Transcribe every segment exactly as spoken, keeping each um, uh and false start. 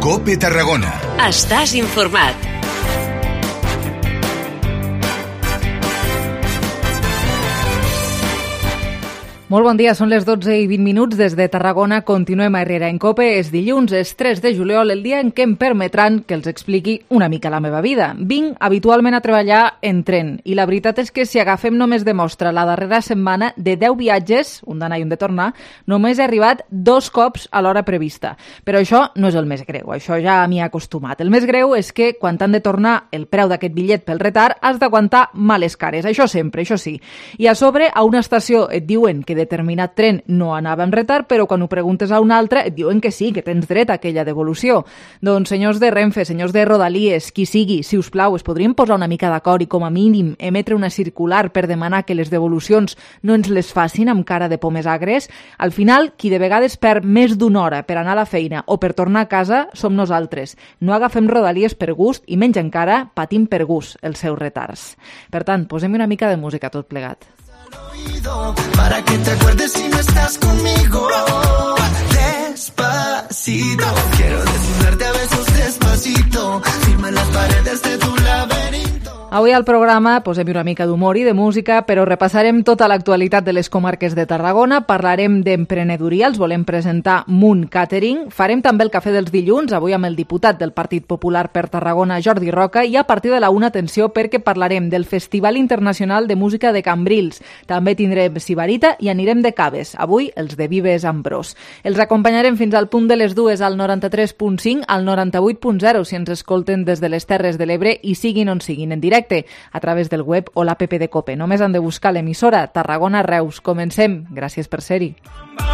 COPE Tarragona. Estàs informat. Molt bon dia, són les dotze i vint minuts des de Tarragona. Continuem a Herrera en COPE. És dilluns, és tres de juliol, el dia en què em permetran que els expliqui una mica la meva vida. Vinc habitualment a treballar en tren i la veritat és que si agafem només de mostra la darrera setmana, de deu viatges, un d'anar i un de tornar, només he arribat dos cops a l'hora prevista. Però això no és el més greu, això ja m'hi he acostumat. El més greu és que quan t'han de tornar el preu d'aquest bitllet pel retard has d'aguantar males cares, això sempre, això sí. I a sobre, a una estació et diuen que determinat tren no anava en retard, però quan ho preguntes a un altre et diuen que sí, que tens dret a aquella devolució. Doncs senyors de Renfe, senyors de Rodalies, qui sigui, si us plau, es podrien posar una mica d'acord i com a mínim emetre una circular per demanar que les devolucions no ens les facin amb cara de pomes agres? Al final, qui de vegades perd més d'una hora per anar a la feina o per tornar a casa som nosaltres. No agafem Rodalies per gust i menys encara patim per gust els seus retards. Per tant, posem una mica de música tot plegat. Para que te acuerdes si no estás conmigo. Despacito, quiero desnudarte a besos despacito. Firma en las paredes de tu laberinto. Avui al programa posem una mica d'humor i de música, però repassarem tota l'actualitat de les comarques de Tarragona, parlarem d'emprenedoria, els volem presentar Moon Catering, farem també el cafè dels dilluns, avui amb el diputat del Partit Popular per Tarragona, Jordi Roca, i a partir de la una, atenció, perquè parlarem del Festival Internacional de Música de Cambrils. També tindrem Sibarita i anirem de caves, avui els de Vives Ambrós. Els acompanyarem fins al punt de les dues al noranta-tres punt cinc, al noranta-vuit punt zero, si ens escolten des de les Terres de l'Ebre i siguin on siguin, en directe a través del web o l'app de COPE. Només han de buscar l'emissora Tarragona Reus. Comencem. Gràcies per ser-hi.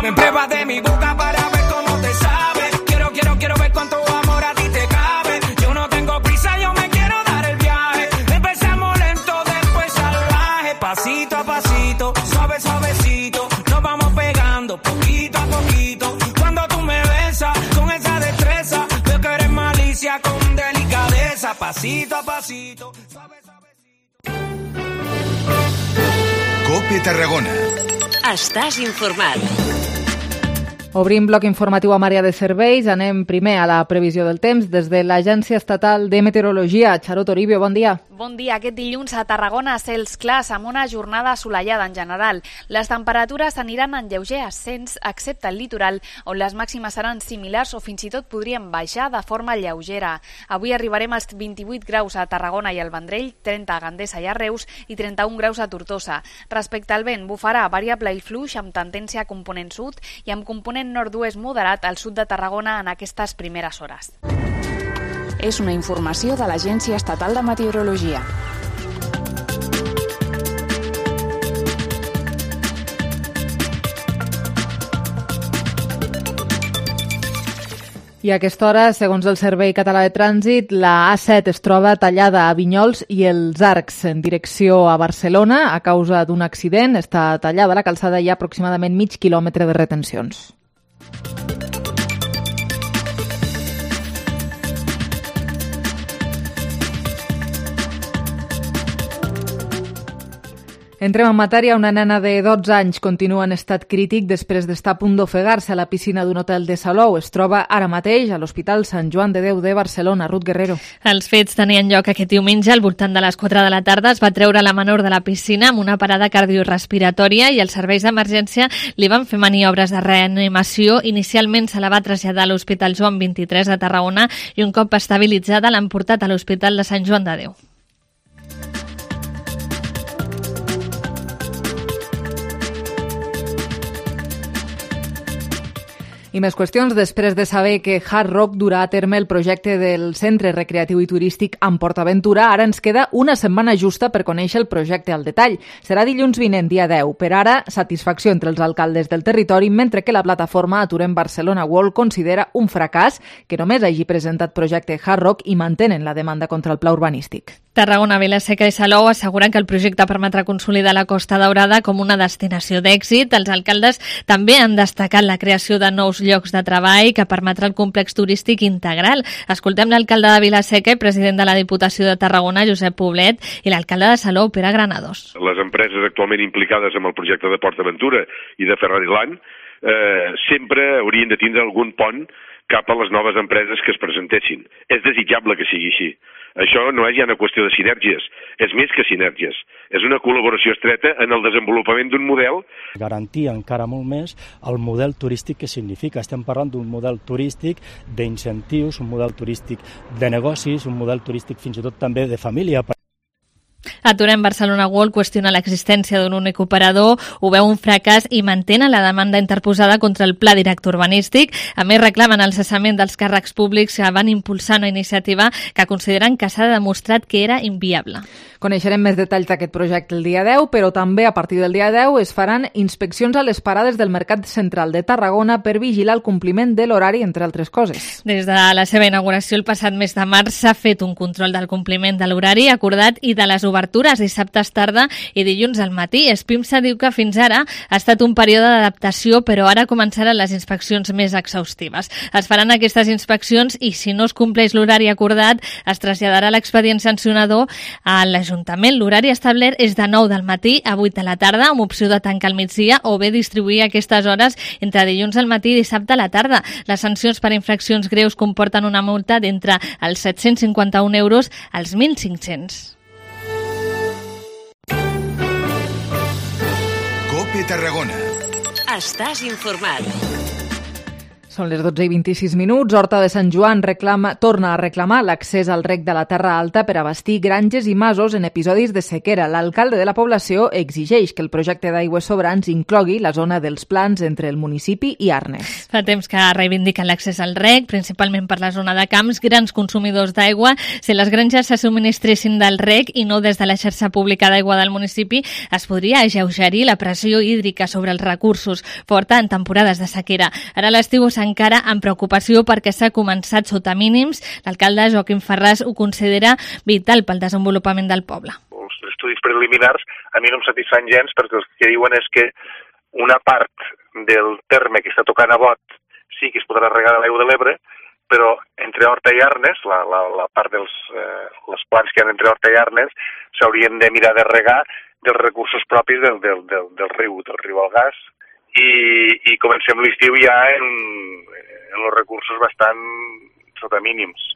Me prueba de mi boca para ver cómo te sabe. Quiero, quiero, quiero ver cuánto amor a ti te cabe. Yo no tengo prisa, yo me quiero dar el viaje. Empezamos lento, después salvaje. Pasito a pasito, suave, suavecito. Nos vamos pegando poquito a poquito. Cuando tú me besas con esa destreza, veo que eres malicia con delicadeza. Pasito a pasito, suave, suavecito. COPE Tarragona. Estàs informat. Obrim bloc informatiu amb àrea de serveis. Anem primer a la previsió del temps des de l'Agència Estatal de Meteorologia. Xaró Toribio, bon dia. Bon dia. Aquest dilluns a Tarragona cels clars amb una jornada assolellada en general. Les temperatures aniran en lleuger ascens, excepte el litoral, on les màximes seran similars o fins i tot podrien baixar de forma lleugera. Avui arribarem als vint-i-vuit graus a Tarragona i al Vendrell, trenta a Gandesa i a Reus i trenta-un graus a Tortosa. Respecte al vent, bufarà variable i fluix amb tendència a component sud i amb component nord-oest moderat al sud de Tarragona en aquestes primeres hores. És una informació de l'Agència Estatal de Meteorologia. I a aquesta hora, segons el Servei Català de Trànsit, la A set es troba tallada a Vinyols i els Arcs en direcció a Barcelona a causa d'un accident. Està tallada la calçada i hi ha aproximadament mig quilòmetre de retencions. Entrem en matèria. Una nena de dotze anys continua en estat crític després d'estar a punt d'ofegar-se a la piscina d'un hotel de Salou. Es troba ara mateix a l'Hospital Sant Joan de Déu de Barcelona. Ruth Guerrero. Els fets tenien lloc aquest diumenge al voltant de les quatre de la tarda. Es va treure la menor de la piscina amb una parada cardiorrespiratòria i els serveis d'emergència li van fer maniobres de reanimació. Inicialment se la va traslladar a l'Hospital Joan vint-i-tres de Tarragona i un cop estabilitzada l'han portat a l'Hospital de Sant Joan de Déu. I més qüestions. Després de saber que Hard Rock durà a terme el projecte del Centre Recreatiu i Turístic amb PortAventura, ara ens queda una setmana justa per conèixer el projecte al detall. Serà dilluns vinent, dia deu. Per ara, satisfacció entre els alcaldes del territori, mentre que la plataforma Aturem Barcelona World considera un fracàs que només hagi presentat projecte Hard Rock i mantenen la demanda contra el pla urbanístic. Tarragona, Vila-seca i Salou asseguren que el projecte permetrà consolidar la Costa Daurada com una destinació d'èxit. Els alcaldes també han destacat la creació de nous llocs de treball que permetrà el complex turístic integral. Escoltem l'alcalde de Vila-seca i president de la Diputació de Tarragona, Josep Poblet, i l'alcalde de Salou, Pere Granados. Les empreses actualment implicades en el projecte de PortAventura i de Ferrariland eh, sempre haurien de tindre algun pont cap a les noves empreses que es presentessin. És desitjable que sigui així. Això no és ja una qüestió de sinergies, és més que sinergies. És una col·laboració estreta en el desenvolupament d'un model. Garantir encara molt més el model turístic que significa. Estem parlant d'un model turístic d'incentius, un model turístic de negocis, un model turístic fins i tot també de família. Aturem Barcelona World qüestiona l'existència d'un únic operador, ho veu un fracàs i mantenen la demanda interposada contra el pla director urbanístic. A més, reclamen el cessament dels càrrecs públics que van impulsar una iniciativa que consideren que s'ha demostrat que era inviable. Coneixerem més detalls d'aquest projecte el dia deu, però també a partir del dia deu es faran inspeccions a les parades del Mercat Central de Tarragona per vigilar el compliment de l'horari, entre altres coses. Des de la seva inauguració el passat mes de març s'ha fet un control del compliment de l'horari acordat i de les obertures dissabtes tarda i dilluns al matí. Espimsa diu que fins ara ha estat un període d'adaptació, però ara començaran les inspeccions més exhaustives. Es faran aquestes inspeccions i si no es compleix l'horari acordat es traslladarà l'expedient sancionador a l'Ajuntament. L'horari establert és de nou del matí a vuit de la tarda, amb opció de tancar al migdia o bé distribuir aquestes hores entre dilluns al matí i dissabte a la tarda. Les sancions per infraccions greus comporten una multa d'entre els set-cents cinquanta-un euros als mil cinc-cents. COPE Tarragona. Estàs informat. Són les dotze i vint-i-sis minuts. Horta de Sant Joan reclama, torna a reclamar l'accés al rec de la Terra Alta per abastir granges i masos en episodis de sequera. L'alcalde de la població exigeix que el projecte d'aigües sobrants inclogui la zona dels plans entre el municipi i Arnes. Fa temps que reivindiquen l'accés al rec, principalment per la zona de camps, grans consumidors d'aigua. Si les granges se subministressin del rec i no des de la xarxa pública d'aigua del municipi, es podria alleugerir la pressió hídrica sobre els recursos forta en temporades de sequera. Ara l'estiu s'ha encara amb preocupació perquè s'ha començat sota mínims. L'alcalde Joaquim Ferràs ho considera vital pel desenvolupament del poble. Els estudis preliminars a mi no em satisfan gens perquè el que diuen és que una part del terme que està tocant a Bot sí que es podrà regar de l'aigua de l'Ebre, però entre Horta i Arnes, la, la, la part dels eh, les plans que hi ha entre Horta i Arnes, s'haurien de mirar de regar dels recursos propis del, del, del, del riu, del riu Algàs, i, i comencem l'estiu ja en, en els recursos bastant sota mínims.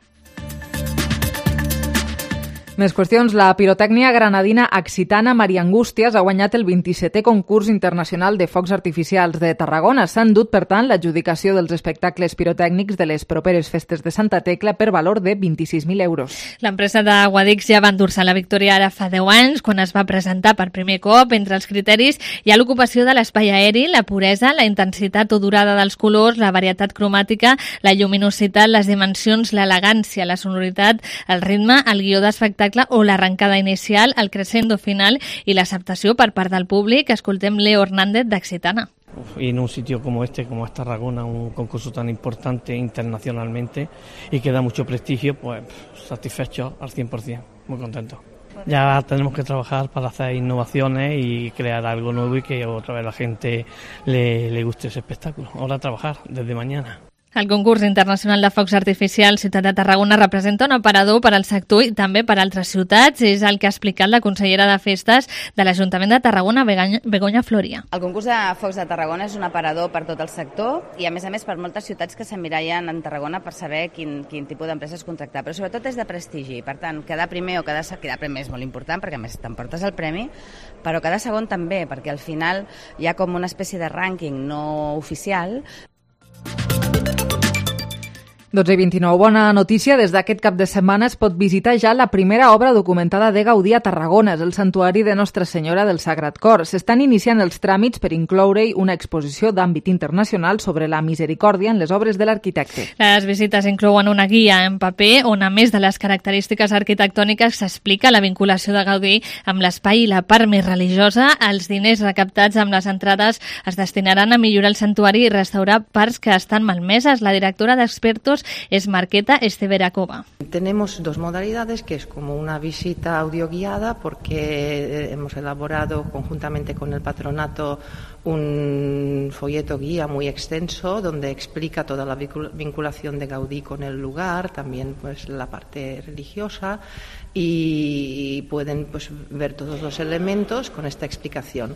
Més qüestions. La pirotècnia granadina Accitana Maria Angústias ha guanyat el vint-i-setè concurs internacional de focs artificials de Tarragona. S'ha endut, per tant, l'adjudicació dels espectacles pirotècnics de les properes festes de Santa Tecla per valor de vint-i-sis mil euros. L'empresa de Guadix ja va endur-se la victòria ara fa deu anys, quan es va presentar per primer cop. Entre els criteris hi ha l'ocupació de l'espai aeri, la puresa, la intensitat o durada dels colors, la varietat cromàtica, la lluminositat, les dimensions, l'elegància, la sonoritat, el ritme, el guió d'espectacle o l'arrencada inicial, el crescendo final i l'acceptació per part del públic. Escoltem Leo Hernández d'Accitana. Y en un sitio como este, como es Tarragona, un concurso tan importante internacionalmente y que da mucho prestigio, pues satisfecho al cien por ciento, muy contento. Ya tenemos que trabajar para hacer innovaciones y crear algo nuevo y que otra vez la gente le, le guste ese espectáculo. Ahora a trabajar desde mañana. El concurs internacional de focs artificials Ciutat de Tarragona representa un aparador per al sector i també per a altres ciutats. És el que ha explicat la consellera de Festes de l'Ajuntament de Tarragona, Begoña Floria. El concurs de focs de Tarragona és un aparador per tot el sector i, a més a més, per moltes ciutats que s'emmirallen en Tarragona per saber quin, quin tipus d'empreses contractar. Però sobretot és de prestigi. Per tant, quedar primer o quedar, quedar primer és molt important perquè, a més, t'emportes el premi, però quedar segon també, perquè al final hi ha com una espècie de rànquing no oficial. dotze i vint-i-nou. Bona notícia. Des d'aquest cap de setmana es pot visitar ja la primera obra documentada de Gaudí a Tarragona. És el santuari de Nostra Senyora del Sagrat Cor. S'estan iniciant els tràmits per incloure-hi una exposició d'àmbit internacional sobre la misericòrdia en les obres de l'arquitecte. Les visites inclouen una guia en paper on, a més de les característiques arquitectòniques, s'explica la vinculació de Gaudí amb l'espai i la part més religiosa. Els diners recaptats amb les entrades es destinaran a millorar el santuari i restaurar parts que estan malmeses. La directora d'Expertos es Marqueta Esteverakova. Tenemos dos modalidades, que es como una visita audioguiada, porque hemos elaborado conjuntamente con el patronato un folleto guía muy extenso donde explica toda la vinculación de Gaudí con el lugar, también pues la parte religiosa, y pueden pues ver todos los elementos con esta explicación.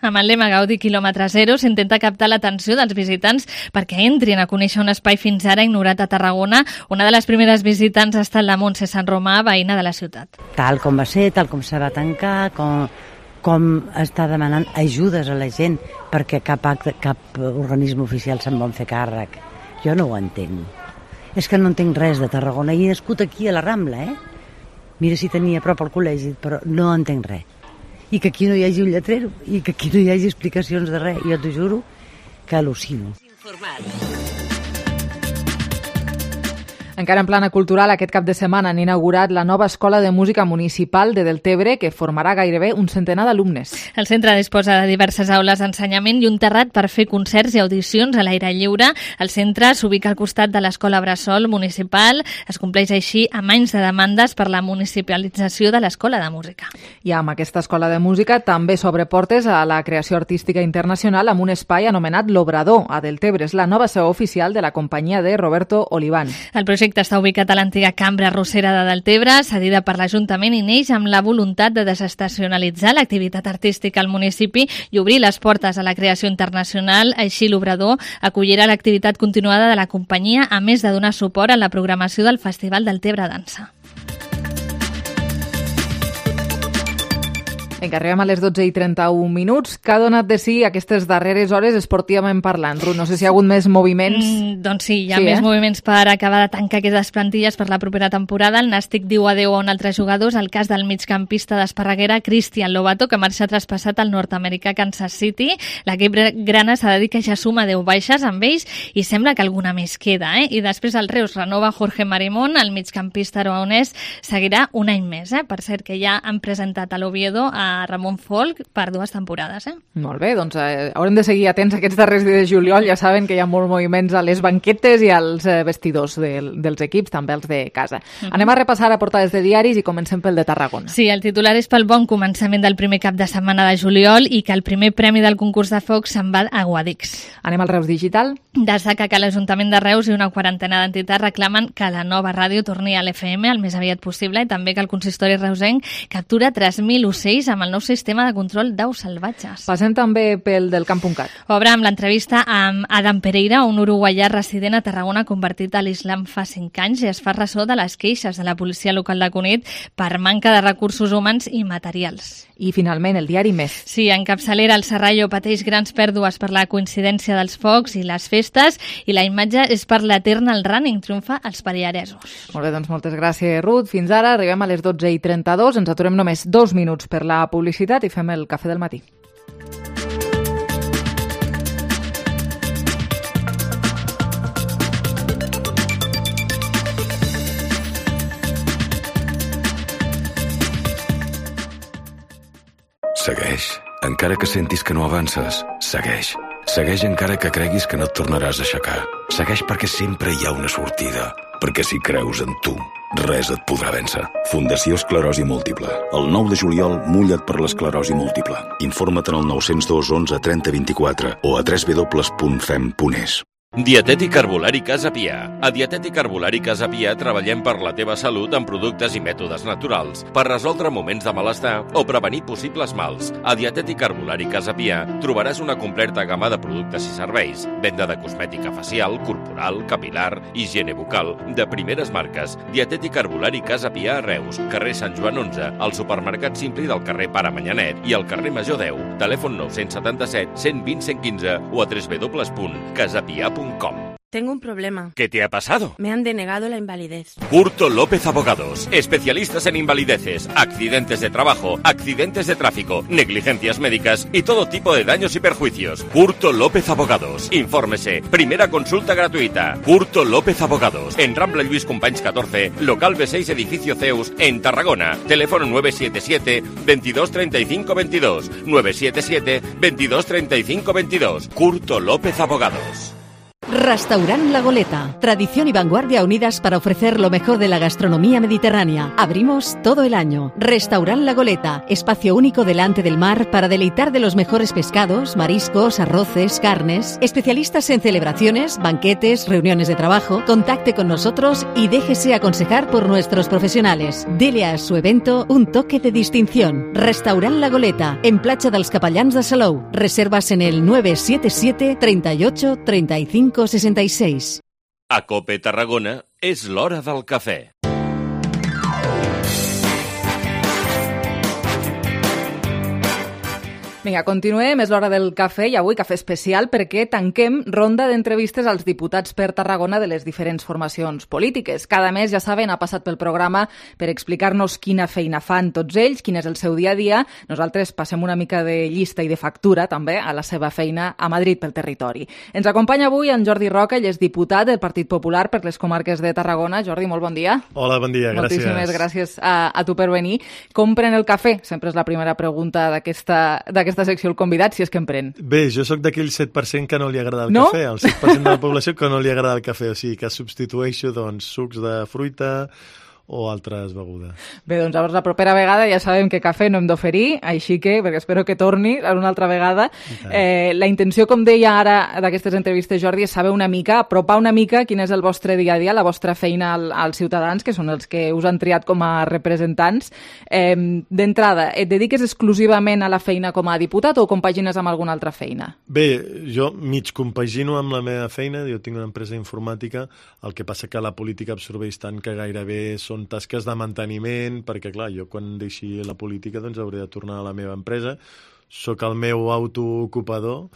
Amb el lema Gaudi quilòmetre zero s'intenta captar l'atenció dels visitants perquè entrin a conèixer un espai fins ara ignorat a Tarragona. Una de les primeres visitants ha estat la Montse Sant Romà, veïna de la ciutat. Tal com va ser, tal com se va tancar, com, com està demanant ajudes a la gent perquè cap, acte, cap organisme oficial se'n vol fer càrrec. Jo no ho entenc. És que no entenc res de Tarragona. He nascut aquí a la Rambla, eh? Mira si tenia a prop al col·legi, però no entenc res. I que aquí no hi hagi un lletrero, i que aquí no hi hagi explicacions de res. Jo t'ho juro que al·lucino. Encara en plana cultural, aquest cap de setmana han inaugurat la nova Escola de Música Municipal de Deltebre, que formarà gairebé un centenar d'alumnes. El centre disposa de diverses aules d'ensenyament i un terrat per fer concerts i audicions a l'aire lliure. El centre s'ubica al costat de l'Escola Bressol Municipal. Es compleix així amb anys de demandes per la municipalització de l'Escola de Música. I amb aquesta Escola de Música també s'obre portes a la creació artística internacional amb un espai anomenat L'Obrador, a Deltebre. És la nova seu oficial de la companyia de Roberto Oliván. El projecte està ubicat a l'antiga Cambra Arrossera de Deltebre, cedida per l'Ajuntament, i neix amb la voluntat de desestacionalitzar l'activitat artística al municipi i obrir les portes a la creació internacional. Així, l'Obrador acollirà l'activitat continuada de la companyia, a més de donar suport a la programació del Festival Deltebre Dansa. Vinga, arribem a les dotze i trenta-un minuts. Què ha donat de si aquestes darreres hores esportivament parlant? Ruth, no sé si hi ha hagut més moviments. Mm, doncs sí, hi ha sí, més eh? moviments per acabar de tancar aquestes plantilles per la propera temporada. El Nàstic diu adeu a un altre jugador, el cas del migcampista d'Esparreguera, Cristian Lobato, que marxa traspassat al nord-americà Kansas City. L'equip grana s'ha de dir que ja suma deu baixes amb ells i sembla que alguna més queda. Eh? I després el Reus renova Jorge Marimón, el migcampista aragonès seguirà un any més. Eh? Per cert, que ja han presentat a l'Oviedo a Ramon Folk per dues temporades. Eh? Molt bé, doncs eh, haurem de seguir atents aquests darrers dies de juliol. Ja saben que hi ha molts moviments a les banquetes i als eh, vestidors de, dels equips, també els de casa. Uh-huh. Anem a repassar a portades de diaris i comencem pel de Tarragona. Sí, el titular és pel bon començament del primer cap de setmana de juliol i que el primer premi del concurs de foc se'n va a Guadix. Anem al Reus Digital. Destaca que l'Ajuntament de Reus i una quarantena d'entitats reclamen que la nova ràdio torni a l'F M el més aviat possible i també que el consistori reusenc captura tres mil ocells amb el nou sistema de control d'aus salvatges. Passem també pel del camp.cat. Obre amb l'entrevista amb Adam Pereira, un uruguaià resident a Tarragona convertit a l'islam fa cinc anys i es fa ressò de les queixes de la policia local de Cunit per manca de recursos humans i materials. I finalment el diari Més. Sí, en capçalera el Serrallo pateix grans pèrdues per la coincidència dels focs i les festes i la imatge és per l'Eternal Running, triomfa als pallaresos. Molt bé, doncs moltes gràcies, Ruth. Fins ara arribem a les dotze i trenta-dos. Ens aturem només dos minuts per la publicitat i fem el cafè del matí. Segueix. Encara que sentis que no avances, segueix. Segueix encara que creguis que no et tornaràs a aixecar. Segueix perquè sempre hi ha una sortida. Perquè si creus en tu, res et podrà vèncer. Fundació Esclerosi Múltiple. El nou de juliol, mulla't per l'esclerosi múltiple. Informa't en el nou zero dos onze trenta vint-i-quatre o a w w w punt fem punt es. Dietètic Herbolari Casa Pia. A Dietètic Herbolari Casa Pia treballem per la teva salut amb productes i mètodes naturals per resoldre moments de malestar o prevenir possibles mals. A Dietètic Herbolari Casa Pia trobaràs una completa gamma de productes i serveis, venda de cosmètica facial, corporal, capilar, higiene bucal, de primeres marques. Dietètic Herbolari Casa Pia a Reus, carrer Sant Joan onze, al supermercat Simpli del carrer Pare Manyanet i al carrer Major deu. Telèfon nou set set, cent vint, cent quinze o a w w w punt casapia punt com. Tengo un problema. ¿Qué te ha pasado? Me han denegado la invalidez. Curto López Abogados. Especialistas en invalideces, accidentes de trabajo, accidentes de tráfico, negligencias médicas y todo tipo de daños y perjuicios. Curto López Abogados. Infórmese. Primera consulta gratuita. Curto López Abogados. En Rambla Lluís Companys catorce, local B seis, edificio Zeus, en Tarragona. Teléfono nueve siete siete, veintidós treinta y cinco veintidós. nueve siete siete, veintidós treinta y cinco veintidós. Curto López Abogados. Restaurant La Goleta. Tradición y vanguardia unidas para ofrecer lo mejor de la gastronomía mediterránea. Abrimos todo el año. Restaurant La Goleta. Espacio único delante del mar para deleitar de los mejores pescados, mariscos, arroces, carnes. Especialistas en celebraciones, banquetes, reuniones de trabajo. Contacte con nosotros y déjese aconsejar por nuestros profesionales. Dele a su evento un toque de distinción. Restaurant La Goleta. En Platja dels Capellans de Salou. Reservas en el nueve siete siete, treinta y ocho, treinta y cinco, sesenta y seis. A COPE Tarragona és l'hora del cafè. Vinga, continuem, és l'hora del cafè i avui cafè especial perquè tanquem ronda d'entrevistes als diputats per Tarragona de les diferents formacions polítiques. Cada mes, ja saben, ha passat pel programa per explicar-nos quina feina fan tots ells, quin és el seu dia a dia. Nosaltres passem una mica de llista i de factura també a la seva feina a Madrid pel territori. Ens acompanya avui en Jordi Roca, ell és diputat del Partit Popular per les comarques de Tarragona. Jordi, molt bon dia. Hola, bon dia, gràcies. Moltíssimes gràcies a, a tu per venir. Com pren el cafè? Sempre és la primera pregunta d'aquesta d'aquesta secció, el convidat, si és que en pren. Bé, jo sóc d'aquell set per cent que no li agrada el no? cafè, el set per cent de la població que no li agrada el cafè, o sigui que substitueixo doncs, sucs de fruita o altres begudes. Bé, doncs llavors la propera vegada ja sabem que cafè no hem d'oferir, així que, perquè espero que torni una altra vegada. Eh, la intenció, com deia ara d'aquestes entrevistes, Jordi, és saber una mica, apropar una mica quin és el vostre dia a dia, la vostra feina al, als ciutadans, que són els que us han triat com a representants. Eh, D'entrada, et dediques exclusivament a la feina com a diputat o compagines amb alguna altra feina? Bé, jo mig compagino amb la meva feina, jo tinc una empresa informàtica, el que passa que la política absorbeix tant que gairebé són tasques de manteniment, perquè clar, jo quan deixi la política doncs hauré de tornar a la meva empresa. Soc el meu autoocupador,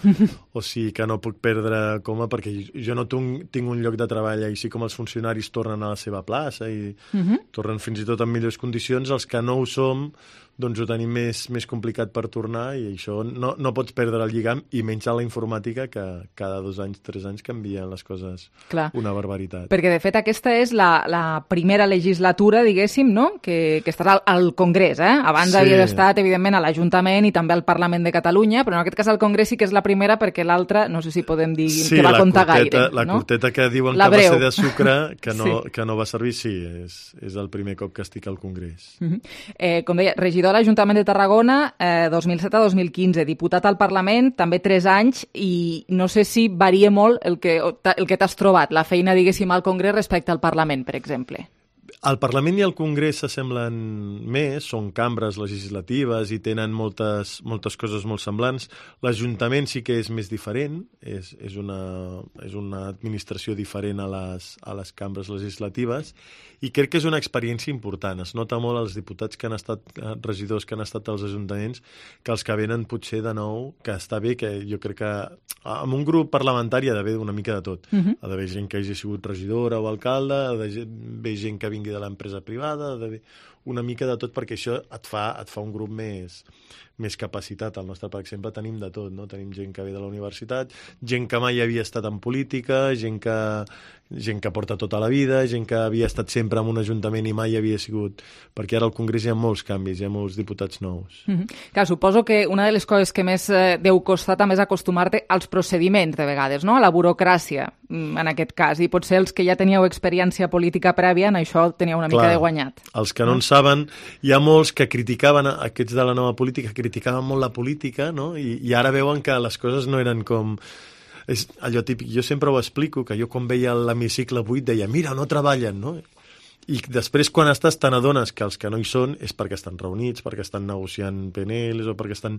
o sigui que no puc perdre coma, perquè jo no tinc un lloc de treball, així com els funcionaris tornen a la seva plaça i uh-huh. tornen fins i tot en millors condicions, els que no ho som doncs ho tenim més, més complicat per tornar i això no, no pots perdre el lligam i menys a la informàtica que cada dos anys, tres anys canvien les coses. Clar. Una barbaritat. Perquè de fet aquesta és la, la primera legislatura, diguéssim, no? que, que estarà al, al Congrés. Eh? Abans sí. havia estat, evidentment, a l'Ajuntament i també al Parlament de Catalunya, però en aquest cas al Congrés sí que és la primera perquè l'altra, no sé si podem dir sí, que va comptar curteta, gaire. La no? curteta que diuen la que breu. Va ser de sucre, que no, sí. que no va servir, sí, és, és el primer cop que estic al Congrés. Uh-huh. eh, com deia, regidor a l'Ajuntament de Tarragona, eh, dos mil set a dos mil quinze, diputat al Parlament, també tres anys, i no sé si varia molt el que, el que t'has trobat, la feina, diguéssim, al Congrés respecte al Parlament, per exemple. El Parlament i el Congrés s'assemblen més, són cambres legislatives i tenen moltes, moltes coses molt semblants. L'Ajuntament sí que és més diferent, és, és, una, és una administració diferent a les, a les cambres legislatives i crec que és una experiència important. Es nota molt als diputats que han estat, regidors que han estat als ajuntaments, que els que venen potser de nou, que està bé, que jo crec que en un grup parlamentari ha d'haver una mica de tot. Uh-huh. Ha d'haver gent que hagi sigut regidora o alcalde, ha d'haver gent que vingui de l'empresa privada, ha d'haver una mica de tot, perquè això et fa, et fa un grup més, més capacitat. Al nostre, per exemple, tenim de tot, no? Tenim gent que ve de la universitat, gent que mai havia estat en política, gent que, gent que porta tota la vida, gent que havia estat sempre en un ajuntament i mai havia sigut... Perquè ara al Congrés hi ha molts canvis, hi ha molts diputats nous. Mm-hmm. Clar, suposo que una de les coses que més eh, deu costar també és acostumar-te als procediments, de vegades, no? A la burocràcia, en aquest cas. I potser els que ja teníeu experiència política prèvia, en això teniu una Clar, mica de guanyat. Els que no en saben, hi ha molts que criticaven, aquests de la nova política, criticaven molt la política, no? I, i ara veuen que les coses no eren com... És allò típic, jo sempre ho explico, que jo quan veia l'hemicicle buit deia, mira, no treballen, no? I després, quan estàs, te n'adones que els que no hi són és perquè estan reunits, perquè estan negociant P N Ls o perquè estan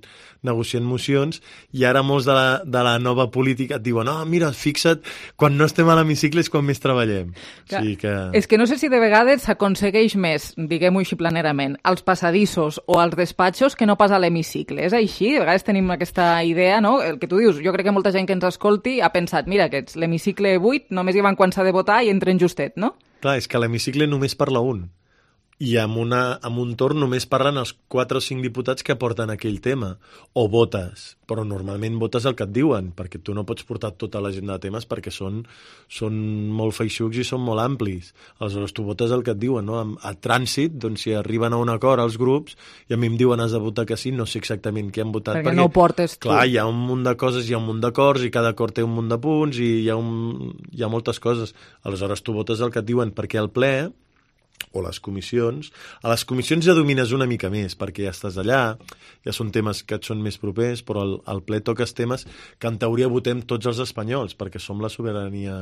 negociant mocions, i ara molts de la, de la nova política et diuen, oh, mira, fixa't, quan no estem a l'hemicicle és quan més treballem. Que, o sigui que... És que no sé si de vegades s'aconsegueix més, diguem-ho així planerament, als passadissos o als despatxos que no pas a l'hemicicle. És així? De vegades tenim aquesta idea, no? El que tu dius, jo crec que molta gent que ens escolti ha pensat, mira, que l'hemicicle buit només hi van quan s'ha de votar i entren justet, no? Clar, és que a l'hemicicle només parla un. i amb, una, amb un torn només parlen els quatre o cinc diputats que porten aquell tema, o votes, però normalment votes el que et diuen, perquè tu no pots portar tota l'agenda de temes perquè són, són molt feixucs i són molt amplis. Aleshores tu votes el que et diuen, no? A, a trànsit, doncs si arriben a un acord els grups i a mi em diuen has de votar que sí, no sé exactament què han votat. Perquè, perquè no ho portes tu. Clar, hi ha un munt de coses, hi ha un munt d'acords i cada acord té un munt de punts i hi ha, un, hi ha moltes coses. Aleshores tu votes el que et diuen, perquè al ple o les comissions. A les comissions ja domines una mica més, perquè ja estàs allà, ja són temes que et són més propers, però al, al ple toques temes que en teoria votem tots els espanyols, perquè som la sobirania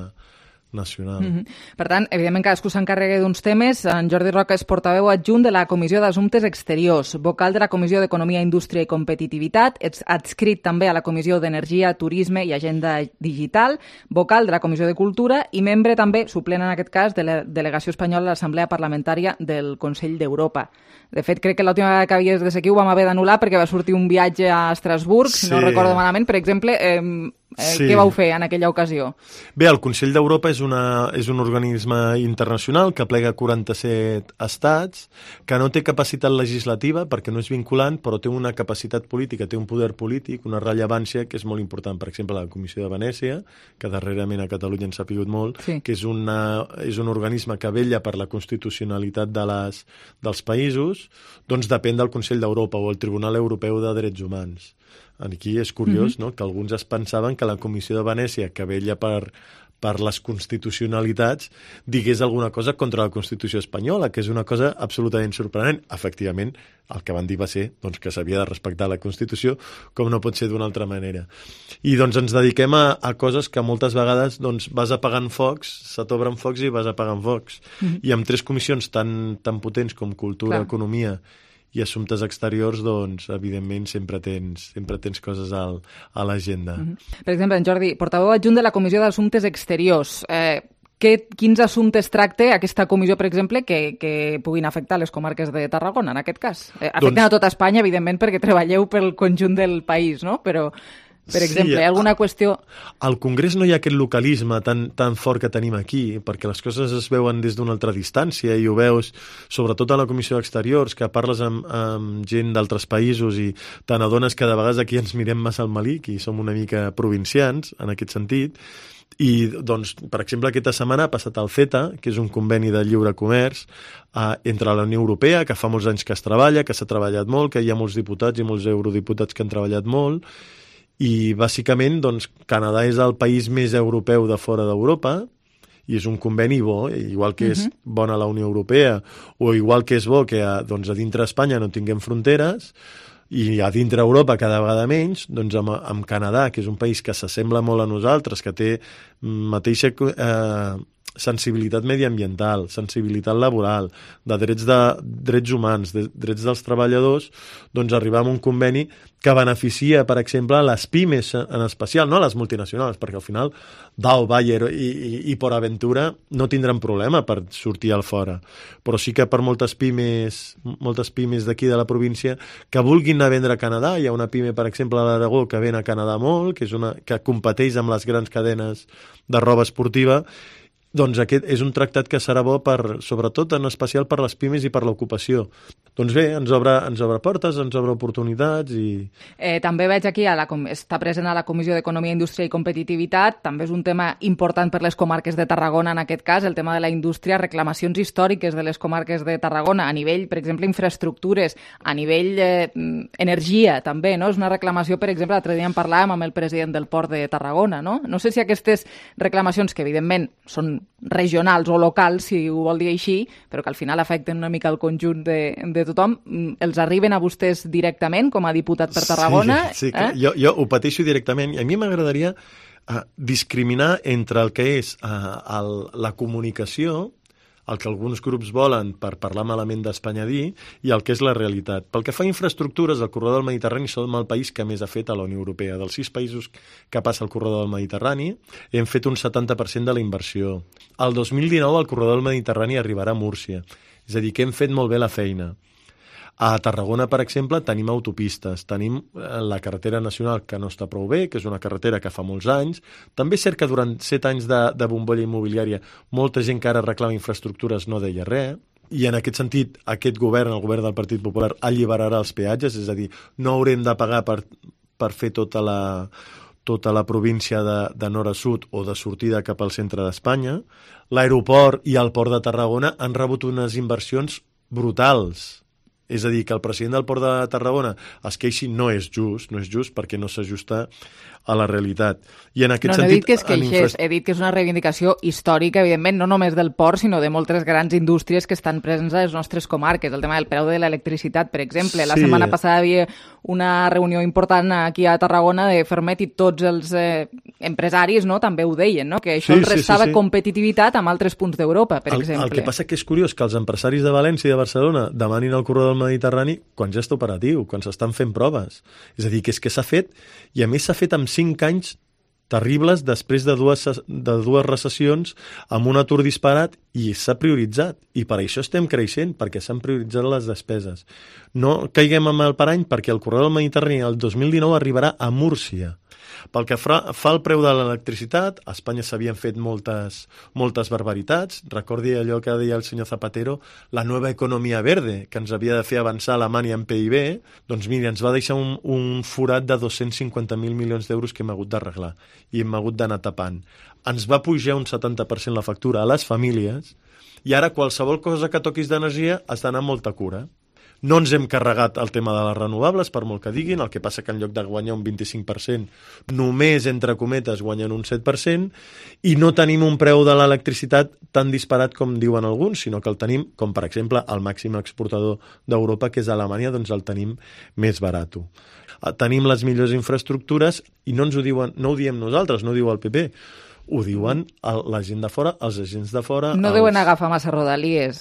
nacional. Mm-hmm. Per tant, evidentment, cadascú s'encarrega d'uns temes. En Jordi Roca és portaveu adjunt de la Comissió d'Assumptes Exteriors, vocal de la Comissió d'Economia, Indústria i Competitivitat, ets adscrit també a la Comissió d'Energia, Turisme i Agenda Digital, vocal de la Comissió de Cultura i membre també, suplent en aquest cas, de la delegació espanyola a l'Assemblea Parlamentària del Consell d'Europa. De fet, crec que l'última vegada que havies de ser aquí ho vam haver d'anul·lar perquè va sortir un viatge a Estrasburg, sí. Si no recordo malament. Per exemple, eh, eh, sí. Què vau fer en aquella ocasió? Bé, el Consell d'Europa és, una, és un organisme internacional que plega quaranta-set estats, que no té capacitat legislativa perquè no és vinculant, però té una capacitat política, té un poder polític, una rellevància que és molt important. Per exemple, la Comissió de Venècia, que darrerament a Catalunya ens ha pigut molt, sí. Que és, una, és un organisme que vetlla per la constitucionalitat de les, dels països, doncs depèn del Consell d'Europa o el Tribunal Europeu de Drets Humans. Aquí és curiós, mm-hmm. no?, que alguns es pensaven que la Comissió de Venècia, que vetlla per, per les constitucionalitats, digués alguna cosa contra la Constitució espanyola, que és una cosa absolutament sorprenent. Efectivament, el que van dir va ser doncs, que s'havia de respectar la Constitució, com no pot ser d'una altra manera. I doncs ens dediquem a, a coses que moltes vegades doncs, vas apagant focs, se t'obren focs i vas apagant focs. Mm-hmm. I amb tres comissions tan, tan potents com Cultura, Clar. Economia i Assumptes Exteriors, doncs, evidentment, sempre tens, sempre tens coses al, a l'agenda. Mm-hmm. Per exemple, en Jordi, portaveu adjunt de la Comissió d'Assumptes Exteriors. Eh, que, quins assumptes tracta aquesta comissió, per exemple, que, que puguin afectar les comarques de Tarragona, en aquest cas? Eh, afecten doncs... a tota Espanya, evidentment, perquè treballeu pel conjunt del país, no? Però... Per exemple, sí, alguna qüestió... Al Congrés no hi ha aquest localisme tan, tan fort que tenim aquí, perquè les coses es veuen des d'una altra distància i ho veus, sobretot a la Comissió d'Exteriors, que parles amb, amb gent d'altres països i te n'adones que de vegades aquí ens mirem massa al malic i som una mica provincians, en aquest sentit. I, doncs, per exemple, aquesta setmana ha passat el CETA, que és un conveni de lliure comerç eh, entre la Unió Europea, que fa molts anys que es treballa, que s'ha treballat molt, que hi ha molts diputats i molts eurodiputats que han treballat molt, i bàsicament doncs, Canadà és el país més europeu de fora d'Europa i és un conveni bo, igual que és uh-huh. bona la Unió Europea o igual que és bo que a, doncs, a dintre Espanya no tinguem fronteres i a dintre Europa cada vegada menys, doncs amb, amb Canadà, que és un país que s'assembla molt a nosaltres, que té mateixa eh, sensibilitat mediambiental, sensibilitat laboral, de drets, de, drets humans, de drets dels treballadors, doncs arribar a un conveni que beneficia, per exemple, les pimes en especial, no les multinacionals, perquè al final Dow, Bayer i, i, i Port Aventura no tindran problema per sortir al fora. Però sí que per moltes pimes, moltes pimes d'aquí de la província que vulguin anar a vendre a Canadà, hi ha una pime, per exemple, a l'Aragó que ven a Canadà molt, que és una que competeix amb les grans cadenes de roba esportiva. Doncs aquest és un tractat que serà bo per, sobretot en especial per les pimes i per l'ocupació. Doncs bé, ens obre, ens obre portes, ens obre oportunitats i... Eh, també veig aquí, a la, està present a la Comissió d'Economia, Indústria i Competitivitat, també és un tema important per les comarques de Tarragona, en aquest cas, el tema de la indústria, reclamacions històriques de les comarques de Tarragona, a nivell, per exemple, infraestructures, a nivell eh, energia, també, no? És una reclamació, per exemple, l'altre dia en parlàvem amb el president del Port de Tarragona, no? No sé si aquestes reclamacions, que evidentment són regionals o locals, si ho vol dir així, però que al final afecten una mica el conjunt de, de tothom, els arriben a vostès directament com a diputat per Tarragona? Sí, sí eh? jo, jo ho pateixo directament i a mi m'agradaria uh, discriminar entre el que és uh, el, la comunicació, el que alguns grups volen per parlar malament d'Espanya dir, i el que és la realitat. Pel que fa a infraestructures, el corredor del Mediterrani som el país que més ha fet a la Unió Europea. Dels sis països que passa el corredor del Mediterrani, hem fet un setanta per cent de la inversió. El dos mil dinou el corredor del Mediterrani arribarà a Múrcia. És a dir, que hem fet molt bé la feina. A Tarragona, per exemple, tenim autopistes, tenim la carretera nacional que no està prou bé, que és una carretera que fa molts anys. També és cert que durant set anys de, de bombolla immobiliària molta gent que ara reclama infraestructures no deia res, i en aquest sentit aquest govern, el govern del Partit Popular, alliberarà els peatges, és a dir, no haurem de pagar per, per fer tota la, tota la província de, de nord a sud o de sortida cap al centre d'Espanya. L'aeroport i el port de Tarragona han rebut unes inversions brutals. És a dir, que el president del Port de Tarragona es queixi no és just, no és just perquè no s'ajusta a la realitat. I en aquest no, no sentit... he dit que es queixés, infra... he dit que és una reivindicació històrica, evidentment, no només del port, sinó de moltes grans indústries que estan presents a les nostres comarques. El tema del preu de l'electricitat, per exemple. La sí. setmana passada hi havia una reunió important aquí a Tarragona de Fermet i tots els eh, empresaris no, també ho deien, no? Que això sí, els restava sí, sí, sí. competitivitat amb altres punts d'Europa, per el, exemple. El que passa que és curiós que els empresaris de València i de Barcelona demanin el corredor del Mediterrani quan ja està operatiu, quan s'estan fent proves. És a dir, que és que s'ha fet, i a més s'ha fet amb cinc anys terribles després de dues, de dues recessions amb un atur disparat i s'ha prioritzat. I per això estem creixent, perquè s'han prioritzat les despeses. No caiguem amb el parany perquè el corredor del Mediterrani el dos mil dinou arribarà a Múrcia. Pel que fa al preu de l'electricitat, a Espanya s'havien fet moltes, moltes barbaritats. Recordi allò que deia el senyor Zapatero, la nova economia verde, que ens havia de fer avançar Alemanya en P I B, doncs mira, ens va deixar un, un forat de dos-cents cinquanta mil milions d'euros que hem hagut d'arreglar i hem hagut d'anar tapant. Ens va pujar un setanta per cent la factura a les famílies i ara qualsevol cosa que toquis d'energia has d'anar amb molta cura. No ens hem carregat el tema de les renovables, per molt que diguin, el que passa que en lloc de guanyar un vint-i-cinc per cent, només, entre cometes, guanyen un set per cent, i no tenim un preu de l'electricitat tan disparat com diuen alguns, sinó que el tenim, com per exemple, el màxim exportador d'Europa, que és Alemanya, doncs el tenim més barat. Tenim les millors infraestructures i no ens ho diuen, no ho diem nosaltres, no ho diu el P P, ho diuen la gent de fora, els agents de fora... No els... deuen agafar massa Rodalies,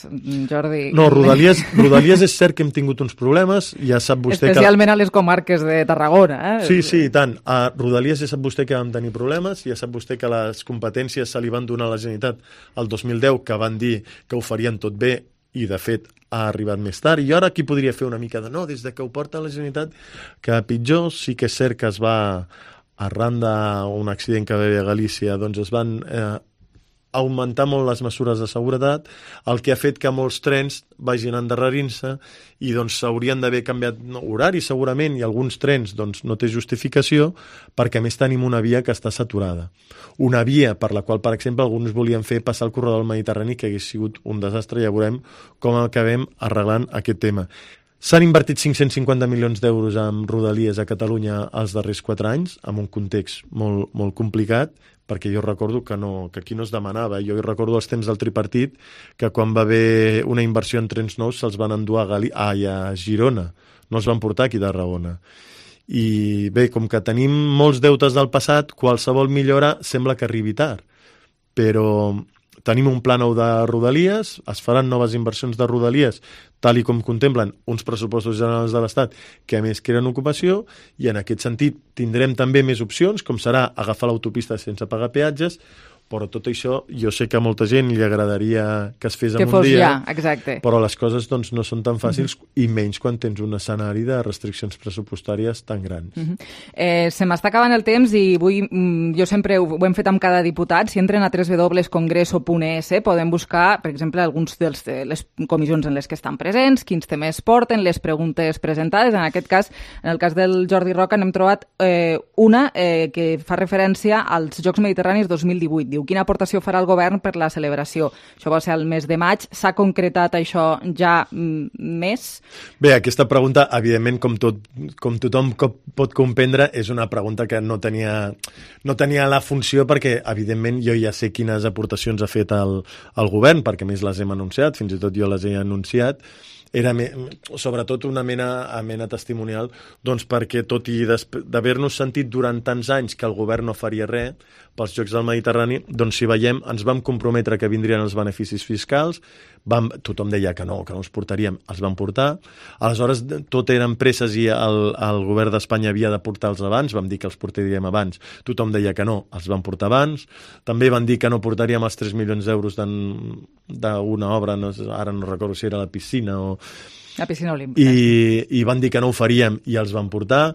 Jordi. No, Rodalies, Rodalies és cert que hem tingut uns problemes, ja sap vostè Especialment que... Especialment a les comarques de Tarragona. Eh? Sí, sí, i tant. A Rodalies ja sap vostè que vam tenir problemes, ja sap vostè que les competències se li van donar a la Generalitat el dos mil deu, que van dir que ho farien tot bé, i de fet ha arribat més tard, i ara aquí podria fer una mica de no, des de que ho porta la Generalitat, que pitjor sí que és cert que es va... arran d'un accident que va haver a Galícia, doncs es van eh, augmentar molt les mesures de seguretat, el que ha fet que molts trens vagin endarrerint-se i doncs s'haurien d'haver canviat no, horari segurament, i alguns trens doncs, no té justificació perquè a més tenim una via que està saturada. Una via per la qual, per exemple, alguns volien fer passar el corredor del Mediterrani, que hagués sigut un desastre, ja veurem com acabem arreglant aquest tema. S'han invertit cinc-cents cinquanta milions d'euros en Rodalies a Catalunya els darrers quatre anys, en un context molt, molt complicat, perquè jo recordo que, no, que aquí no es demanava. Jo recordo els temps del tripartit, que quan va haver una inversió en trens nous se'ls van endur a, Gali ah, a Girona, no els van portar aquí de Tarragona. I bé, com que tenim molts deutes del passat, qualsevol millora sembla que arribi tard, però... Tenim un pla nou de Rodalies, es faran noves inversions de Rodalies, tal i com contemplen uns pressupostos generals de l'Estat que a més creen ocupació, i en aquest sentit tindrem també més opcions, com serà agafar l'autopista sense pagar peatges, però tot això jo sé que a molta gent li agradaria que es fes en un dia, ja, exacte. Però les coses doncs, no són tan fàcils, mm-hmm. i menys quan tens un escenari de restriccions pressupostàries tan grans. Mm-hmm. eh, se m'està acabant el temps i vull, jo sempre ho, ho hem fet amb cada diputat. Si entren a w w w punt congreso punt e s podem buscar, per exemple, alguns de les comissions en les que estan presents, quins temes porten, les preguntes presentades. En aquest cas, en el cas del Jordi Roca, n'hem trobat eh, una eh, que fa referència als Jocs Mediterranis dos mil divuit. Diu, quina aportació farà el govern per la celebració? Això va ser el mes de maig. S'ha concretat això ja mm, més? Bé, aquesta pregunta, evidentment, com, tot, com tothom pot comprendre, és una pregunta que no tenia, no tenia la funció perquè, evidentment, jo ja sé quines aportacions ha fet el, el govern, perquè més les hem anunciat, fins i tot jo les he anunciat. Era me, sobretot una mena, a mena testimonial, doncs perquè tot i d'haver-nos sentit durant tants anys que el govern no faria res pels Jocs del Mediterrani, doncs si veiem, ens vam comprometre que vindrien els beneficis fiscals, vam, tothom deia que no, que no els portaríem, els vam portar, aleshores tot eren presses i el, el govern d'Espanya havia de portar-los abans, vam dir que els portaríem abans, tothom deia que no, els vam portar abans, també van dir que no portaríem els tres milions d'euros d'una obra, no, ara no recordo si era la piscina o... La piscina olímpica. I, i van dir que no ho faríem i els van portar.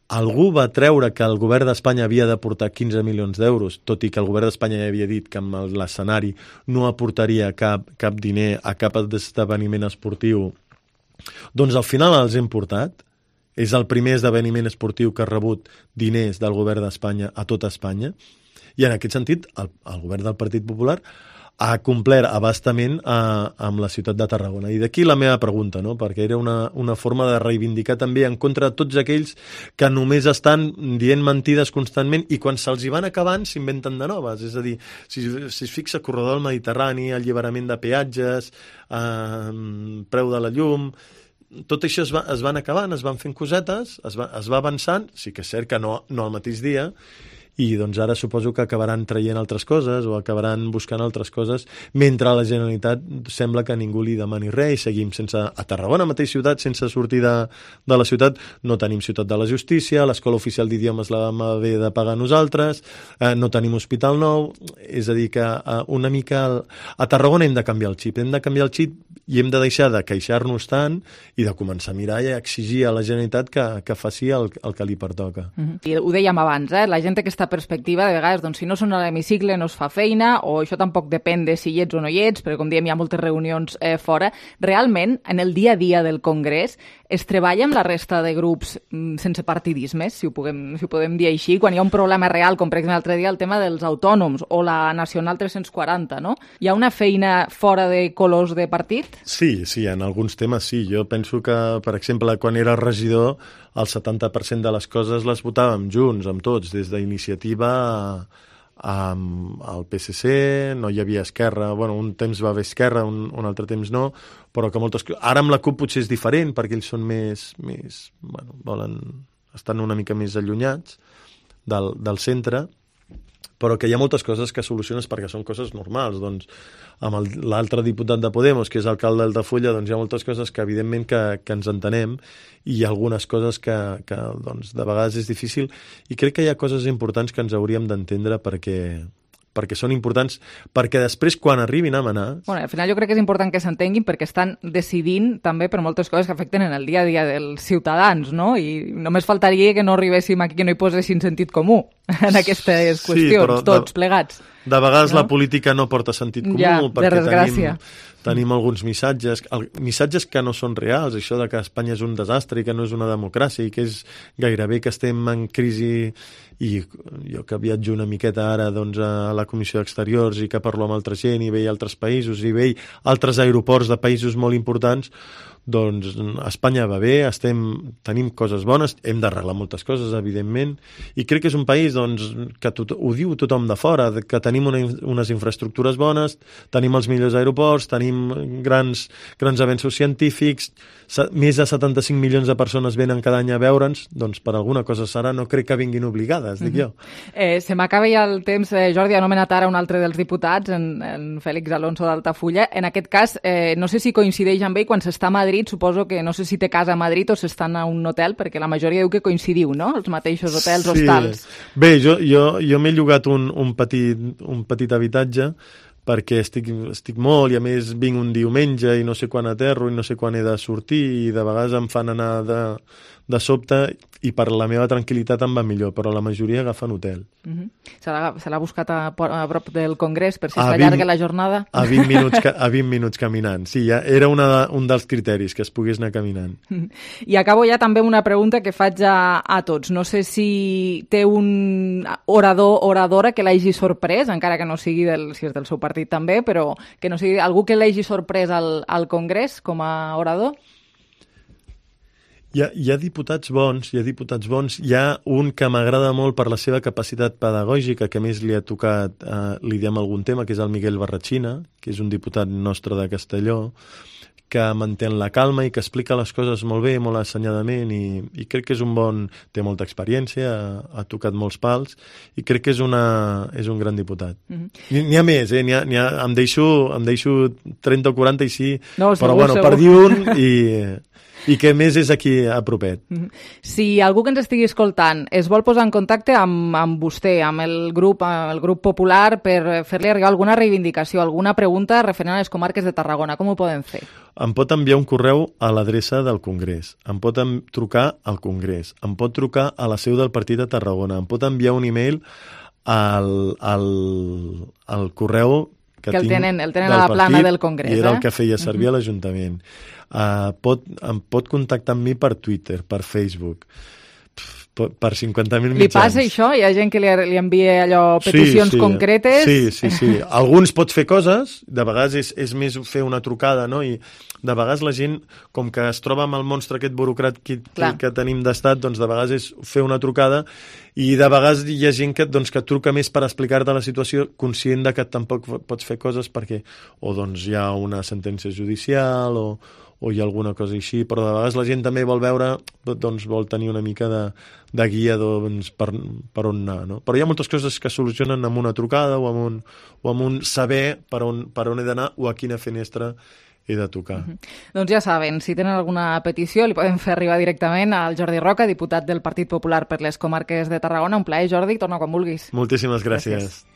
algú va treure que el govern d'Espanya havia d'aportar quinze milions d'euros, tot i que el govern d'Espanya ja havia dit que amb l'escenari no aportaria cap, cap diner a cap esdeveniment esportiu, doncs al final els hem portat. És el primer esdeveniment esportiu que ha rebut diners del govern d'Espanya a tota Espanya, i en aquest sentit el, el govern del Partit Popular ha complert abastament a, amb la ciutat de Tarragona. I d'aquí la meva pregunta, no? Perquè era una, una forma de reivindicar també en contra de tots aquells que només estan dient mentides constantment i quan se'ls hi van acabant s'inventen de noves. És a dir, si, si es fixa corredor del Mediterrani, alliberament de peatges, eh, preu de la llum... Tot això es, va, es van acabant, es van fent cosetes, es va, es va avançant, sí que és cert que no, no al mateix dia, i doncs ara suposo que acabaran traient altres coses o acabaran buscant altres coses, mentre a la Generalitat sembla que ningú li demani res i seguim sense... A Tarragona, mateix ciutat, sense sortir de, de la ciutat, no tenim ciutat de la justícia, l'escola oficial d'idiomes la vam haver de pagar nosaltres, eh, no tenim hospital nou, és a dir que eh, una mica... El... A Tarragona hem de canviar el xip, hem de canviar el xip i hem de deixar de queixar-nos tant i de començar a mirar i a exigir a la Generalitat que, que faci el, el que li pertoca. Uh-huh. I ho dèiem abans, eh? La gent té aquesta perspectiva, de vegades, doncs, si no són a l'hemicicle no es fa feina, o això tampoc depèn de si hi ets o no hi ets, perquè com diem hi ha moltes reunions eh, fora. Realment, en el dia a dia del Congrés, es treballa amb la resta de grups mm, sense partidismes, si ho, puguem, si ho podem dir així, quan hi ha un problema real, com per exemple l'altre dia el tema dels autònoms o la Nacional tres-cents quaranta, no? Hi ha una feina fora de colors de partit? Sí, sí, en alguns temes sí. Jo penso que, per exemple, quan era regidor, el setanta per cent de les coses les votàvem junts, amb tots, des d'iniciativa al P S C, no hi havia Esquerra, bueno, un temps va haver Esquerra, un, un altre temps no, però que moltes... Ara amb la CUP potser és diferent, perquè ells són més... més bueno, volen... estan una mica més allunyats del, del centre, però que hi ha moltes coses que soluciones perquè són coses normals. Doncs amb l'altre diputat de Podemos, que és alcalde d'Altafulla, doncs hi ha moltes coses que evidentment que, que ens entenem i hi ha algunes coses que, que doncs, de vegades és difícil i crec que hi ha coses importants que ens hauríem d'entendre perquè, perquè són importants, perquè després quan arribin a manar... Bueno, al final jo crec que és important que s'entenguin perquè estan decidint també per moltes coses que afecten en el dia a dia dels ciutadans, no? I només faltaria que no arribéssim aquí, que no hi posessin sentit comú en aquestes qüestions, sí, però tots de, plegats. De vegades no? La política no porta sentit comú ja, perquè de desgràcia. tenim... Tenim alguns missatges, el, missatges que no són reals, això de que Espanya és un desastre i que no és una democràcia i que és gairebé que estem en crisi, i jo que viatjo una miqueta ara doncs, a la Comissió d'Exteriors i que parlo amb altra gent i veig altres països i veig altres aeroports de països molt importants, doncs Espanya va bé, estem, tenim coses bones, hem d'arreglar moltes coses, evidentment, i crec que és un país doncs, que tot, ho diu tothom de fora, que tenim una, unes infraestructures bones, tenim els millors aeroports, tenim grans, grans avenços científics, més de setanta-cinc milions de persones venen cada any a veure'ns, doncs per alguna cosa serà, no crec que vinguin obligades, dic jo. Eh, se m'acaba ja el temps, eh, Jordi, ha anomenat ara un altre dels diputats, en, en Fèlix Alonso d'Altafulla. En aquest cas, eh, no sé si coincideix amb ell quan s'està a Madrid, suposo que no sé si té casa a Madrid o s'estan a un hotel, perquè la majoria diu que coincidiu, no?, els mateixos hotels, sí. Hostals. Bé, jo, jo, jo m'he llogat un, un, petit, un petit habitatge perquè estic, estic molt i a més vinc un diumenge i no sé quan aterro i no sé quan he de sortir i de vegades em fan anar de, de sobte i per la meva tranquil·litat em va millor, però la majoria agafen hotel. Uh-huh. Se l'ha buscat a, a prop del Congrés per si es allarga la jornada? A vint minuts, a vint minuts caminant. Sí, ja era una, un dels criteris, que es pogués anar caminant. I acabo ja també una pregunta que faig a, a tots. No sé si té un orador o oradora que l'hagi sorprès, encara que no sigui del, si és del seu partit també, però que no sigui algú que l'hagi sorprès al, al Congrés com a orador? Hi ha, hi ha diputats bons, hi ha diputats bons. Hi ha un que m'agrada molt per la seva capacitat pedagògica, que a més li ha tocat, eh, li diem algun tema, que és el Miguel Barratxina, que és un diputat nostre de Castelló, que mantén la calma i que explica les coses molt bé, molt assenyadament, i, i crec que és un bon... té molta experiència, ha, ha tocat molts pals, i crec que és, una, és un gran diputat. Mm-hmm. N'hi ha més, eh? N'hi ha, n'hi ha, em, deixo, em deixo trenta o quaranta i sí, no, segur, però bueno, segur. Per dir un i... i que més és aquí a propet. Si algú que ens estigui escoltant es vol posar en contacte amb, amb vostè, amb el grup, amb el grup popular, per fer-li arribar alguna reivindicació, alguna pregunta referent a les comarques de Tarragona, com ho poden fer? Em pot enviar un correu a l'adreça del Congrés, em pot trucar al Congrés, em pot trucar a la seu del Partit de Tarragona, em pot enviar un e-mail al, al, al correu que, que el tinc tenen, el tenen a la plana partit, del Congrés. I era eh? el que feia servir uh-huh. a l'Ajuntament. Uh, pot, em pot contactar amb mi per Twitter, per Facebook, per cinquanta mil mitjans. Li passa això? Hi ha gent que li, li envia allò, peticions sí, sí. concretes? Sí, sí, sí. Alguns pot fer coses, de vegades és, és més fer una trucada, no? I de vegades la gent, com que es troba amb el monstre aquest burocràtic que, que tenim d'estat, doncs de vegades és fer una trucada i de vegades hi ha gent que, doncs, que truca més per explicar-te la situació, conscient de que tampoc pots fer coses perquè o doncs hi ha una sentència judicial o o hi ha alguna cosa així, però de vegades la gent també vol veure, doncs vol tenir una mica de, de guia doncs, per, per on anar, no? Però hi ha moltes coses que es solucionen amb una trucada o amb un, o amb un saber per on, per on he d'anar o a quina finestra he de tocar. Uh-huh. Doncs ja saben, si tenen alguna petició li poden fer arribar directament al Jordi Roca, diputat del Partit Popular per les comarques de Tarragona. Un plaer, Jordi, torna quan vulguis. Moltíssimes gràcies. gràcies.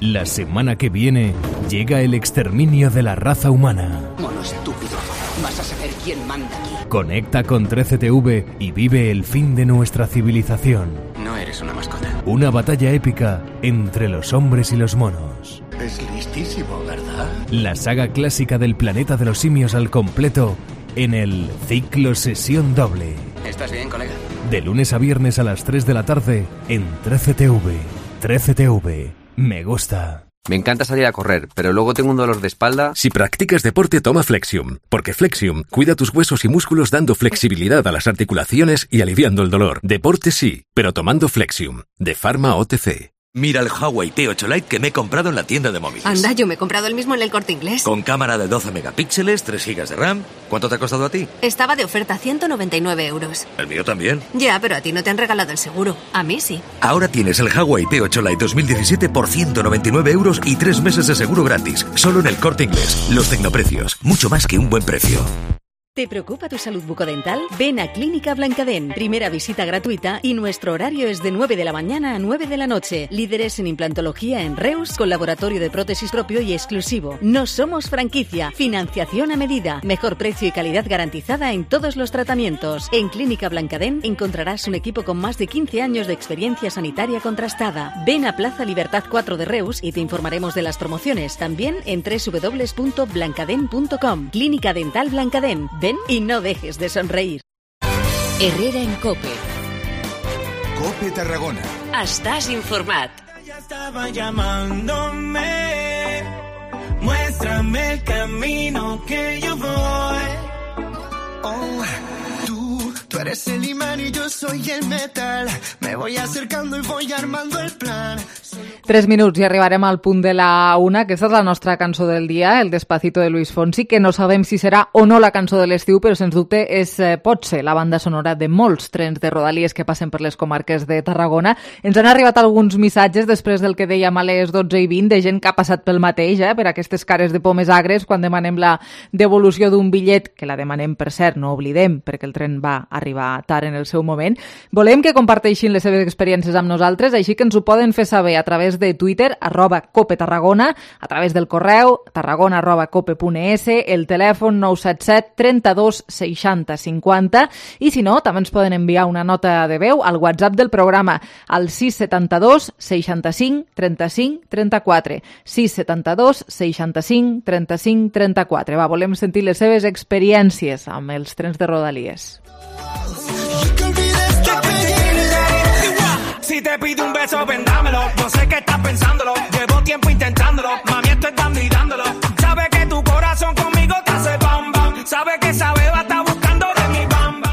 La semana que viene llega el exterminio de la raza humana. Mono estúpido, vas a saber quién manda aquí. Conecta con trece T V y vive el fin de nuestra civilización. No eres una mascota. Una batalla épica entre los hombres y los monos. Es listísimo, ¿verdad? La saga clásica del planeta de los simios al completo en el Ciclo Sesión Doble. ¿Estás bien, colega? De lunes a viernes a las tres de la tarde en trece T V. trece T V. Me gusta. Me encanta salir a correr, pero luego tengo un dolor de espalda. Si practicas deporte, toma Flexium, porque Flexium cuida tus huesos y músculos dando flexibilidad a las articulaciones y aliviando el dolor. Deporte sí, pero tomando Flexium, de Pharma O T C. Mira el Huawei P ocho Lite que me he comprado en la tienda de móviles. Anda, yo me he comprado el mismo en el Corte Inglés. Con cámara de doce megapíxeles, tres gigas de RAM. ¿Cuánto te ha costado a ti? Estaba de oferta, ciento noventa y nueve euros. El mío también. Ya, pero a ti no te han regalado el seguro. A mí sí. Ahora tienes el Huawei P ocho Lite dos mil diecisiete por ciento noventa y nueve euros y tres meses de seguro gratis. Solo en el Corte Inglés. Los tecnoprecios. Mucho más que un buen precio. ¿Te preocupa tu salud bucodental? Ven a Clínica Blancadent. Primera visita gratuita y nuestro horario es de nueve de la mañana a nueve de la noche. Líderes en implantología en Reus, con laboratorio de prótesis propio y exclusivo. No somos franquicia. Financiación a medida. Mejor precio y calidad garantizada en todos los tratamientos. En Clínica Blancadent encontrarás un equipo con más de quince años de experiencia sanitaria contrastada. Ven a Plaza Libertad cuatro de Reus y te informaremos de las promociones. También en doble u doble u doble u punto blancadent punto com. Clínica Dental Blancadent. Ven y no dejes de sonreír. Herrera en COPE. COPE Tarragona. Estàs informat. Ya estaba llamándome. Muéstrame el camino que yo voy. Oh, tú, tú eres el imán y yo soy el metal. Me voy acercando y voy armando el plan. Tres minuts i arribarem al punt de la una. Aquesta és la nostra cançó del dia, el Despacito de Luis Fonsi, que no sabem si serà o no la cançó de l'estiu, però sens dubte és, eh, pot ser la banda sonora de molts trens de Rodalies que passen per les comarques de Tarragona. Ens han arribat alguns missatges després del que dèiem a les dotze i vint de gent que ha passat pel mateix, eh, per aquestes cares de pomes agres quan demanem la devolució d'un bitllet, que la demanem, per cert, no oblidem, perquè el tren va arribar tard en el seu moment. Volem que comparteixin les seves experiències amb nosaltres, així que ens ho poden fer saber a través de Twitter, arroba Cope Tarragona, a través del correu, tarragona arroba cope punt es, el telèfon nou set set trenta dos seixanta cinquanta, i si no, també ens poden enviar una nota de veu al WhatsApp del programa, al sis setanta dos seixanta cinc trenta cinc trenta quatre, sis setanta dos seixanta cinc trenta cinc trenta quatre. Va, volem sentir les seves experiències amb els trens de Rodalies. Si te pido un beso, ven dámelo. No sé qué estás pensándolo. Llevo tiempo intentándolo. Mami, esto es dando y dándolo. Sabe que tu corazón conmigo te hace bam bam. Sabe que esa beba está buscando de mi bam bam.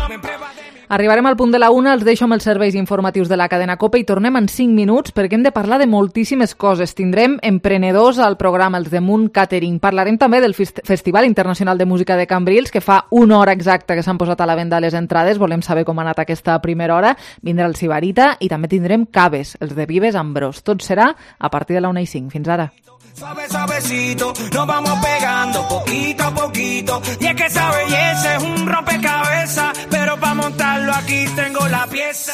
Arribarem al punt de la una, els deixo amb els serveis informatius de la cadena COPE i tornem en cinc minuts perquè hem de parlar de moltíssimes coses. Tindrem emprenedors al programa, els de Moon Catering. Parlarem també del Festival Internacional de Música de Cambrils, que fa una hora exacta que s'han posat a la venda les entrades. Volem saber com ha anat aquesta primera hora. Vindrà el Sibarita i també tindrem caves, els de Vives Ambrós. Tot serà a partir de la una i cinc. Fins ara. Suave, suavecito, nos vamos pegando poquito a poquito. Y es que esa belleza es un rompecabezas, pero para montarlo aquí tengo la pieza.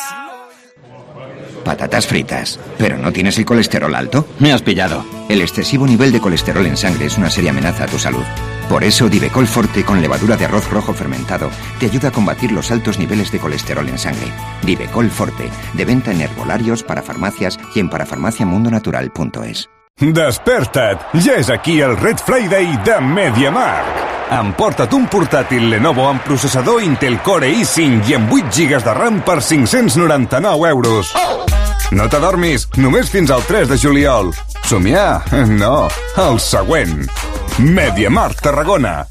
Patatas fritas. ¿Pero no tienes el colesterol alto? Me has pillado. El excesivo nivel de colesterol en sangre es una seria amenaza a tu salud. Por eso Divecol Forte con levadura de arroz rojo fermentado te ayuda a combatir los altos niveles de colesterol en sangre. Divecol Forte, de venta en herbolarios, para farmacias y en parafarmaciamundonatural punto es. Desperta't! Ja és aquí el Red Friday de MediaMarkt. Emporta't un portàtil Lenovo amb processador Intel Core i cinc i amb vuit gigas de RAM per cinc-cents noranta-nou euros. No t'adormis, només fins al tres de juliol. Somiar? No, el següent. MediaMarkt Tarragona.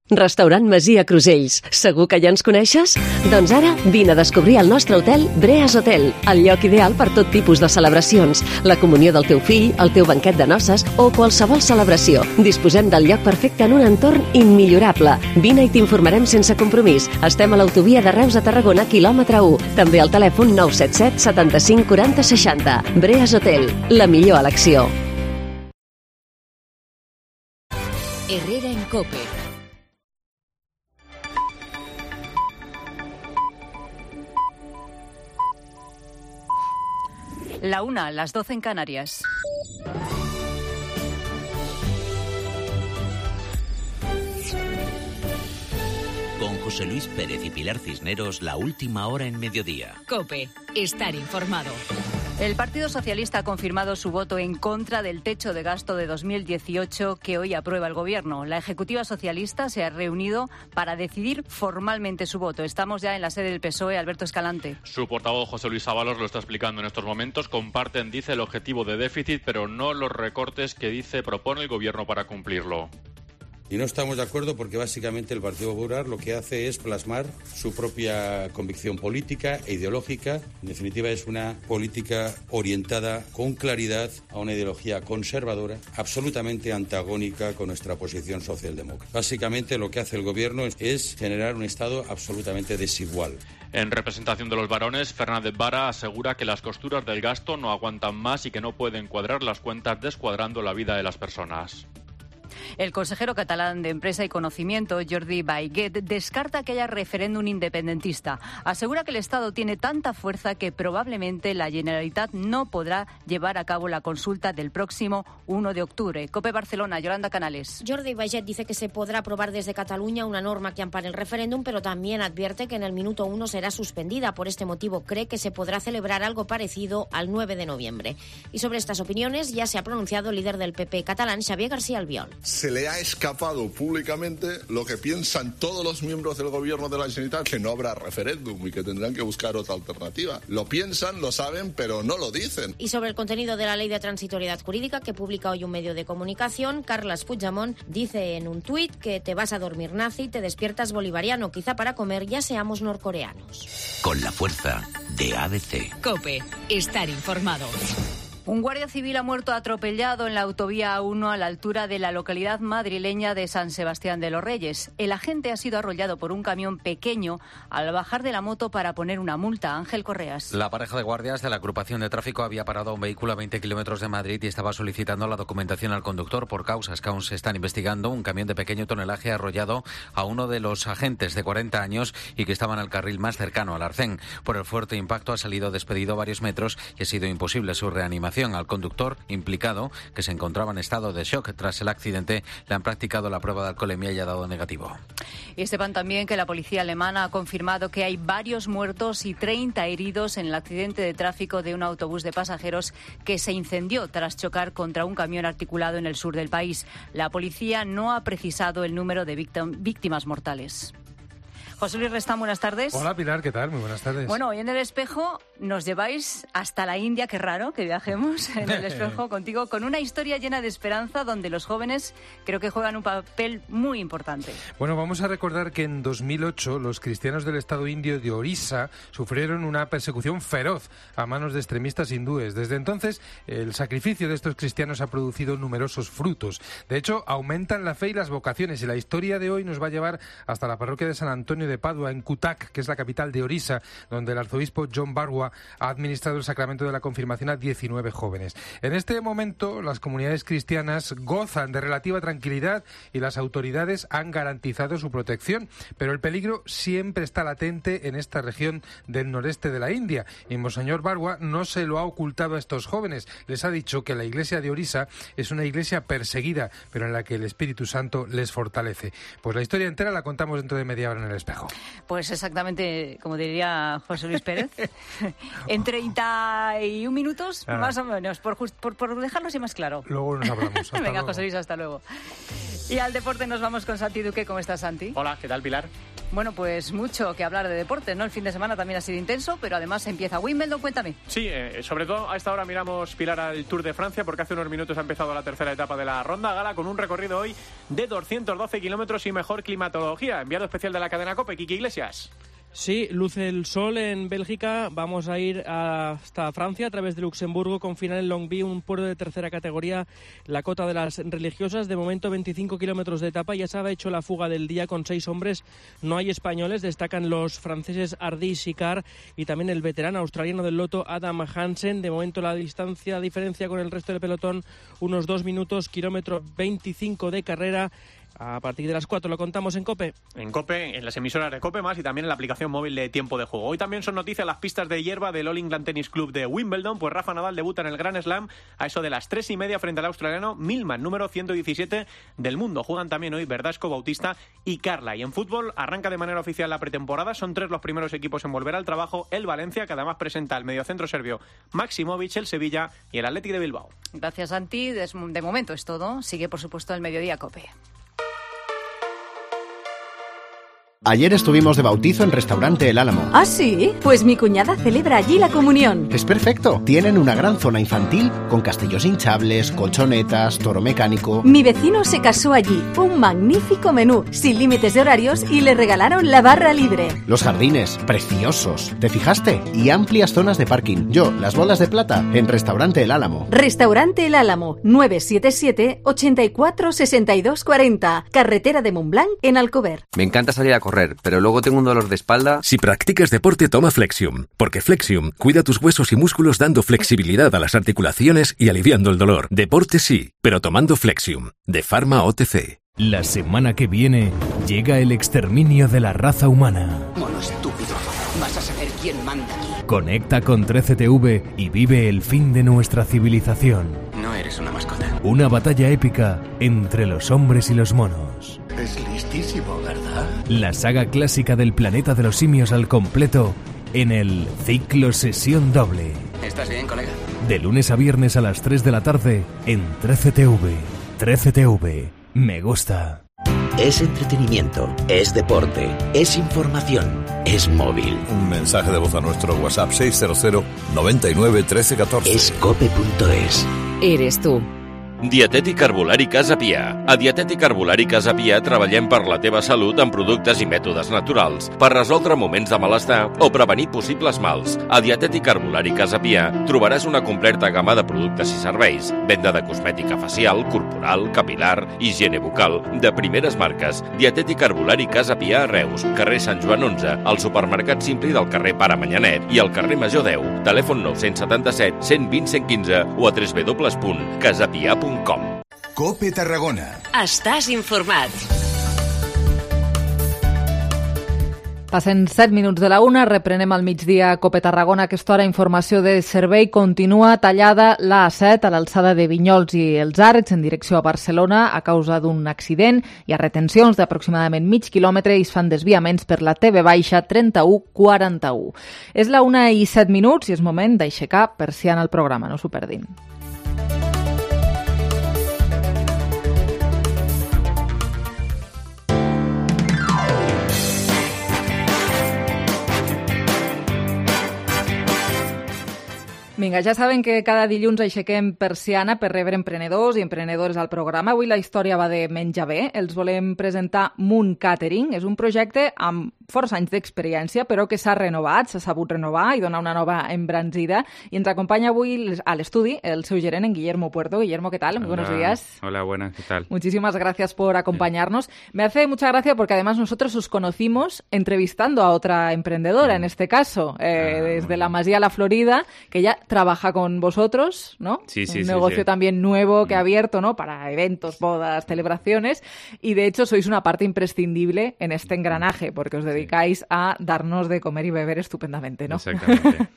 Restaurant Masia Crusells. Segur que ja ens coneixes? Doncs ara vine a descobrir el nostre hotel Breas Hotel, el lloc ideal per tot tipus de celebracions, la comunió del teu fill, el teu banquet de noces o qualsevol celebració. Disposem del lloc perfecte en un entorn immillorable. Vine i t'informarem sense compromís. Estem a l'autovia de Reus a Tarragona, quilòmetre u. També al telèfon nou set set setanta-cinc quaranta seixanta. Breas Hotel, la millor elecció. Herrera en COPE. La una, las doce en Canarias. Con José Luis Pérez y Pilar Cisneros, la última hora en mediodía. COPE, estar informado. El Partido Socialista ha confirmado su voto en contra del techo de gasto de dos mil dieciocho que hoy aprueba el Gobierno. La Ejecutiva Socialista se ha reunido para decidir formalmente su voto. Estamos ya en la sede del P S O E. Alberto Escalante. Su portavoz José Luis Ábalos lo está explicando en estos momentos. Comparten, dice, el objetivo de déficit, pero no los recortes que, dice, propone el Gobierno para cumplirlo. Y no estamos de acuerdo porque básicamente el Partido Popular lo que hace es plasmar su propia convicción política e ideológica. En definitiva, es una política orientada con claridad a una ideología conservadora, absolutamente antagónica con nuestra posición socialdemócrata. Básicamente lo que hace el Gobierno es generar un Estado absolutamente desigual. En representación de los varones, Fernández Vara asegura que las costuras del gasto no aguantan más y que no pueden cuadrar las cuentas descuadrando la vida de las personas. El consejero catalán de Empresa y Conocimiento, Jordi Baiguet, descarta que haya referéndum independentista. Asegura que el Estado tiene tanta fuerza que probablemente la Generalitat no podrá llevar a cabo la consulta del próximo uno de octubre. COPE Barcelona, Yolanda Canales. Jordi Baiguet dice que se podrá aprobar desde Cataluña una norma que ampare el referéndum, pero también advierte que en el minuto uno será suspendida. Por este motivo cree que se podrá celebrar algo parecido al nueve de noviembre. Y sobre estas opiniones ya se ha pronunciado el líder del P P catalán, Xavier García Albiol. Se le ha escapado públicamente lo que piensan todos los miembros del gobierno de la Generalitat, que no habrá referéndum y que tendrán que buscar otra alternativa. Lo piensan, lo saben, pero no lo dicen. Y sobre el contenido de la ley de transitoriedad jurídica que publica hoy un medio de comunicación, Carles Puigdemont dice en un tuit que te vas a dormir nazi, te despiertas bolivariano, quizá para comer ya seamos norcoreanos. Con la fuerza de A B C. COPE, estar informado. Un guardia civil ha muerto atropellado en la autovía A uno a la altura de la localidad madrileña de San Sebastián de los Reyes. El agente ha sido arrollado por un camión pequeño al bajar de la moto para poner una multa. Ángel Correas. La pareja de guardias de la agrupación de tráfico había parado un vehículo a veinte kilómetros de Madrid y estaba solicitando la documentación al conductor por causas que aún se están investigando. Un camión de pequeño tonelaje ha arrollado a uno de los agentes de cuarenta años y que estaba en el carril más cercano al arcén. Por el fuerte impacto ha salido despedido varios metros y ha sido imposible su reanimación. Al conductor implicado, que se encontraba en estado de shock tras el accidente, le han practicado la prueba de alcoholemia y ha dado negativo. Y sepan también que la policía alemana ha confirmado que hay varios muertos y treinta heridos en el accidente de tráfico de un autobús de pasajeros que se incendió tras chocar contra un camión articulado en el sur del país. La policía no ha precisado el número de víctimas mortales. José Luis Restán, buenas tardes. Hola Pilar, ¿qué tal? Muy buenas tardes. Bueno, hoy en El Espejo nos lleváis hasta la India, qué raro que viajemos en El Espejo contigo, con una historia llena de esperanza donde los jóvenes creo que juegan un papel muy importante. Bueno, vamos a recordar que en dos mil ocho los cristianos del estado indio de Orissa sufrieron una persecución feroz a manos de extremistas hindúes. Desde entonces, el sacrificio de estos cristianos ha producido numerosos frutos. De hecho, aumentan la fe y las vocaciones y la historia de hoy nos va a llevar hasta la parroquia de San Antonio matrimonio de Padua, en Cuttack, que es la capital de Orissa, donde el arzobispo John Barwa ha administrado el sacramento de la confirmación a diecinueve jóvenes. En este momento, las comunidades cristianas gozan de relativa tranquilidad y las autoridades han garantizado su protección, pero el peligro siempre está latente en esta región del noreste de la India, y Monseñor Barwa no se lo ha ocultado a estos jóvenes. Les ha dicho que la iglesia de Orissa es una iglesia perseguida, pero en la que el Espíritu Santo les fortalece. Pues la historia entera la contamos dentro de media hora en El Espejo. Pues exactamente, como diría José Luis Pérez, en treinta y un minutos, ah. más o menos, por, just, por, por dejarlo así más claro. Luego nos hablamos. Hasta Venga, luego. José Luis, hasta luego. Y al deporte nos vamos con Santi Duque. ¿Cómo estás, Santi? Hola, ¿qué tal, Pilar? Bueno, pues mucho que hablar de deporte, ¿no? El fin de semana también ha sido intenso, pero además empieza Wimbledon. Cuéntame. Sí, eh, sobre todo a esta hora miramos, Pilar, al Tour de Francia, porque hace unos minutos ha empezado la tercera etapa de la Ronda Gala con un recorrido hoy de doscientos doce kilómetros y mejor climatología. Enviado especial de la cadena COPE, Quique Iglesias. Sí, luce el sol en Bélgica. Vamos a ir hasta Francia a través de Luxemburgo con final en Longwy, un puerto de tercera categoría, la cota de las religiosas. De momento veinticinco kilómetros de etapa. Ya se ha hecho la fuga del día con seis hombres. No hay españoles. Destacan los franceses Hardy y Sicard y también el veterano australiano del loto Adam Hansen. De momento la distancia, la diferencia con el resto del pelotón, unos dos minutos, kilómetro veinticinco de carrera. A partir de las cuatro lo contamos en COPE. En COPE, en las emisoras de COPE más y también en la aplicación móvil de Tiempo de Juego. Hoy también son noticias las pistas de hierba del All England Tennis Club de Wimbledon, pues Rafa Nadal debuta en el Grand Slam a eso de las tres y media frente al australiano Millman, número ciento diecisiete del mundo. Juegan también hoy Verdasco, Bautista y Carla. Y en fútbol arranca de manera oficial la pretemporada. Son tres los primeros equipos en volver al trabajo. El Valencia, que además presenta al mediocentro serbio Maximovic, el Sevilla y el Athletic de Bilbao. Gracias, Santi. De momento es todo. Sigue, por supuesto, el Mediodía COPE. Ayer estuvimos de bautizo en Restaurante El Álamo. ¿Ah, sí? Pues mi cuñada celebra allí la comunión. Es perfecto. Tienen una gran zona infantil con castillos hinchables, colchonetas, toro mecánico. Mi vecino se casó allí. Un magnífico menú, sin límites de horarios, y le regalaron la barra libre. Los jardines, preciosos. ¿Te fijaste? Y amplias zonas de parking. Yo, las bolas de plata, en Restaurante El Álamo. Restaurante El Álamo, nueve siete siete, ochenta y cuatro, sesenta y dos cuarenta. Carretera de Montblanc, en Alcover. Me encanta salir a correr, pero luego tengo un dolor de espalda. Si practicas deporte, toma Flexium, porque Flexium cuida tus huesos y músculos dando flexibilidad a las articulaciones y aliviando el dolor. Deporte sí, pero tomando Flexium, de Pharma O T C. La semana que viene llega el exterminio de la raza humana. Mono estúpido, vas a saber quién manda aquí. Conecta con trece T V y vive el fin de nuestra civilización. No eres una mascota. Una batalla épica entre los hombres y los monos. Es listísimo, ¿verdad? La saga clásica del planeta de los simios al completo en el Ciclo Sesión Doble. ¿Estás bien, colega? De lunes a viernes a las tres de la tarde en trece T V. trece T V. Me gusta. Es entretenimiento, es deporte, es información, es móvil. Un mensaje de voz a nuestro WhatsApp seiscientos noventa y nueve trece catorce. Es cope punto es. Eres tú. Dietètic Herbolari Casa Pia. A Dietètic Herbolari Casa Pia treballem per la teva salut amb productes i mètodes naturals, per resoldre moments de malestar o prevenir possibles mals. A Dietètic Herbolari Casa Pia trobaràs una completa gamma de productes i serveis, venda de cosmètica facial, corporal, capilar, higiene bucal, de primeres marques. Dietètic Herbolari Casa Pia a Reus, carrer Sant Joan onze, al supermercat Simpli del carrer Pare Manyanet i al carrer Major deu, telèfon nou set set, cent vint, cent quinze o a w w w punt casapia punt com. COPE Tarragona. Estàs informat. Passen set minuts de la una, reprenem al migdia COPE Tarragona. A aquesta hora, informació de servei. Continua tallada l'A set a l'alçada de Vinyols i els Arcs en direcció a Barcelona a causa d'un accident. Hi ha retencions d'aproximadament mig quilòmetre i es fan desviaments per la T V baixa trenta-u quaranta-u. És la una i set minuts i és moment d'aixecar persiana al programa, no s'ho perdin. Vinga, ja saben que cada dilluns aixequem persiana per rebre emprenedors i emprenedores al programa. Avui la història va de menjar bé. Els volem presentar Moon Catering. És un projecte amb força anys d'experiència, però que s'ha renovat, s'ha sabut renovar i donar una nova embranzida. I ens acompanya avui a l'estudi el seu gerent, en Guillermo Puerto. Guillermo, ¿qué tal? Muy buenos días. Hola, buenas, ¿qué tal? Muchísimas gracias por acompañarnos. Sí. Me hace mucha gracia porque además nosotros os conocimos entrevistando a otra emprendedora, mm. en este caso, eh, ah, desde bueno. la Masía La Florida, que ya trabaja con vosotros, ¿no? Sí, sí, Un sí, negocio sí. también nuevo que ha abierto, ¿no? Para eventos, bodas, celebraciones. Y de hecho sois una parte imprescindible en este engranaje porque os dedicáis sí. a darnos de comer y beber estupendamente, ¿no? Exactamente.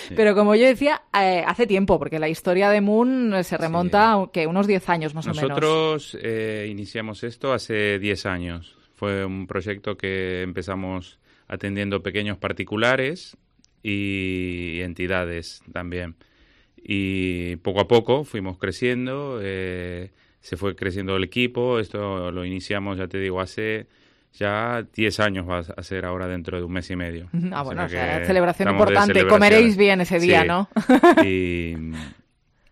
Sí. Pero como yo decía, eh, hace tiempo, porque la historia de Moon se remonta sí. a que unos diez años más Nosotros, o menos. Nosotros eh, iniciamos esto hace diez años. Fue un proyecto que empezamos atendiendo pequeños particulares y entidades también. Y poco a poco fuimos creciendo, eh, se fue creciendo el equipo. Esto lo iniciamos, ya te digo, hace ya diez años va a ser ahora dentro de un mes y medio. Ah, bueno, o sea, o sea celebración importante. Comeréis bien ese día, sí. ¿no? y...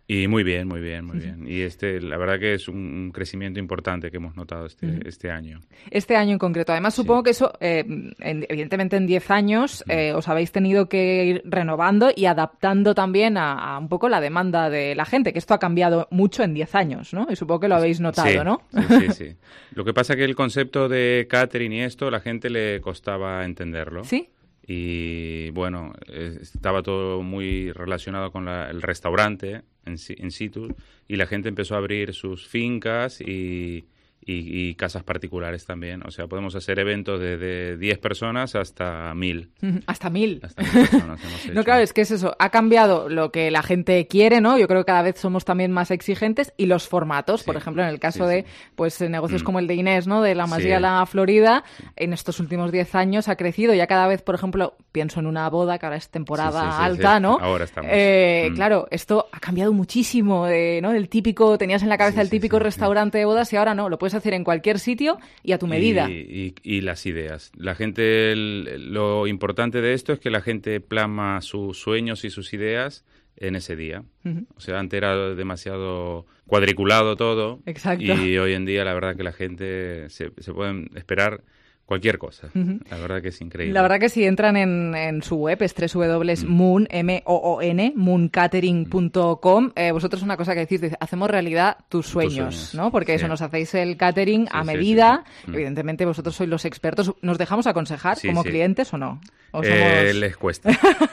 Y muy bien, muy bien, muy bien. Y este, la verdad que es un crecimiento importante que hemos notado este, uh-huh. este año. Este año en concreto. Además, supongo sí. que eso, eh, en, evidentemente en diez años, eh, os habéis tenido que ir renovando y adaptando también a, a un poco la demanda de la gente, que esto ha cambiado mucho en diez años, ¿no? Y supongo que lo habéis notado, sí, ¿no? Sí, sí, sí. Lo que pasa es que el concepto de catering y esto, la gente le costaba entenderlo. ¿Sí? Y bueno, estaba todo muy relacionado con la, el restaurante en, en situ y la gente empezó a abrir sus fincas y, y, y casas particulares también. O sea, podemos hacer eventos desde diez personas hasta mil. Hasta mil. Hasta mil personas hemos hecho. No, claro, es que es eso. Ha cambiado lo que la gente quiere, ¿no? Yo creo que cada vez somos también más exigentes y los formatos. Sí, por ejemplo, en el caso sí, de sí. pues negocios mm. como el de Inés, ¿no? De la Masía sí. La Florida, en estos últimos diez años ha crecido. Ya cada vez, por ejemplo, pienso en una boda, que ahora es temporada sí, sí, sí, alta, sí. ¿no? Ahora estamos. Eh, mm. Claro, esto ha cambiado muchísimo, eh, ¿no? El típico, tenías en la cabeza sí, el típico sí, sí, restaurante sí. de bodas y ahora no, lo puedes hacer en cualquier sitio y a tu medida. Y, y, y las ideas. La gente, el, lo importante de esto es que la gente plasma sus sueños y sus ideas en ese día. Uh-huh. O sea, antes era demasiado cuadriculado todo. Exacto. Y hoy en día la verdad que la gente se, se pueden esperar cualquier cosa. Uh-huh. La verdad que es increíble. La verdad que si entran en, en su web, es doble u doble u doble u punto moon, M O O N, moon catering punto com, eh, vosotros una cosa que decís, dice, hacemos realidad tus sueños, tus sueños. ¿no? Porque sí. eso, nos hacéis el catering sí, a medida. Sí, sí, sí. Evidentemente vosotros sois los expertos. ¿Nos dejamos aconsejar sí, como sí. clientes o no? ¿O somos... eh, les cuesta,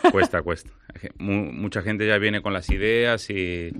cuesta, cuesta. Mucha gente ya viene con las ideas y...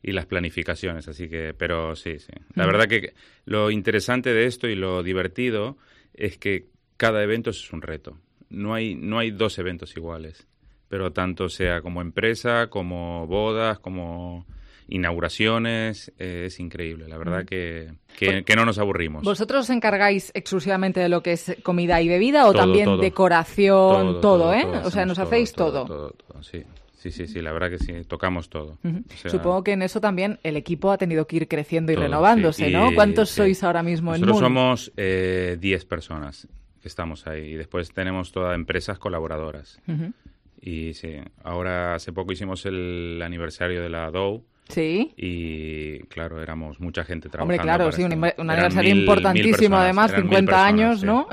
y las planificaciones, así que, pero sí, sí. La mm. verdad que lo interesante de esto y lo divertido es que cada evento es un reto. No hay, no hay dos eventos iguales, pero tanto sea como empresa, como bodas, como inauguraciones, eh, es increíble. La verdad que, que, que no nos aburrimos. ¿Vosotros os encargáis exclusivamente de lo que es comida y bebida o todo, también todo. decoración, todo, todo, todo ¿eh? todo, o sea, nos todo, hacéis todo. todo. Todo, todo, todo, sí. Sí, sí, sí, la verdad que sí, tocamos todo. Uh-huh. O sea, supongo que en eso también el equipo ha tenido que ir creciendo y todo, renovándose, sí. ¿no? Y, ¿Cuántos sí. sois ahora mismo en Moon? Nosotros somos eh, diez personas que estamos ahí y después tenemos todas empresas colaboradoras. Uh-huh. Y sí, ahora hace poco hicimos el aniversario de la Dow. Sí. Y claro, éramos mucha gente trabajando. Hombre, claro, sí, esto. un, un aniversario mil, importantísimo, mil personas, además, cincuenta personas, años, sí. ¿no?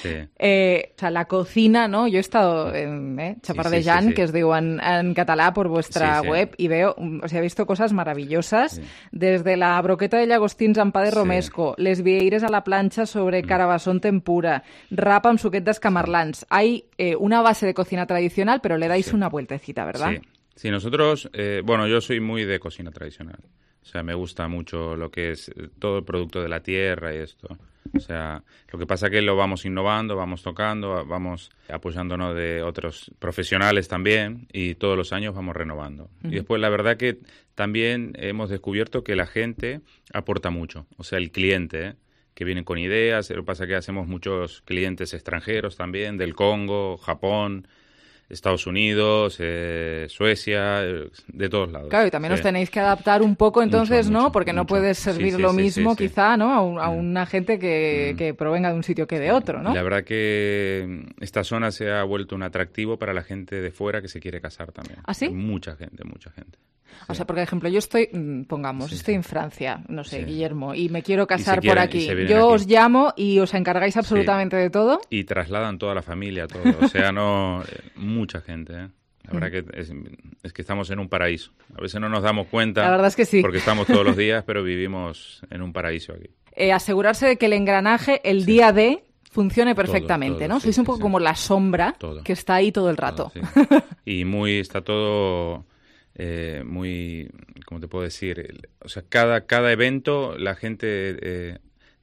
Sí. Eh, o sea, la cocina, ¿no? Yo he estado en eh, Chapardellán, sí, sí, sí, sí. que os digo en, en català por vuestra sí, sí. web, y veo, o sea, he visto cosas maravillosas, sí. desde la broqueta de llagostins amb pa de romesco, sí. les vieires a la plancha sobre carabasón tempura, rap amb suquet d'escamarlans. Hay eh, una base de cocina tradicional, pero le dais sí. una vueltecita, ¿verdad? Sí. Sí, nosotros, eh, bueno, yo soy muy de cocina tradicional. O sea, me gusta mucho lo que es todo el producto de la tierra y esto. O sea, lo que pasa es que lo vamos innovando, vamos tocando, vamos apoyándonos de otros profesionales también y todos los años vamos renovando. Uh-huh. Y después la verdad que también hemos descubierto que la gente aporta mucho. O sea, el cliente, ¿eh? que viene con ideas. Lo que pasa es que hacemos muchos clientes extranjeros también, del Congo, Japón, Estados Unidos, eh, Suecia, eh, de todos lados. Claro, y también sí. os tenéis que adaptar un poco entonces, mucho, ¿no? mucho, Porque no mucho. puedes servir sí, sí, lo sí, mismo sí, sí. quizá, ¿no? A, un, a una gente que, mm. que provenga de un sitio que de otro, ¿no? La verdad que esta zona se ha vuelto un atractivo para la gente de fuera que se quiere casar también. ¿Ah, sí? Hay mucha gente, mucha gente. O sea, porque, por ejemplo, yo estoy, pongamos, Sí, estoy sí. en Francia, no sé, Sí. Guillermo, y me quiero casar quieren- por y aquí. se vienen Yo aquí. os llamo y os encargáis absolutamente de todo. Y trasladan toda la familia, todo. O sea, no... eh, mucha gente, ¿eh? La verdad que es, es que estamos en un paraíso. A veces no nos damos cuenta. La verdad es que sí. Porque estamos todos los días, pero vivimos en un paraíso aquí. Eh, asegurarse de que el engranaje, el día de, funcione perfectamente, todo, ¿no? sí, Sois un sí, poco sí. como la sombra Todo. que está ahí todo el rato. Todo, sí. Y muy, está todo eh, muy, ¿cómo te puedo decir? El- O sea, cada, cada evento la gente eh,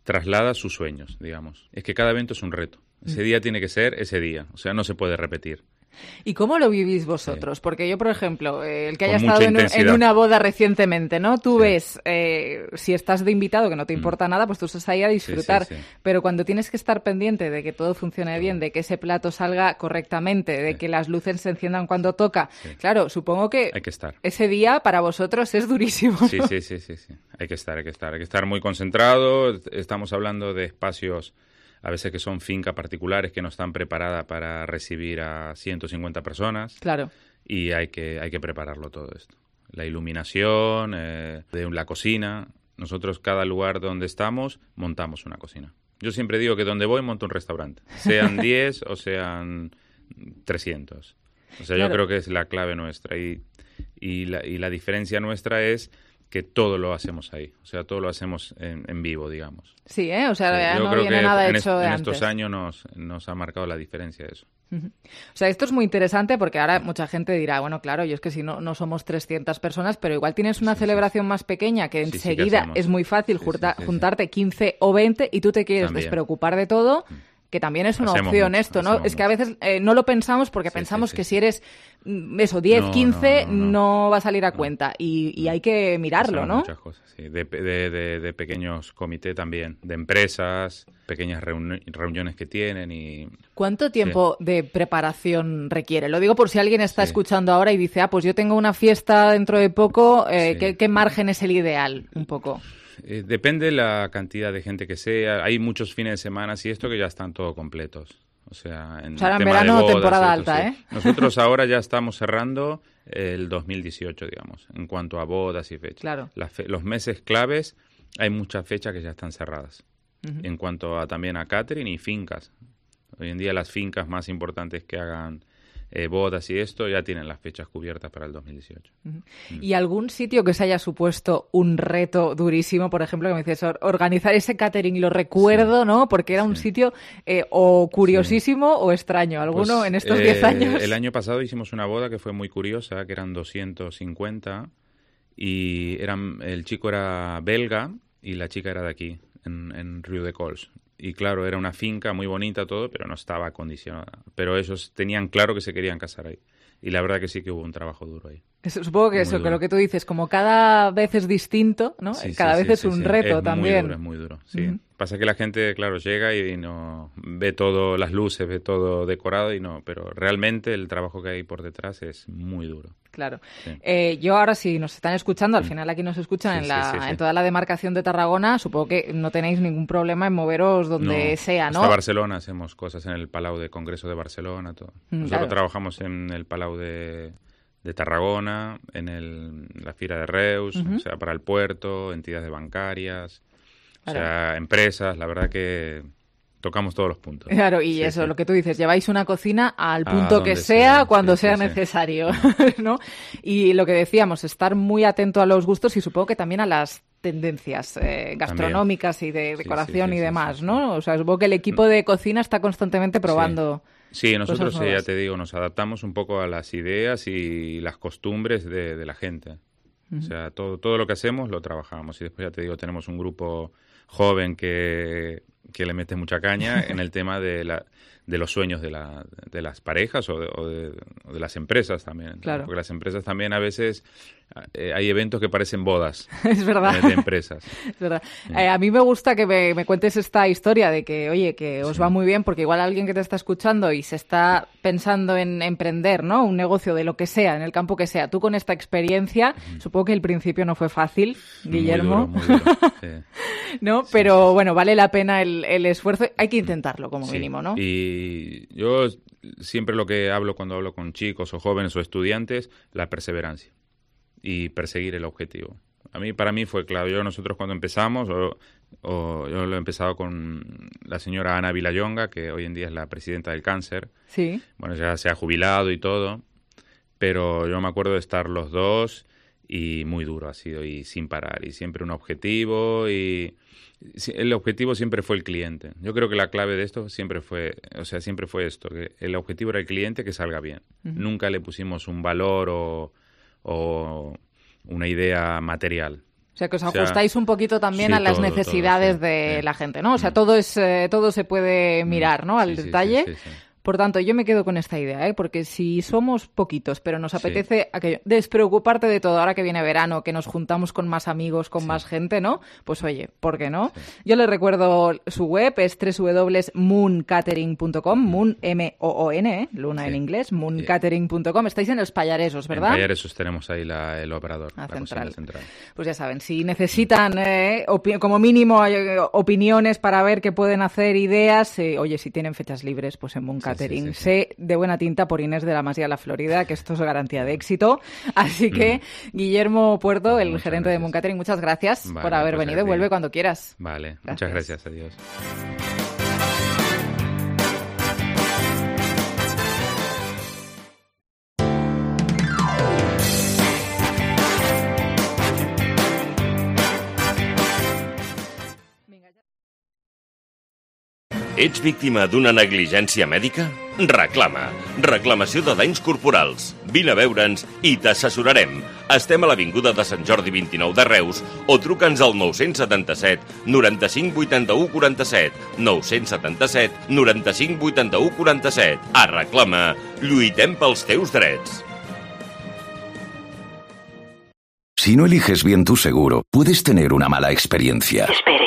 traslada sus sueños, digamos. Es que cada evento es un reto. Ese Mm. día tiene que ser ese día. O sea, no se puede repetir. ¿Y cómo lo vivís vosotros? Porque yo, por ejemplo, eh, el que Con haya mucha estado en, un- en intensidad. una boda recientemente, ¿no? Tú ves, eh, si estás de invitado, que no te importa nada, pues tú estás ahí a disfrutar. sí, sí. Pero cuando tienes que estar pendiente de que todo funcione bien, de que ese plato salga correctamente, de que las luces se enciendan cuando toca, claro, supongo que Hay que estar. ese día para vosotros es durísimo, Sí, ¿no? sí, sí, sí, sí. Hay que estar, hay que estar. Hay que estar muy concentrado. Estamos hablando de espacios, a veces que son fincas particulares que no están preparadas para recibir a ciento cincuenta personas. Claro. Y hay que, hay que prepararlo todo esto. La iluminación, eh, de la cocina. Nosotros, cada lugar donde estamos, montamos una cocina. Yo siempre digo que donde voy, monto un restaurante. Sean diez o sean trescientos. O sea, Claro. yo creo que es la clave nuestra. Y, y, la, y la diferencia nuestra es que todo lo hacemos ahí. O sea, todo lo hacemos en, en vivo, digamos. Sí, ¿eh? O sea, Sí, ya yo no creo viene que nada en, hecho est- de en antes. estos años nos, nos ha marcado la diferencia eso. Ujú. O sea, esto es muy interesante porque ahora mucha gente dirá, bueno, claro, yo es que si no, no somos trescientas personas, pero igual tienes una celebración más pequeña que Sí, sí, enseguida ¿qué hacemos? es muy fácil Sí, junta- sí, sí, sí. juntarte quince o veinte y tú te quieres También. despreocupar de todo, que también es una Hacemos opción mucho, esto, ¿no? hacemos Es que a veces eh, no lo pensamos porque pensamos sí, que si eres mm, eso, diez, No, quince, no, no, no va a salir a cuenta y, y hay que mirarlo, Hacemos ¿no? muchas cosas, sí. De, de, de, de pequeños comités también, de empresas, pequeñas reuni- reuniones que tienen y... ¿Cuánto tiempo de preparación requiere? Lo digo por si alguien está escuchando ahora y dice, ah, pues yo tengo una fiesta dentro de poco, eh, Sí. ¿qué, qué margen es el ideal? Un poco. Eh, depende la cantidad de gente que sea. Hay muchos fines de semana y esto que ya están todos completos. O sea, en, O sea, ahora en tema de verano, bodas, temporada esto, alta, sí. ¿eh? Nosotros ahora ya estamos cerrando el dos mil dieciocho, digamos, en cuanto a bodas y fechas. Claro. Las fe- los meses claves, hay muchas fechas que ya están cerradas. Ujú. En cuanto a también a catering y fincas. Hoy en día las fincas más importantes que hagan eh, bodas y esto ya tienen las fechas cubiertas para el dos mil dieciocho. Ujú. ¿Y algún sitio que se haya supuesto un reto durísimo? Por ejemplo, que me dices, or- organizar ese catering, lo recuerdo, ¿no? Porque era un sitio eh, o curiosísimo o extraño. ¿Alguno Pues, en estos eh, diez años? El año pasado hicimos una boda que fue muy curiosa, que eran doscientos cincuenta y eran, el chico era belga y la chica era de aquí, en, en Rio de Cols. Y claro, era una finca muy bonita todo, pero no estaba acondicionada. Pero ellos tenían claro que se querían casar ahí. Y la verdad que sí que hubo un trabajo duro ahí. Eso, supongo que Muy eso, que duro. lo que tú dices, como cada vez es distinto, ¿no? Sí, cada sí, vez sí, es sí, un sí. reto Es también. Muy duro, es muy duro, sí. Ujú. Pasa que la gente, claro, llega y no ve todo, las luces, ve todo decorado y no, pero realmente el trabajo que hay por detrás es muy duro. Claro. Sí. Eh, yo ahora, si nos están escuchando, al final aquí nos escuchan Sí, en, sí, la, sí, sí. en toda la demarcación de Tarragona, supongo que no tenéis ningún problema en moveros donde No, sea, ¿no? Hasta Barcelona hacemos cosas en el Palau de Congreso de Barcelona, todo. Mm, Nosotros claro. trabajamos en el Palau de, de Tarragona, en el, la Fira de Reus, Ujú. o sea, para el puerto, entidades bancarias, o Claro. sea, empresas, la verdad que tocamos todos los puntos. Claro, y Sí, eso, sí. lo que tú dices, lleváis una cocina al A punto que donde sea, sea, cuando sí, sea sí, sí. necesario, ¿no? Y lo que decíamos, estar muy atento a los gustos y supongo que también a las tendencias eh, gastronómicas y de decoración sí, y sí, demás, sí, ¿no? O sea, supongo que el equipo de cocina está constantemente probando. Sí, nosotros, cosas eh, ya nuevas. te digo, nos adaptamos un poco a las ideas y las costumbres de, de la gente. O Ujú. sea, todo, todo lo que hacemos lo trabajamos. Y después, ya te digo, tenemos un grupo joven que, que le mete mucha caña en el tema de la de los sueños de, la, de las parejas o de, o, de, o de las empresas también. Claro. Porque las empresas también a veces eh, hay eventos que parecen bodas. Es verdad. De, de empresas. Es verdad. Sí. Eh, a mí me gusta que me, me cuentes esta historia de que, oye, que os sí. va muy bien, porque igual alguien que te está escuchando y se está pensando en emprender, ¿no? Un negocio de lo que sea, en el campo que sea. Tú con esta experiencia, uh-huh. supongo que el principio no fue fácil, Guillermo. Muy duro, muy duro. Sí. ¿No? Pero sí, bueno, vale la pena el, el esfuerzo. Hay que intentarlo como sí. mínimo, ¿no? Y yo siempre lo que hablo cuando hablo con chicos o jóvenes o estudiantes, la perseverancia y perseguir el objetivo. A mí, para mí fue claro. Yo nosotros cuando empezamos, o, o yo lo he empezado con la señora Ana Villayonga, que hoy en día es la presidenta del cáncer. Sí. Bueno, ya se ha jubilado y todo, pero yo me acuerdo de estar los dos y muy duro ha sido y sin parar y siempre un objetivo y el objetivo siempre fue el cliente. Yo creo que la clave de esto siempre fue, o sea, siempre fue esto, que el objetivo era el cliente, que salga bien. Uh-huh. Nunca le pusimos un valor o, o una idea material. O sea, que os o sea, ajustáis un poquito también sí, a las todo, necesidades todo, sí, de sí. la gente, ¿no? O sea, todo es eh, todo se puede mirar, ¿no? Al sí, detalle. Sí, sí, sí, sí. Por tanto, yo me quedo con esta idea, ¿eh? Porque si somos poquitos, pero nos apetece sí. aquello, despreocuparte de todo, ahora que viene verano, que nos juntamos con más amigos, con sí. más gente, ¿no? Pues oye, ¿por qué no? Sí. Yo les recuerdo su web, es doble u doble u doble u punto moon catering punto com, Moon, M O O N, ¿eh? Luna sí. en inglés, moon catering punto com. Estáis en los Pallaresos, ¿verdad? En Pallaresos tenemos ahí la, el operador, la, la central. central. Pues ya saben, si necesitan eh, opi- como mínimo eh, opiniones para ver qué pueden hacer, ideas, eh, oye, si tienen fechas libres, pues en Moon Catering. Sí, sí, sí, sí. Sé de buena tinta por Inés de la Masía de la Florida que esto es garantía de éxito. Así que, mm. Guillermo Puerto, el muchas gerente gracias. de Moon Catering, muchas gracias vale, por haber pues venido. Vuelve cuando quieras. Vale, gracias. Muchas gracias. Adiós. Ets víctima d'una negligència mèdica? Reclama. Reclamació de danys corporals. Vine a veure'ns i t'assessorarem. Estem a l'Avinguda de Sant Jordi vint-i-nou de Reus o truca'ns al nou setanta set noranta-cinc vuitanta-u quaranta-set. nou setanta set noranta-cinc vuitanta-u quaranta-set. A Reclama. Lluitem pels teus drets. Si no eliges bien tu seguro, puedes tener una mala experiencia. Espere.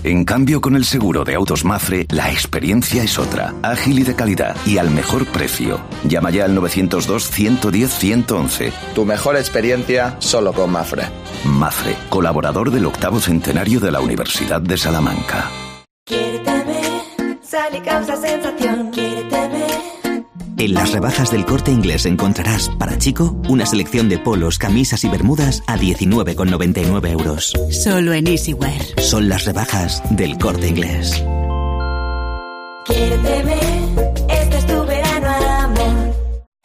En cambio, con el seguro de autos Mafre, la experiencia es otra, ágil y de calidad, y al mejor precio. Llama ya al nueve cero dos, uno uno cero, uno once. Tu mejor experiencia solo con Mafre. Mafre, colaborador del octavo centenario de la Universidad de Salamanca. Quiérete, sal y causa sensación. Quiérete. En las rebajas del Corte Inglés encontrarás, para chico, una selección de polos, camisas y bermudas a diecinueve con noventa y nueve euros. Solo en Easywear. Son las rebajas del Corte Inglés. Quiérete, este es tu verano, amor.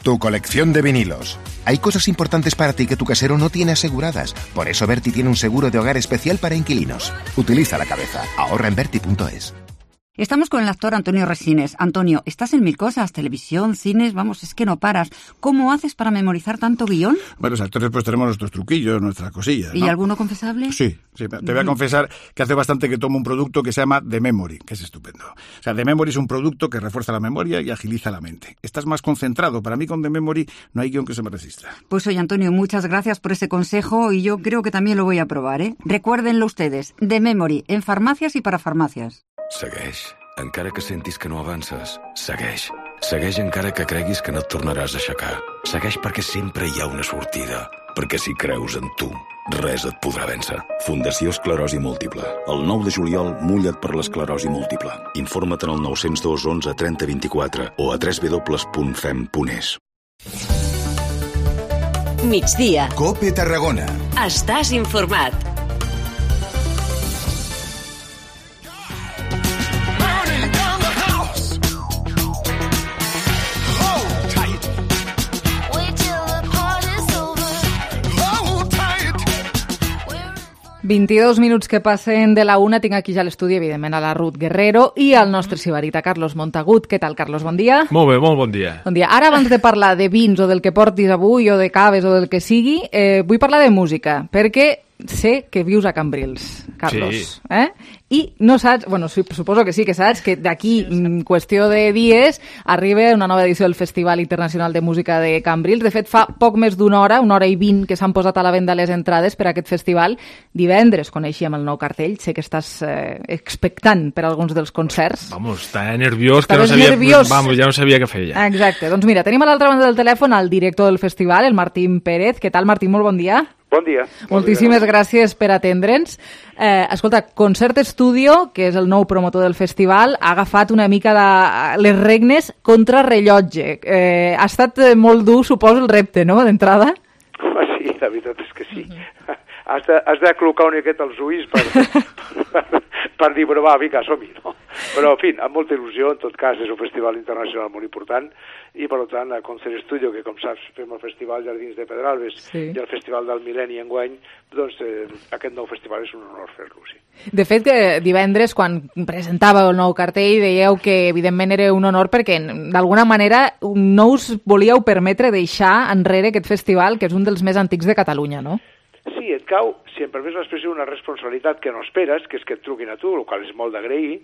Tu colección de vinilos. Hay cosas importantes para ti que tu casero no tiene aseguradas. Por eso Berti tiene un seguro de hogar especial para inquilinos. Utiliza la cabeza. Ahorra en berti punto es. Estamos con el actor Antonio Resines. Antonio, estás en mil cosas, televisión, cines, vamos, es que no paras. ¿Cómo haces para memorizar tanto guión? Bueno, los actores pues tenemos nuestros truquillos, nuestras cosillas, ¿no? ¿Y alguno confesable? Sí, sí. Te voy a confesar que hace bastante que tomo un producto que se llama The Memory, que es estupendo. O sea, The Memory es un producto que refuerza la memoria y agiliza la mente. Estás más concentrado. Para mí con The Memory no hay guión que se me resista. Pues oye, Antonio, muchas gracias por ese consejo y yo creo que también lo voy a probar, ¿eh? Recuérdenlo ustedes, The Memory, en farmàcies i para farmàcies. Segueix. Encara que sentis que no avances, segueix. Segueix encara que creguis que no et tornaràs a aixecar. Segueix perquè sempre hi ha una sortida. Perquè si creus en tu, res et podrà vèncer. Fundació Esclerosi Múltiple. El nou de juliol, mulla't per l'esclerosi múltiple. Informa't en el nou zero dos onze trenta vint-i-quatre o a w w w punt fem punt es. Migdia. Cope Tarragona. Estàs informat. vint-i-dos minuts que passen de la una. Tinc aquí ja a l'estudi, evidentment, a la Ruth Guerrero i al nostre sibarita Carlos Montagut. Què tal, Carlos? Bon dia. Molt bé, molt bon dia. Bon dia. Ara, abans de parlar de vins o del que portis avui o de caves o del que sigui, eh, vull parlar de música, perquè sé que vius a Cambrils, Carlos. Sí. Eh? I no saps, bueno, suposo que sí que saps, que d'aquí en qüestió de dies arriba una nova edició del Festival Internacional de Música de Cambrils. De fet, fa poc més d'una hora, una hora i vint, que s'han posat a la venda les entrades per a aquest festival. Divendres coneixíem el nou cartell. Sé que estàs eh, expectant per alguns dels concerts. Vamos, estava nerviós, que Estaves no sabia, nerviós. Vamos, ja no sabia què fer ja. Exacte. Doncs mira, tenim a l'altra banda del telèfon el director del festival, el Martín Pérez. Què tal, Martín? Molt bon dia. Bon dia. Moltíssimes bon dia. Gràcies per atendre'ns. Eh, escolta, Concert Studio, que és el nou promotor del festival, ha agafat una mica de les regnes contra rellotge. Eh, ha estat molt dur, suposo, el repte, no?, d'entrada? Oh, sí, la veritat és que sí. Uh-huh. Has de, has de col·locar una miqueta els ulls per, per, per dir, però va, vinga, som-hi, no? Però, en fi, amb molta il·lusió, en tot cas, és un festival internacional molt important, i, per tant, a Concert Studio, que, com saps, fem el Festival Jardins de Pedralbes sí. i el Festival del Mil·lenni enguany, doncs eh, aquest nou festival és un honor fer-lo, sí. De fet, que divendres, quan presentàveu el nou cartell, dèieu que, evidentment, era un honor perquè, d'alguna manera, no us volíeu permetre deixar enrere aquest festival, que és un dels més antics de Catalunya, no? Sí, et cau, si em permets l'expressió, una responsabilitat que no esperes, que és que et truquin a tu, el qual és molt d'agrair,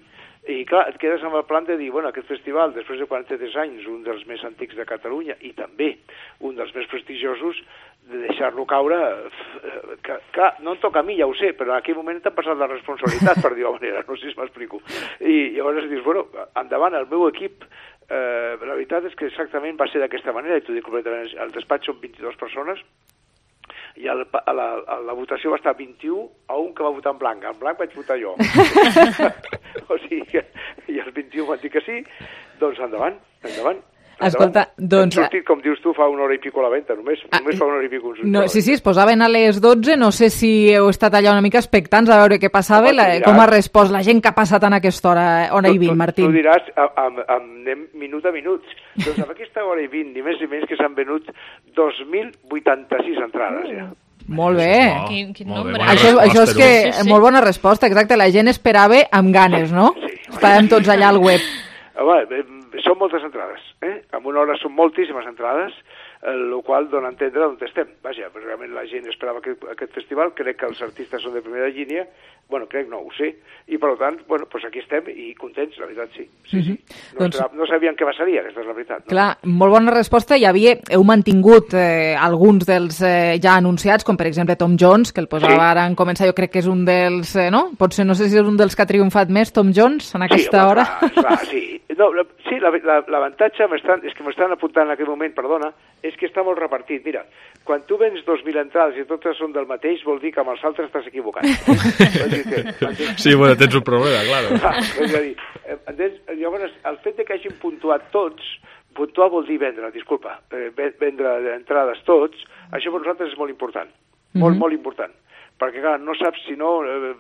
i clar, et quedes amb el plan de dir, bueno, aquest festival, després de quaranta-tres anys, un dels més antics de Catalunya, i també un dels més prestigiosos, de deixar-lo caure, que, clar, no em toca a mi, ja ho sé, però en aquell moment t'ha passat la responsabilitat, per dir-ho manera, no sé si m'explico. I llavors dius, bueno, endavant, el meu equip, eh, la veritat és que exactament va ser d'aquesta manera, i t'ho dic completament, el despatx són vint-i-dues persones, i el, a la, a la votació va estar vint-i-u a un que va votar en blanc. En blanc vaig votar jo. O sigui que, i els vint-i-u van dir que sí, doncs endavant, endavant. Escolta, doncs... Hem sortit, com dius tu, fa una hora i pico a la venda, només, ah, només fa una hora i pico. No, sí, sí, es posaven a les dotze, no sé si heu estat allà una mica expectants a veure què passava, la, com ha respost la gent que ha passat en aquesta hora, hora i vint, Martín. Tu diràs, anem minut a minut. Doncs amb aquesta hora i vint, ni més ni menys que s'han venut dos mil vuitanta-sis entrades, ja. Molt bé. Oh, quin, quin molt nombre. bé, això, això és que, sí, sí. molt bona resposta, exacte, la gent esperava amb ganes, no? Sí. Estàvem tots allà al web. Home, són moltes entrades, eh? En una hora són moltíssimes entrades, el qual dona a entendre on estem. Vaja, realment la gent esperava aquest, aquest festival, crec que els artistes són de primera línia, bueno, crec no, ho sé, i per tant, bueno, doncs aquí estem i contents, la veritat, sí. sí, sí. No, doncs, no sabíem què passaria, aquesta és la veritat. No? Clar, molt bona resposta. Hi havia, heu mantingut eh, alguns dels eh, ja anunciats, com per exemple Tom Jones, que el posava sí. ara en començar, jo crec que és un dels, eh, no? Potser no sé si és un dels que ha triomfat més, Tom Jones, en aquesta sí, home, hora. Clar, clar, sí. No, la, sí, l'avantatge la, és que m'estan apuntant en aquest moment, perdona, és que està molt repartit. Mira, quan tu vens dos mil entrades i totes són del mateix, vol dir que amb els altres estàs equivocat. Sí, bueno, tens un problema, claro. Ah, és a dir, entens? Llavors, el fet de que hagin puntuat tots, puntuar vol dir vendre, disculpa, eh, vendre entrades tots, això per nosaltres és molt important, molt, mm-hmm. molt important, perquè clar, no saps si no... Eh,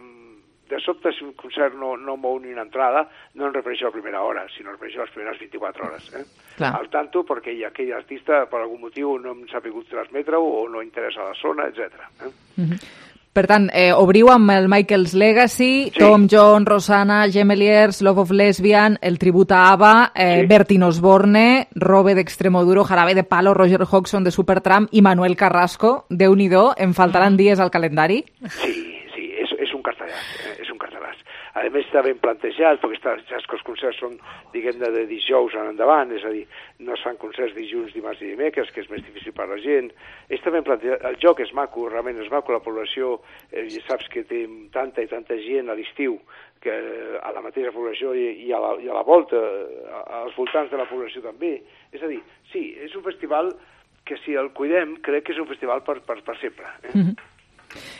de sobte, si un concert no, no mou ni una entrada, no en refereixo a la primera hora, sinó en refereixo a les primeres vint-i-quatre hores. Eh? Al tanto, perquè hi ha aquell artista, per algun motiu, no hem sabut transmetre-ho o no interessa la zona, etcètera. Eh? Mm-hmm. Per tant, eh, obriu amb el Michael's Legacy, sí. Tom Jones, Rosanna, Gemeliers, Love of Lesbian, el tribut a ABBA, eh, sí. Bertín Osborne, Robe d'Extremoduro, Jarabe de Palo, Roger Hodgson de Supertramp i Manuel Carrasco. Déu-n'hi-do, em faltaran dies al calendari? Sí, sí, és, és un cartellàs, eh? És un cartellàs. A més, està ben plantejat, perquè està, saps que els concerts són, diguem-ne, de dijous en endavant, és a dir, no es fan concerts dilluns, dimarts i dimecres, que és més difícil per la gent. Està ben plantejat, el joc és maco, realment és maco, la població, eh, saps que té tanta i tanta gent a l'estiu, que a la mateixa població i, i, a la, i a la volta, als voltants de la població també. És a dir, sí, és un festival que si el cuidem, crec que és un festival per, per, per sempre. Eh? Mm-hmm.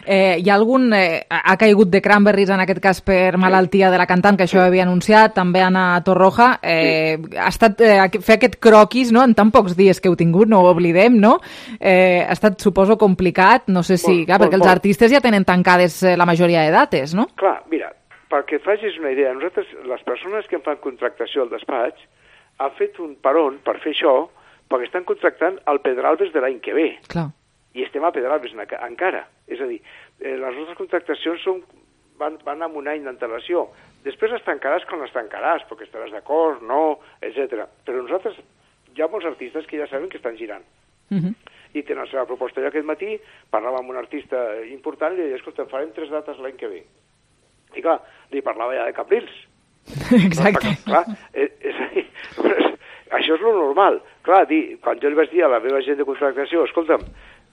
Eh, hi ha algun... Eh, ha caigut de Cranberries, en aquest cas per malaltia de la cantant, que això ho havia anunciat, també Anna Torroja. Eh, sí. Ha estat eh, fer aquest croquis, no?, en tan pocs dies que heu tingut, no ho oblidem, no? Eh, ha estat, suposo, complicat, no sé si... Molt, clar, molt, perquè els molt. artistes ja tenen tancades eh, la majoria de dates, no? Clar, mira, perquè et facis una idea, nosaltres, les persones que en fan contractació al despatx, han fet un peron per fer això, perquè estan contractant el Pedralbes de l'any que ve. Clar. I estem a Pedralbes encara. És a dir, eh, les nostres contractacions són, van, van amb un any d'antelació. Després les tancaràs quan les tancaràs, perquè estaràs d'acord, no, etcètera. Però nosaltres, hi ha molts artistes que ja saben que estan girant. Mm-hmm. i tenen la seva proposta. Jo aquest matí parlava amb un artista important i li deia, escolta, farem tres dates l'any que ve. I clar, li parlava ja de Cambrils. Exacte. Clar, és, és, és, això és lo normal. Clar, dir, quan jo li vaig dir a la meva gent de contractació, escolta'm,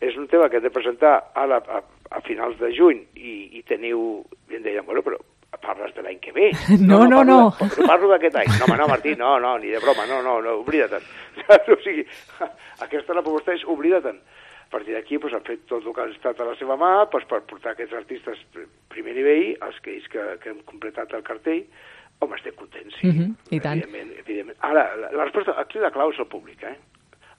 és un tema que hem de presentar ara a, a finals de juny i, i teniu... I em deien, bueno, però parles de l'any que ve. No, no, no. no. Parlo, de, parlo d'aquest any. No, home, no, Martí, no, no, ni de broma, no, no, no, oblida-te'n. O sigui, aquesta la proposta és oblida-te'n. A partir d'aquí doncs, han fet tot el que ha estat a la seva mà doncs, per portar aquests artistes primer nivell, els que, que, que hem completat el cartell. Home, estem contents, sí. Mm-hmm, I tant. Evidentment, evidentment. Ara, la, la resposta, aquí la clau és el públic, eh?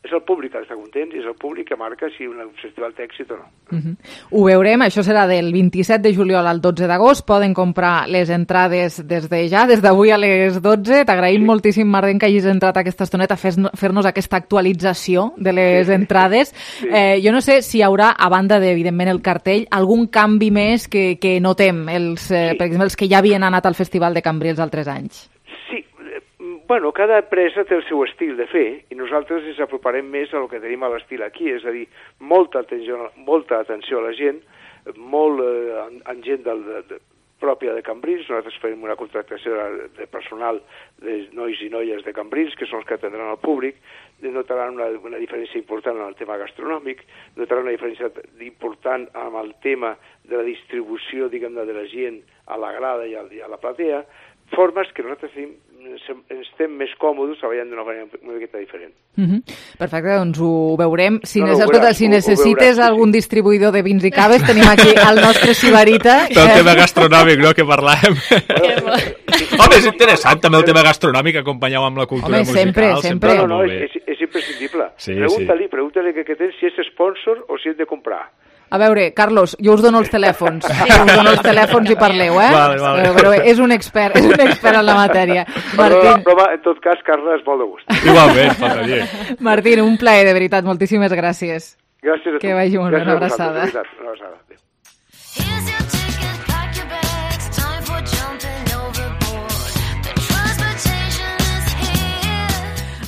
És el públic que està content i és el públic que marca si un festival té èxit o no. Mm-hmm. Ho veurem, això serà del vint-i-set de juliol al dotze d'agost. Poden comprar les entrades des de ja, des d'avui a les dotze. T'agraïm sí. moltíssim, Marden, que hagis entrat aquesta estoneta a fer-nos aquesta actualització de les entrades. Sí. Eh, jo no sé si hi haurà, a banda de, evidentment, el cartell, algun canvi més que, que notem, els, eh, sí. per exemple, els que ja havien anat al Festival de Cambrils altres anys. Bueno, cada empresa té el seu estil de fer i nosaltres ens aproparem més a lo que tenim a l'estil aquí, és a dir, molta atenció, molta atenció a la gent, molt eh, en, en gent del, de, de, pròpia de Cambrils. Nosaltres fem una contractació de, de personal de nois i noies de Cambrils, que són els que atendran al públic, notaran una, una diferència important en el tema gastronòmic, notaran una diferència important amb el tema de la distribució, diguem-ne, de la gent a la grada i a, i a la platea, formes que nosaltres tenim, ens estem més còmodes treballant d'una manera una miqueta diferent. Mm-hmm. Perfecte, doncs ho veurem. Si, no, no, necessites, veuràs, si ho, necessites ho veuràs, algun sí. distribuïdor de vins i caves, tenim aquí el nostre Sibarita. El tema gastronòmic, no?, que parlàvem. Home, és interessant també el tema gastronòmic acompanyat amb la cultura Home, musical. sempre, sempre. No, no, no, és, és, és imprescindible. Sí, pregunta-li, sí. pregunta-li que, que tens si és sponsor o si és de comprar. A veure, Carlos, jo us dono els telèfons. Sí. Us dono els telèfons i parleu, eh? Vale, vale. Però, però és un expert, és un expert en la matèria. Martín... Però, en tot cas, Carla, és molt de gust. Igualment, faltaria. Martín, un plaer, de veritat. Moltíssimes gràcies. Gràcies a tu. Que vagi molt bé, una abraçada. Gràcies, una abraçada.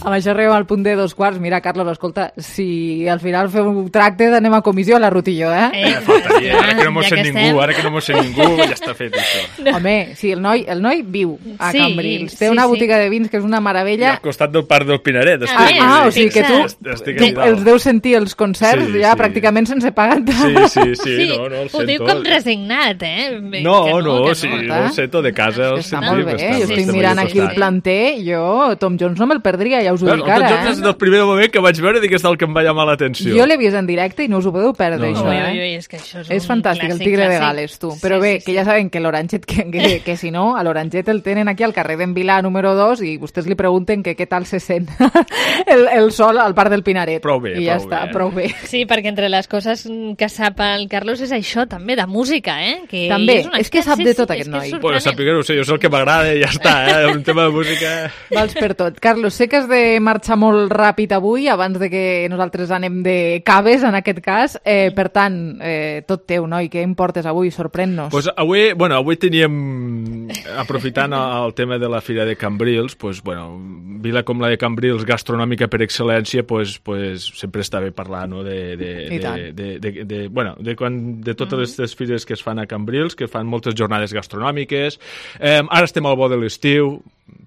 Amb això arribem al punt de dos quarts. Mira, Carlos, escolta, si al final fem un tracte d'anem a comissió a la Rutillo, eh? eh faltaria, ara que no mos ja sent ningú, ara que no mos sent ningú, ja està fet això. No. Home, sí, el noi, el noi viu a sí, Cambrils. Té sí, una sí. botiga de vins que és una meravella. I al costat del Parc del Pinaret. Ah, ah, o sigui que tu, estic tu els deus sentir els concerts sí, ja sí. pràcticament sense pagar. Sí, sí, sí, sí, no, no, el ho diu com resignat, eh? No, que no, no, sí, no. no, ho sento de casa. És que està molt bé, jo estic mirant aquí el planter, jo Tom Jones no me'l perdria, ja us ho dic ara, eh? Des del primer moment que vaig veure dic és el que em va llamar l'atenció. Jo l'he vist en directe i no us ho podeu perdre, no, això, no. eh? Ui, ui, és que això és, és fantàstic, clàssic, el Tigre clàssic. de Gales, tu. Però sí, bé, sí, que ja saben que l'Oranget, que, que, que si no, a l'Oranget el tenen aquí al carrer d'en Vilà número dos i vostès li pregunten que què tal se sent el, el sol al Parc del Pinaret. Prou bé, I ja prou està, bé. prou bé. Sí, perquè entre les coses que sap el Carlos és això, també, de música, eh? Que també, és, és que sap de tot aquest noi. Bueno, sàpiga, no sé, jo sé el que m'agrada i ja està, eh? Un tema de música... Vals per tot. Carlos, sé que has de marxar molt ràpid avui, abans de que nosaltres anem de caves, en aquest cas. Eh, per tant, eh, tot teu, noi, què em portes avui? Sorprèn-nos. Pues avui, bueno, avui teníem, aprofitant el tema de la Fira de Cambrils, pues, bueno, vila com la de Cambrils, gastronòmica per excel·lència, pues, pues, sempre està bé parlar, no?, de, de, de, de, de, de, bueno, de, quan, de totes les, les fires que es fan a Cambrils, que fan moltes jornades gastronòmiques. Eh, ara estem al bo de l'estiu,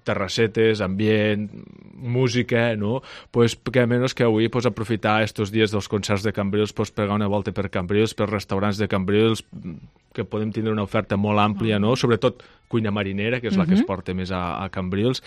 terrassetes, ambient, música, no? Pues que a menys que avui pues, aprofitar estos dies dels concerts de Cambrils, pues, pegar una volta per Cambrils, per restaurants de Cambrils, que podem tindre una oferta molt àmplia, no? Sobretot cuina marinera, que és la que es porta més a, a Cambrils.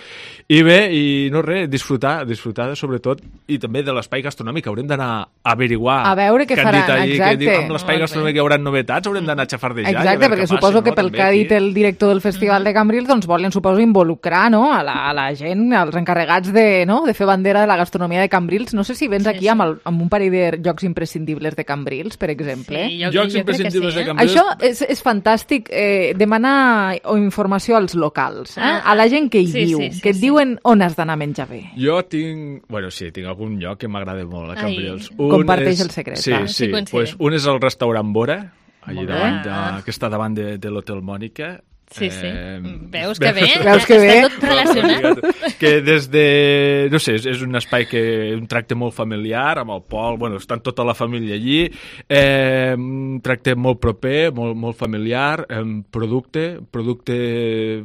I bé, i no res, disfrutar, disfrutar sobretot, i també de l'espai gastronòmic. Haurem d'anar a averiguar... A veure què faran, ahí, exacte. Que amb l'espai gastronòmic hi haurà novetats, haurem d'anar a xafardejar. Exacte, perquè suposo que pel que ha dit el director del Festival de Cambrils, doncs volen, suposo, involucrar, no?, a la, a la gent, als encarregats de, no?, de fer bandera de la gastronomia de Cambrils. No sé si vens aquí amb, el, amb un parell de llocs imprescindibles de Cambrils, per exemple. Sí, jo, Jocs jo imprescindibles sí, eh? de Cambrils. Això és, és fantàstic, eh, demanar informació als locals, eh? A la gent que hi sí, viu, sí, sí, que et sí. diuen on has d'anar a menjar bé. Jo tinc... Bueno, sí, tinc algun lloc que m'agrada molt a Cambrils. Ai, comparteix el secret. Sí, va. sí. Sí, pues un és el restaurant Bora, allà Molt davant bé. de, que està davant de, de l'Hotel Mònica. Sí, sí. Eh, Veus que bé? Veus que bé? Està tot relacionat. Que des de... No sé, és, és un espai que... Un tracte molt familiar, amb el Pol, bueno, estan tota la família allí, eh, un tracte molt proper, molt, molt familiar, eh, producte, producte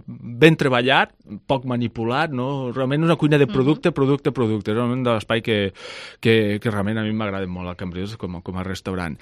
ben treballat, poc manipulat, no? Realment una cuina de producte, mm-hmm. producte, producte. És realment de l'espai que, que, que realment a mi m'agrada molt a Cambrils com, com a restaurant.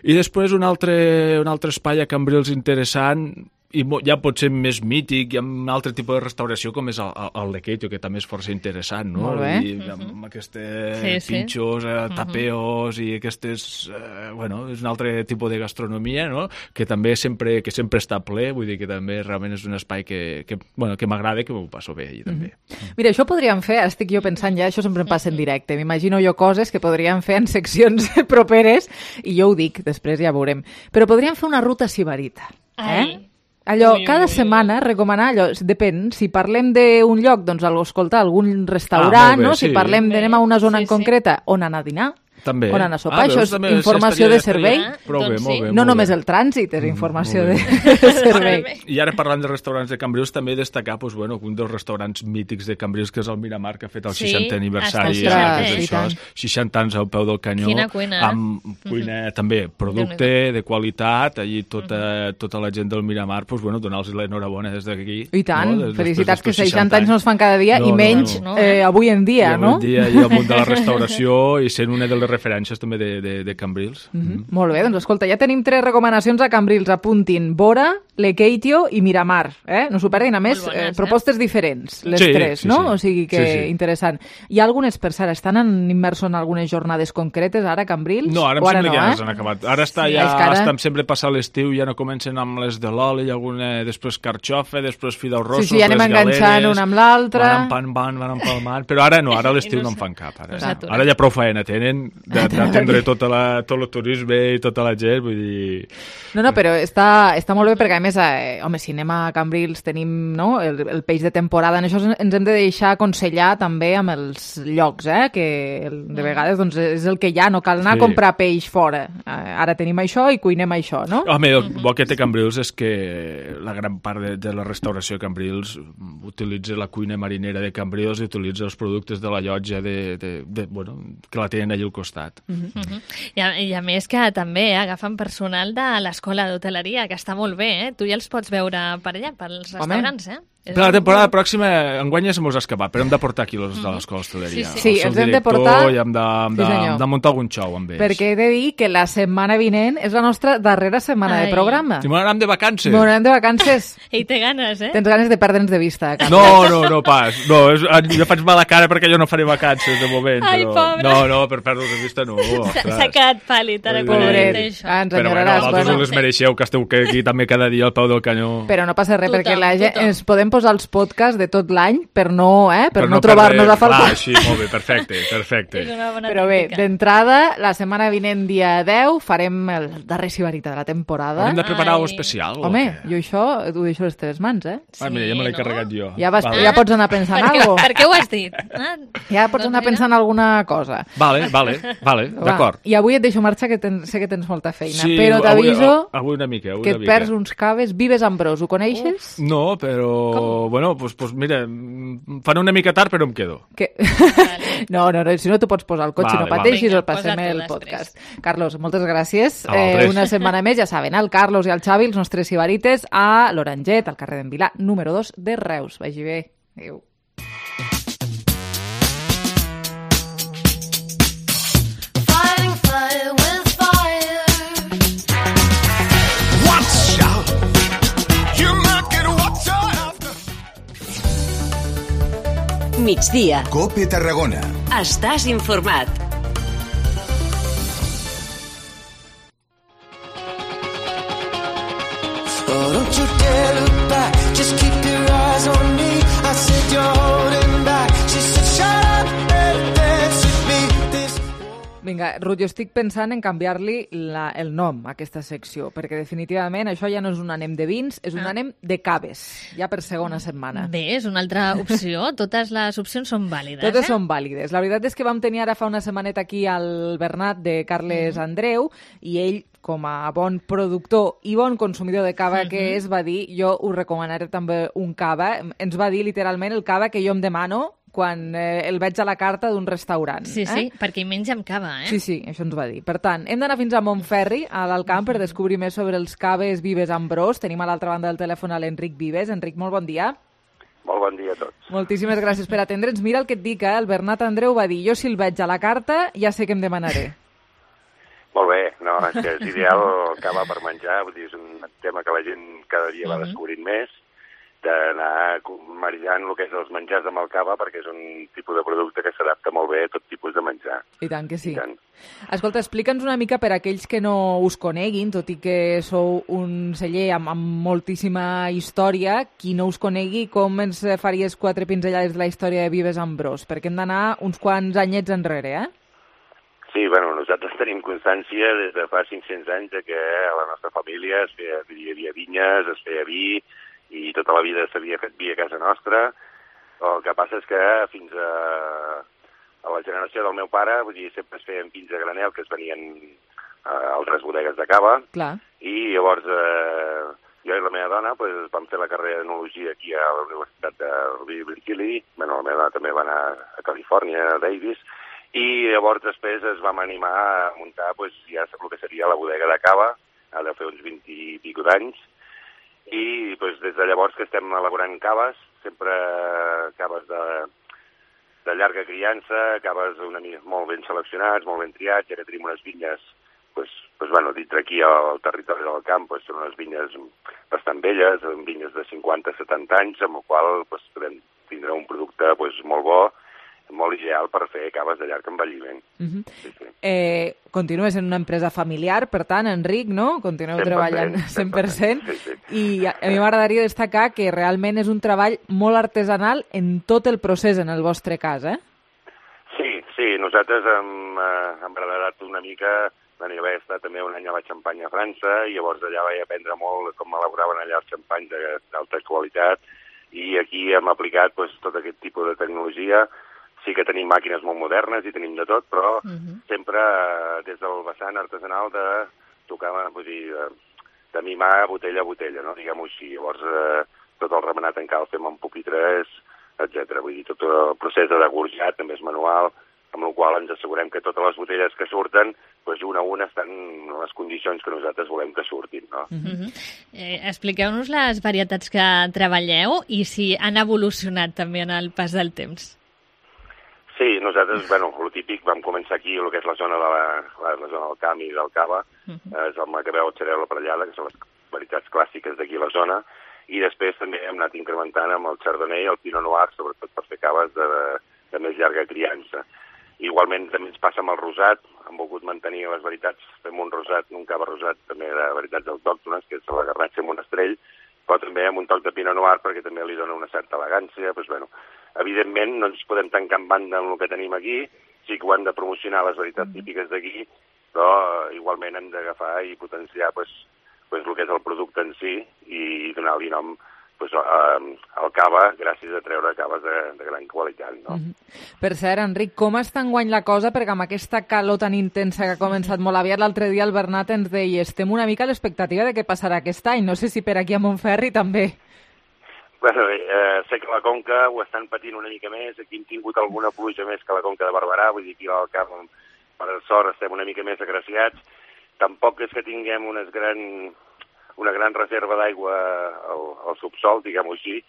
I després un altre, un altre espai a Cambrils interessant, i ja pot ser més mític, hi ha un altre tipus de restauració com és el, el Lekeitio, que també és força interessant, no? Molt bé. I amb Mhm. aquestes Sí, sí. pinxos, eh, tapeos i aquestes... Eh, bueno, és un altre tipus de gastronomia, no? Que també sempre, que sempre està ple, vull dir que també realment és un espai que, que, bueno, que m'agrada i que m'ho passo bé allà també. Mira, això podríem fer, estic jo pensant ja, això sempre em passa en directe, m'imagino jo coses que podríem fer en seccions properes, i jo ho dic, després ja veurem. Però podríem fer una ruta sibarita. Eh? Ai. Allò, Ui, cada ui, ui. setmana, recomanar allò, depèn, si parlem d'un lloc, doncs escoltar algun Ah, restaurant, molt bé, no? sí. Si parlem d'anem a una zona Sí, en sí. concreta, on anar a dinar, També. on anar a sopar, Ah, això veus, és també informació estaria- de servei. estaria- Prou bé, Doncs molt sí. bé. No molt només bé. el trànsit és informació molt de, de servei. I ara parlant de restaurants de Cambrils, també destacar doncs, bueno, un dels restaurants mítics de Cambrils, que és el Miramar, que ha fet el Sí, seixantè aniversari. està i seixanta, és i això, tant. seixanta anys al peu del canyó. Quina cuina, eh? Amb cuina també, producte de qualitat, allí tota, tota la gent del Miramar, doncs, bueno, donar-los l'enhorabona des d'aquí. I tant, no? Des- felicitats, que després d'estos seixanta anys no es fan cada dia, No, i no, menys no. eh, avui en dia, I avui no? en dia, i al món de la restauració, i sent una de les referències també de, de, de Cambrils. Mhm. Molt bé, doncs escolta, ja tenim tres recomanacions a Cambrils, apuntin Bora, Lekeitio i Miramar, eh? No s'ho perdin, a més, Molt bones, eh, propostes diferents, les Sí, tres, sí, no? sí. O sigui que Sí, sí. interessant. Hi ha algunes, per cert, estan en, immersos en algunes jornades concretes ara a Cambrils? No, ara em O sembla no, que ja eh? s'han acabat. Ara està Sí, ja, és que ara- estan sempre passant l'estiu, ja no comencen amb les de l'oli, alguna, després carxofa, després fideus rossos, Sí, sí, ja anem les enganxant galeres, una amb l'altra. Van empalmant, van empalmant, però ara no, ara a l'estiu I no no en s- fan cap. Ara, no s'aturen. ara ja prou feina tenen de- d'atendre tota la, tot el turisme i tota la gent, vull dir... No, no, però està, està molt bé perquè, a més, eh, home, si anem a Cambrils tenim no, el, el peix de temporada. En això ens hem de deixar aconsellar també amb els llocs, eh, que el- de vegades doncs, és el que hi ha, no cal anar Sí. a comprar peix fora. Eh, ara tenim això i cuinem això, no? Home, el bo que té Cambrils és que la gran part de, de la restauració de Cambrils utilitza la cuina marinera de Cambrils i utilitza els productes de la llotja de, de, de, bueno, que la tenen allà al costat. Mhm. I, a, I a més que també eh, agafen personal de l'escola d'hoteleria, que està molt bé, eh? Tu ja els pots veure per allà, pels restaurants, eh? És Per la un- temporada pròxima, enguany ja se mos ha escapat, però hem de portar aquí els de l'escola d'hostaleria. Sí, sí. Sí, El seu els hem de director portar- I hem de, hem de, Sí, senyor. hem de muntar algun xou amb ells. Perquè he de dir que la setmana vinent és la nostra darrera setmana Ai. de programa. I m'anàvem de vacances. Bueno, anem de vacances. I té ganes, eh? Tens ganes de perdre'ns de vista. Carles. No, no, no pas. No, és, jo faig mala cara perquè jo no faré vacances de moment. Ai, però... pobre. No, no, per perdre de vista no. S'ha ostres. s'ha quedat pàl·lid ara quan Pobret. ha dit això. Ah, ens Però bueno, enyoraràs. vosaltres bueno. us les mereixeu, que esteu aquí també cada dia al peu del canyó. Però no passa res, Tothom, perquè la gent, tothom. ens podem posar els podcasts de tot l'any per no, eh, per Per no, trobar-nos perdre- a faltar. Clar, sí, molt bé, perfecte, perfecte. És una bona Però bé, tàctica. d'entrada, la setmana vinent, dia deu, farem el darrer sibarita de la temporada. Haurem de preparar Ai. alguna especial? o Home, què? jo això ho deixo a les teves mans, eh? Ah, mira, ja me l'he no? carregat jo. Ja, vas, Vale. ja pots anar pensant Per en què, alguna per què ho has dit? Ah, Ja pots doncs anar mira. pensant en alguna cosa. Vale, vale, vale, Va, d'acord. I avui et deixo marxar, que ten, sé que tens molta feina, Sí, però avui- t'aviso Avui una mica, avui que una et mica. perds uns caves. Vives Ambrós, ho coneixes? No, però... Com? Bueno, pues, pues mira, em fan una mica tard, però em quedo. Que... No, no, no, si no t'ho pots posar al cotxe, Vale, no vale. pateixis, Vinga, el passem posa-t'ho el després. podcast. Carlos, moltes gràcies. A vosaltres. una setmana més, ja saben, el Carlos i el Xavi, els nostres sibarites, a l'Oranget, al carrer d'en Vilà, número dos de Reus. Vagi bé. Adéu. Fighting fire with fire. Watch out! You might get water after. Migdia. Cope Tarragona. Estàs informat. Oh, don't you dare look back. Just keep your eyes on me. I said you're holding back. She said, shut up and dance with me. This Vinga, Ruth, jo estic pensant en canviar-li la- el nom a aquesta secció, perquè definitivament això ja no és un anem de vins, és un Ah. anem de caves, ja per segona setmana. Bé, és una altra opció. Totes les opcions són vàlides, Totes eh? són vàlides. La veritat és que vam tenir ara fa una setmaneta aquí al Bernat de Carles Andreu i ell com a bon productor i bon consumidor de cava uh-huh. que és, va dir, jo us recomanaré també un cava. Ens va dir literalment el cava que jo em demano quan eh, el veig a la carta d'un restaurant. Sí, eh? sí, perquè hi menja amb cava, eh? Sí, sí, això ens va dir. Per tant, hem d'anar fins a Montferri, a l'Alcamp, per descobrir més sobre els caves Vives Ambrós. Tenim a l'altra banda del telèfon a l'Enric Vives. Enric, molt bon dia. Molt bon dia a tots. Moltíssimes gràcies per atendre'ns. Mira el que et dic, eh? El Bernat Andreu va dir, jo si el veig a la carta ja sé què em demanaré. Molt bé, no, és que és ideal el cava per menjar, vull dir, és un tema que la gent cada dia va descobrint més, d'anar maridant el que és els menjars amb el cava, perquè és un tipus de producte que s'adapta molt bé a tot tipus de menjar. I tant que sí. I tant. Escolta, explica'ns una mica per a aquells que no us coneguin, tot i que sou un celler amb, amb moltíssima història, qui no us conegui, com ens faries quatre pinzellades de la història de Vives Ambrós? Perquè hem d'anar uns quants anyets enrere, eh? Sí, bueno, nosaltres tenim constància des de fa cinc-cents anys de que a la nostra família es feia, hi havia vinyes, es feia vi, i tota la vida s'havia fet vi a casa nostra. El que passa és que fins a, a la generació del meu pare, vull dir, sempre es feien vins a granel que es venien a altres bodegues de cava. Clar. I llavors eh, jo i la meva dona pues, vam fer la carrera d'enologia aquí a la Universitat de Berkeley. Bueno, la meva dona també va anar a Califòrnia, a Davis, i llavors després es vam animar a muntar pues, ja el que seria la bodega de cava, ha de fer uns vint i pico d'anys, i doncs, des de llavors que estem elaborant caves, sempre caves de, de llarga criança, caves una mica molt ben seleccionats, molt ben triats, ja que tenim unes vinyes, doncs, doncs, bueno, dintre aquí al territori del camp, doncs, són unes vinyes bastant velles, vinyes de cinquanta a setanta anys, amb el qual doncs, podem tindre un producte doncs, molt bo, molt ideal per fer caves de llarg envelliment. Uh-huh. Sí, sí. Eh, continues en una empresa familiar, per tant, Enric, no? Continueu treballant cent per cent. Sí, sí. I a, a mi m'agradaria destacar que realment és un treball molt artesanal en tot el procés, en el vostre cas, eh? Sí, sí, nosaltres hem, eh, hem agradat una mica, bueno, jo vaig estar també un any a la Xampanya a França, i llavors allà vaig aprendre molt com elaboraven allà els xampanys d'alta qualitat, i aquí hem aplicat pues, tot aquest tipus de tecnologia. Sí que tenim màquines molt modernes i tenim de tot, però uh-huh. sempre eh, des del vessant artesanal de tocar, vull dir, de, de mimar botella a botella, no? Diguem-ho així. Llavors, eh, tot el remenat en cal fem amb pupitres, etcètera. Vull dir, tot el procés de degorjat també és manual, amb el qual ens assegurem que totes les botelles que surten, doncs una a una estan en les condicions que nosaltres volem que surtin, no? Uh-huh. eh, expliqueu-nos les varietats que treballeu i si han evolucionat també en el pas del temps. Sí, nosaltres, bueno, el típic, vam començar aquí, el que és la zona, de la, la, la zona del camp i del cava, uh-huh. eh, és el macabeu, el xarel, la parellada, que són les varietats clàssiques d'aquí a la zona, i després també hem anat incrementant amb el chardonnay i el pinot noir, sobretot per fer caves de, de més llarga criança. Igualment també ens passa amb el rosat, hem volgut mantenir les varietats, fem un rosat, un cava rosat també de varietats autòctones, que és la garnatxa amb un estrell, però també amb un toc de pinot noir perquè també li dona una certa elegància, doncs bueno, evidentment no ens podem tancar en banda amb el que tenim aquí, sí que ho han de promocionar les varietats típiques d'aquí, però igualment hem d'agafar i potenciar pues, pues, el que és el producte en si i donar-li nom pues, al cava gràcies a treure caves de, de gran qualitat. No? Mm-hmm. Per cert, Enric, com està enguany la cosa? Perquè amb aquesta calor tan intensa que ha començat molt aviat, l'altre dia el Bernat ens deia estem una mica a l'expectativa de què passarà aquest any. No sé si per aquí a Montferri també. Bueno, eh, sé que la Conca ho estan patint una mica més, aquí hem tingut alguna pluja més que la Conca de Barberà, vull dir que al camp, per sort, estem una mica més agraciats. Tampoc és que tinguem unes gran, una gran reserva d'aigua al, al subsol, diguem-ho així,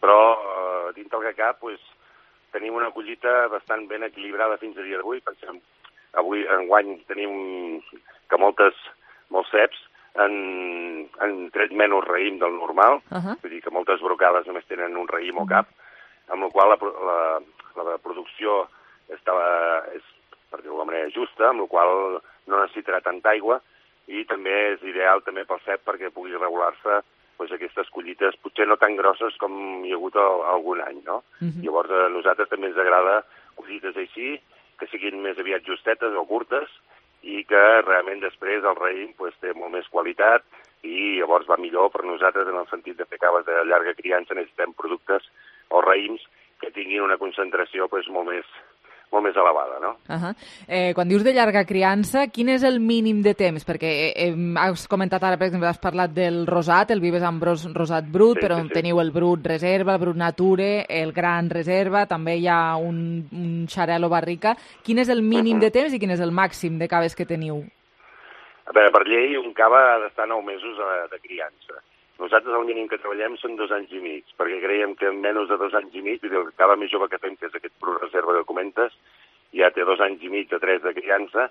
però eh, dintre del que cap pues, tenim una collita bastant ben equilibrada fins a dia d'avui. Pensem, avui, enguany, tenim que moltes, molts ceps han, han tret menys raïm del normal, uh-huh. vull dir que moltes brocades només tenen un raïm o cap, amb la qual la, la, la producció està, és, per dir-ho de manera justa, amb la qual no necessitarà tanta aigua, i també és ideal també pel cep perquè pugui regular-se pues, aquestes collites, potser no tan grosses com hi ha hagut el, algun any, no? Uh-huh. Llavors a nosaltres també ens agrada collites així, que siguin més aviat justetes o curtes, i que realment després el raïm pues, té molt més qualitat i llavors va millor per nosaltres en el sentit de fer caves de llarga criança. Necessitem productes o raïms que tinguin una concentració pues, molt més molt més elevada, no? Uh -huh. eh, quan dius de llarga criança, quin és el mínim de temps? Perquè eh, has comentat ara, per exemple, has parlat del rosat, el Vives Ambrós rosat brut, sí, però sí, sí. teniu el brut reserva, el brut nature, el gran reserva, també hi ha un, un xarel·lo barrica. Quin és el mínim uh -huh. de temps i quin és el màxim de caves que teniu? A veure, per llei, un cava ha d'estar nou mesos de criança. Nosaltres el mínim que treballem són dos anys i mig, perquè creiem que en menys de dos anys i mig, el cava més jove que fem, que és aquest brut reserva que comentes, ja té dos anys i mig de tres de criança,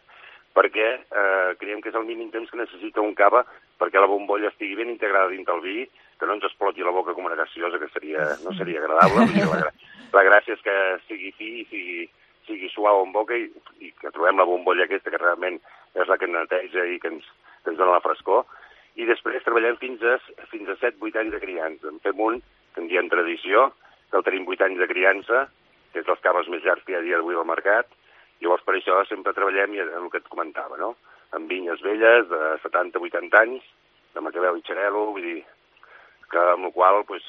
perquè eh, creiem que és el mínim temps que necessita un cava perquè la bombolla estigui ben integrada dins del vi, que no ens exploti la boca com una gaseosa, que seria, no seria agradable. La, la gràcia és que sigui fi i sigui, sigui suau en boca i, i que trobem la bombolla aquesta, que realment és la que ens neteja i que ens, que ens dona la frescor. I després treballem fins a, fins a set vuit anys de criança. En fem un, que en diem tradició, que el tenim vuit anys de criança, que és dels caves més llargs que hi ha a dia d'avui al mercat. Llavors, per això sempre treballem, i el que et comentava, no? Amb vinyes velles de setanta vuitanta anys, de macabeu i xarel·lo, vull dir, que amb la qual pues,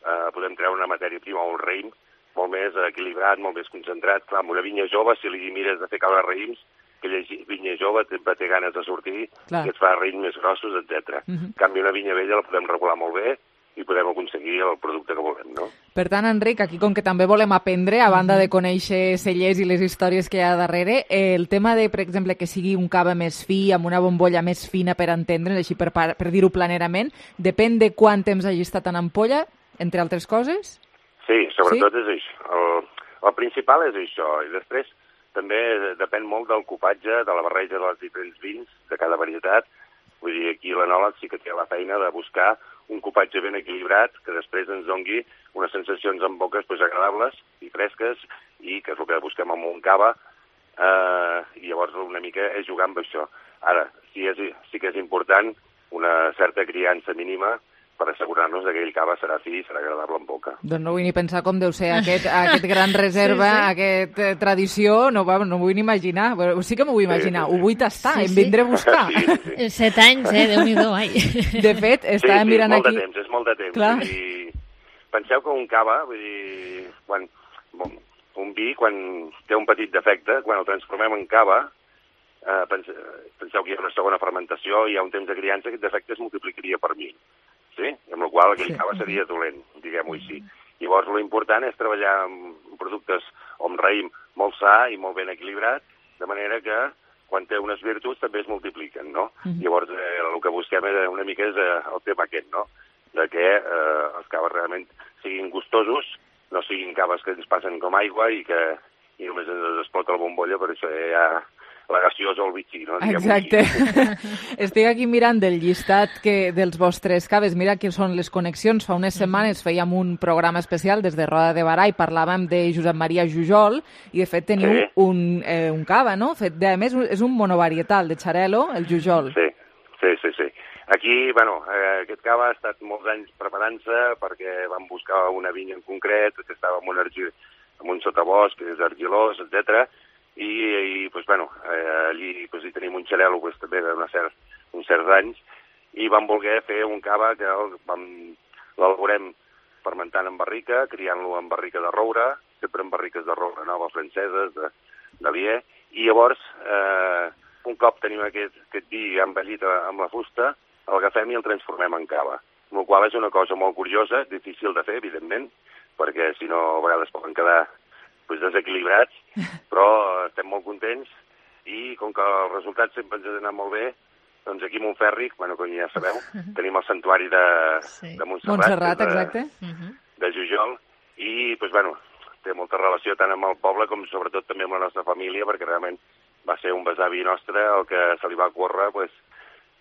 eh, podem treure una matèria prima o un raïm molt més equilibrat, molt més concentrat. Clar, amb una vinya jove, si li mires de fer caure raïms, aquella vinya jove té, té ganes de sortir, Clar. i et fa raïms més grossos, etcètera. Uh -huh. En canvi, una vinya vella la podem regular molt bé i podem aconseguir el producte que volem, no? Per tant, Enric, aquí com que també volem aprendre, a banda de conèixer cellers i les històries que hi ha darrere, eh, el tema de, per exemple, que sigui un cava més fi, amb una bombolla més fina per entendre's, així per, per dir-ho planerament, depèn de quant temps hagi estat en ampolla, entre altres coses? Sí, sobretot sí? és això. El, el principal és això, i després també depèn molt del copatge, de la barreja dels diferents vins, de cada varietat. Vull dir, aquí l'enòleg sí que té la feina de buscar un copatge ben equilibrat que després ens dongui unes sensacions en boques pues, agradables i fresques i que és el que busquem amb un cava eh, i llavors una mica és jugar amb això. Ara, sí, és, sí que és important una certa criança mínima per assegurar-nos que aquell cava serà fi i serà agradable en boca. Doncs no vull ni pensar com deu ser aquest, aquest gran reserva, sí, sí. aquesta eh, tradició, no, no m'ho vull ni imaginar. Però sí que m'ho vull imaginar, sí, sí. ho vull tastar, sí, em vindré a buscar. Sí, sí. Set anys, eh? Déu-n'hi-do, ai. De fet, estàvem sí, sí, mirant molt aquí... de temps, és molt de temps. Clar. Vull dir, penseu que un cava, vull dir, quan, bon, un vi, quan té un petit defecte, quan el transformem en cava, eh, pense, penseu que hi ha una segona fermentació, hi ha un temps de criança, aquest defecte es multiplicaria per mil. Sí? Amb la qual aquell cava seria dolent, diguem-ho així. Llavors, l'important és treballar amb productes o amb raïm molt sa i molt ben equilibrat, de manera que quan té unes virtuts també es multipliquen, no? Mm-hmm. Llavors, eh, el que busquem una mica és eh, el tema aquest, no? De que eh, els caves realment siguin gustosos, no siguin caves que ens passen com aigua i que i només ens explota la bombolla, per això hi ha la gaseosa o el bitxí, no? Exacte. Estic aquí mirant del llistat que, dels vostres caves. Mira que són les connexions. Fa unes setmanes fèiem un programa especial des de Roda de Barà i parlàvem de Josep Maria Jujol i, de fet, teniu sí. un, eh, un cava, no? Fet, de, a més, és un monovarietal de xarel·lo, el Jujol. Sí, sí, sí. sí. Aquí, bueno, eh, aquest cava ha estat molts anys preparant-se perquè vam buscar una vinya en concret que estava en un, argil, en un sotabosc, que és argilós, etcètera. I, i pues, bueno, eh, allí pues, hi tenim un xarel·lo pues, també d'uns cert, certs anys i vam voler fer un cava que l'elaborem fermentant en barrica, criant-lo en barrica de roure, sempre en barriques de roure noves franceses, de, de lier, i llavors eh, un cop tenim aquest, aquest vi envellit amb la fusta, el agafem i el transformem en cava, amb la qual és una cosa molt curiosa, difícil de fer, evidentment, perquè si no a vegades poden quedar pues, desequilibrats, però estem molt contents i com que els resultats sempre ens han anat molt bé, doncs aquí a Montferri, bueno, com ja sabeu, tenim el santuari de, sí. de Montserrat, Montserrat de, exacte. de Jujol, i pues, bueno, té molta relació tant amb el poble com sobretot també amb la nostra família, perquè realment va ser un besavi nostre el que se li va córrer pues,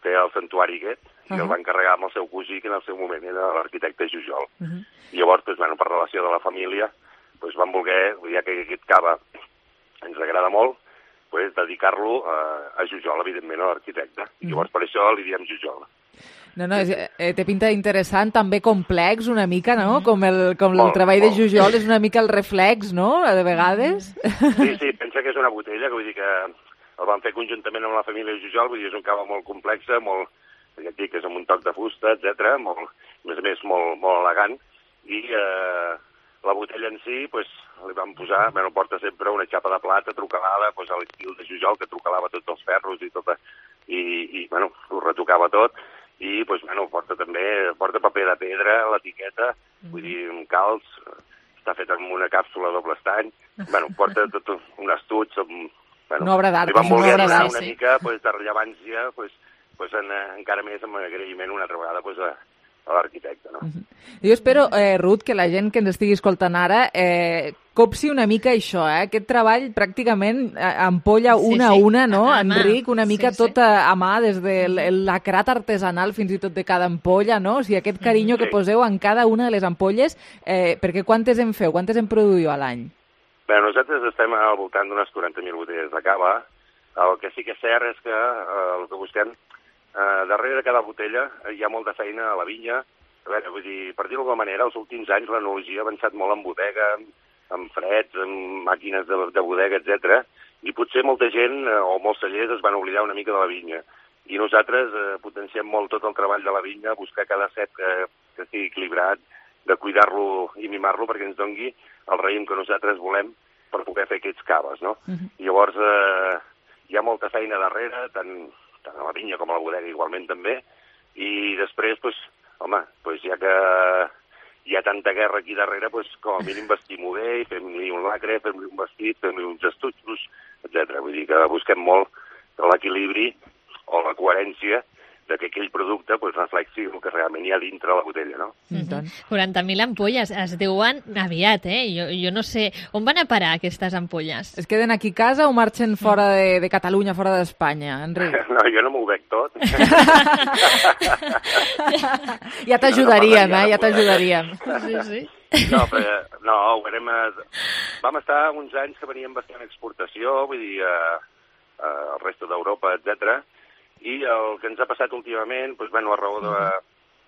fer el santuari aquest, i uh -huh. el va encarregar amb el seu cosí, que en el seu moment era l'arquitecte Jujol. Uh -huh. I llavors, pues, bueno, per relació de la família, pues, vam voler, ja que aquest cava ens agrada molt, pues, dedicar-lo a, a Jujol, evidentment, a l'arquitecte. I llavors per això li diem Jujol. No, no, és, eh, té pinta interessant, també complex una mica, no? Com el, com molt, el treball molt. de Jujol és una mica el reflex, no?, de vegades. Sí, sí, pensa que és una botella, que vull dir que el vam fer conjuntament amb la família Jujol, vull dir, és un cava molt complex, molt, ja et dic, és amb un toc de fusta, etcètera, molt, a més a més, molt, molt elegant, i eh, la botella en si, pues, li vam posar, bueno, porta sempre una xapa de plata trucalada, pues, a l'estil de Jujol, que trucalava tots els ferros i tot, i, i bueno, ho retocava tot, i, pues, bueno, porta també, porta paper de pedra, l'etiqueta, mm. vull dir, un calç, està fet amb una càpsula doble estany, bueno, porta tot un estuig, amb, bueno, una obra d'art, li vam voler donar una sí. mica, pues, de rellevància, pues, pues, en, encara més amb agraïment una altra vegada, pues, a, a l'arquitecte, no? Uh-huh. Jo espero, eh, Ruth, que la gent que ens estigui escoltant ara eh, copsi una mica això, eh? Aquest treball pràcticament eh, ampolla una sí, sí. a una, no, a Enric? Una mica sí, tot a, a mà, des de l'acrat artesanal fins i tot de cada ampolla, no? O sigui, aquest carinyo sí. que poseu en cada una de les ampolles, eh, perquè quantes en feu? Quantes en produïu a l'any? Bé, nosaltres estem al voltant d'unes quaranta mil botelles de cava. El que sí que és cert és que eh, el que busquem, eh, darrere de cada botella hi ha molta feina a la vinya. A veure, vull dir, per dir-ho d'alguna manera, els últims anys l'enologia ha avançat molt en bodega, amb freds, amb màquines de, de bodega, etcètera. I potser molta gent eh, o molts cellers es van oblidar una mica de la vinya. I nosaltres eh, potenciem molt tot el treball de la vinya, buscar cada set que, que estigui equilibrat, de cuidar-lo i mimar-lo perquè ens dongui el raïm que nosaltres volem per poder fer aquests caves, no? Uh-huh. Llavors, eh, hi ha molta feina darrere, tant, tant a la vinya com a la bodega igualment també, i després, doncs, home, doncs ja que hi ha tanta guerra aquí darrere, doncs com a mínim vestim-ho bé, fem-li un lacre, fem-li un vestit, fem-li uns estuixos, etcètera. Vull dir que busquem molt l'equilibri o la coherència de que aquell producte pues, reflexi el que realment hi ha dintre la botella, no? Mm-hmm. quaranta mil ampolles es deuen aviat, eh? Jo, jo no sé... On van a parar aquestes ampolles? Es queden aquí a casa o marxen fora de, de Catalunya, fora d'Espanya, Enric? No, jo no m'ho veig tot. Ja t'ajudaríem, eh? Ja t'ajudaríem. Sí, sí. No, però, no, ho érem... Vam estar uns anys que veníem bastant exportació, vull dir, a, a, al resto d'Europa, etcètera. I el que ens ha passat últimament, doncs, bueno, a raó de,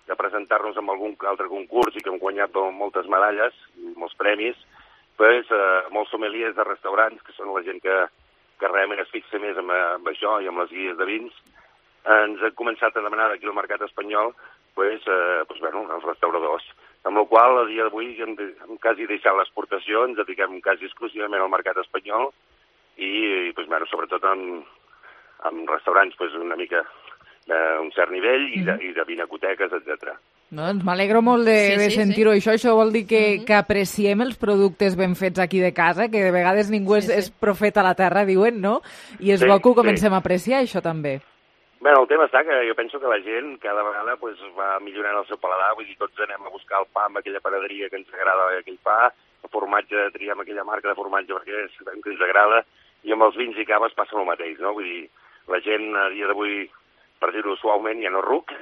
de presentar-nos en algun altre concurs i que hem guanyat moltes medalles, molts premis, doncs, eh, molts sommeliers de restaurants, que són la gent que, que realment es fixa més amb, amb això i amb les guies de vins, ens han començat a demanar d'aquí al mercat espanyol doncs, eh, doncs, bueno, els restauradors. Amb la qual cosa, a dia d'avui, hem, hem quasi deixat l'exportació, ens dediquem quasi exclusivament al mercat espanyol i, i doncs, bueno, sobretot en amb restaurants pues, una mica d'un cert nivell i de, i de vinacoteques, etcètera. Doncs m'alegro molt de, sí, de sentir-ho, sí. Això. Això vol dir que, uh-huh. que apreciem els productes ben fets aquí de casa, que de vegades ningú sí, és, sí. és profeta a la terra, diuen, no? I és sí, bo que ho comencem sí. a apreciar, això també. Bé, el tema està que jo penso que la gent cada vegada pues, va millorant el seu paladar, vull dir, tots anem a buscar el pa amb aquella panaderia que ens agrada aquell pa, el formatge, triem aquella marca de formatge perquè és que ens agrada, i amb els vins i caves passa el mateix, no? Vull dir, la gent a dia d'avui, per dir-ho suaument, ja no ruc,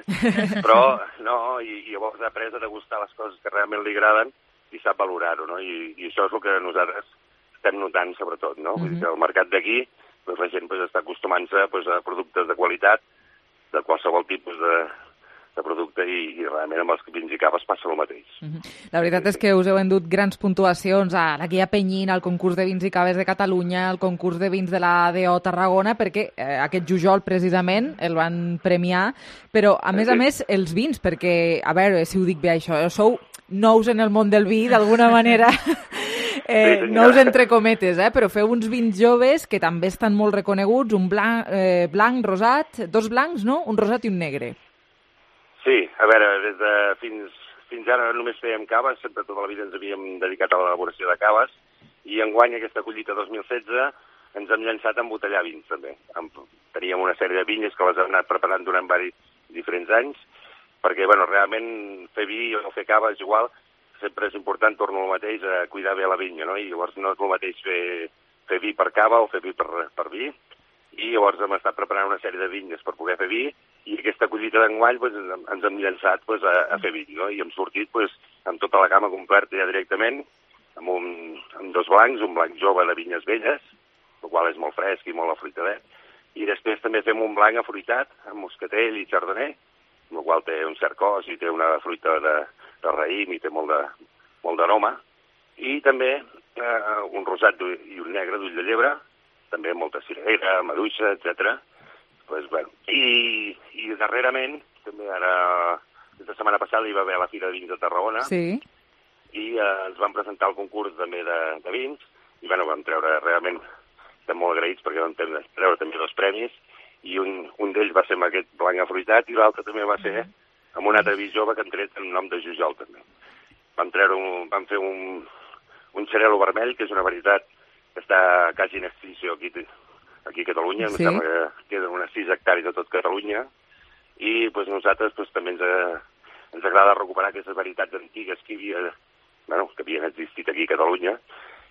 però no, i, i llavors ha après a degustar les coses que realment li agraden i sap valorar-ho, no? I, i això és el que nosaltres estem notant, sobretot, no? Mm-hmm. Vull dir que el mercat d'aquí, doncs, la gent pues, està acostumant-se pues, a productes de qualitat, de qualsevol tipus de, de producte, i, i realment amb els vins i caves passa el mateix. Mm-hmm. La veritat és que us heu endut grans puntuacions a la Guia Penyín, al concurs de vins i caves de Catalunya, al concurs de vins de la A D O Tarragona, perquè eh, aquest Jujol precisament el van premiar, però a més a més els vins, perquè, a veure si ho dic bé això, sou nous en el món del vi, d'alguna manera, eh, nous entre cometes, eh, però feu uns vins joves que també estan molt reconeguts, un blanc, eh, blanc, rosat, dos blancs, no? Un rosat i un negre. Sí, a veure, des de fins, fins ara només fèiem caves, sempre tota la vida ens havíem dedicat a l'elaboració de caves, i enguany aquesta collita dos mil setze ens hem llançat a embotellar vins, també. Teníem una sèrie de vinyes que les hem anat preparant durant vari, diferents anys, perquè, bueno, realment fer vi o fer cava és igual, sempre és important, torno al mateix, a cuidar bé la vinya, no? I llavors no és el mateix fer, fer vi per cava o fer vi per, per vi, i llavors hem estat preparant una sèrie de vinyes per poder fer vi, i aquesta collita d'enguany pues, ens hem llançat pues, a, a fer vi, no? I hem sortit pues, amb tota la gamma completa ja directament, amb, un, amb dos blancs, un blanc jove de vinyes velles, el qual és molt fresc i molt afruitadet, i després també fem un blanc afruitat, amb moscatell i chardonnay, el qual té un cert cos i té una fruita de, de raïm i té molt de, molt d'aroma, i també eh, un rosat i un negre d'ull de llebre, també molta cirera, maduixa, etcètera. Pues, bueno. I, I darrerament, també ara, aquesta setmana passada hi va haver a la Fira de Vins de Tarragona, sí. i eh, ens van presentar el concurs també de, de vins, i bueno, vam treure realment, estem molt agraïts perquè vam treure també dos premis, i un, un d'ells va ser amb aquest blanc afruitat, i l'altre també va ser amb un altre vi jove que han tret en nom de Jujol també. Vam, treure un, vam fer un, un xarel·lo vermell, que és una varietat que està quasi en extinció aquí, aquí a Catalunya, sí. Em sembla que queden unes sis hectàrees de tot Catalunya, i pues, nosaltres pues, també ens, ens agrada recuperar aquestes varietats antigues que, havia, bueno, que havien existit aquí a Catalunya,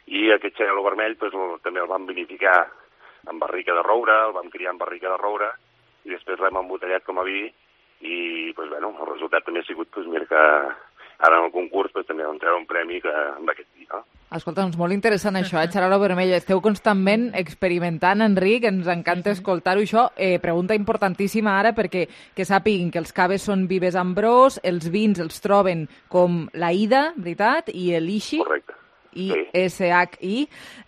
i aquest xarel·lo vermell pues, el, també el vam vinificar en barrica de roure, el vam criar en barrica de roure, i després l'hem embotellat com a vi, i pues, bueno, el resultat també ha sigut pues, mira, que ara en el concurs pues, també vam treure un premi que, amb aquest vi, no? Escolta, doncs molt interessant això, eh? Xarel·lo vermell. Esteu constantment experimentant, Enric, ens encanta escoltar-ho això. Eh, pregunta importantíssima ara, perquè que sàpiguin que els caves són Vives Ambrós, els vins els troben com la Ida, veritat, i l'Ishi. Correcte. I S H I.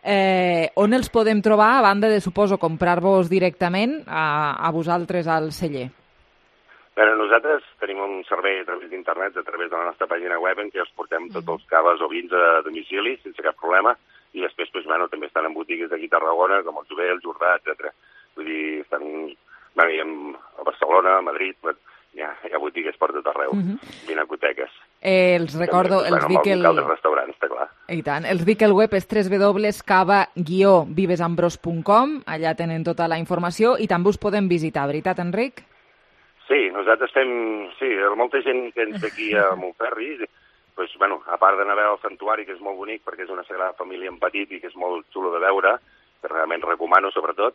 Eh, on els podem trobar, a banda de, suposo, comprar-vos directament a, a vosaltres al celler? Bé, nosaltres tenim un servei a través d'internet, a través de la nostra pàgina web, en què els portem tots els caves o vins a domicili, sense cap problema, i després pues, bueno, també estan en botigues d'aquí a Tarragona, com el Jové, el Jordà, etcètera. Vull dir, estan bueno, a Barcelona, a Madrid, hi ha, hi ha botigues per tot arreu, uh -huh. vinacoteques. Eh, els recordo, també, els bueno, dic el... Amb el restaurants, està clar. I tant. Els dic el web és w w w punt cava guió vivesambros punt com, allà tenen tota la informació, i també us podem visitar, veritat, Enric? Sí, nosaltres fem... Sí, molta gent que ens ve aquí a Montferri, pues, bueno, a part d'anar a veure el santuari, que és molt bonic, perquè és una sagrada família en petit i que és molt xulo de veure, que realment recomano, sobretot.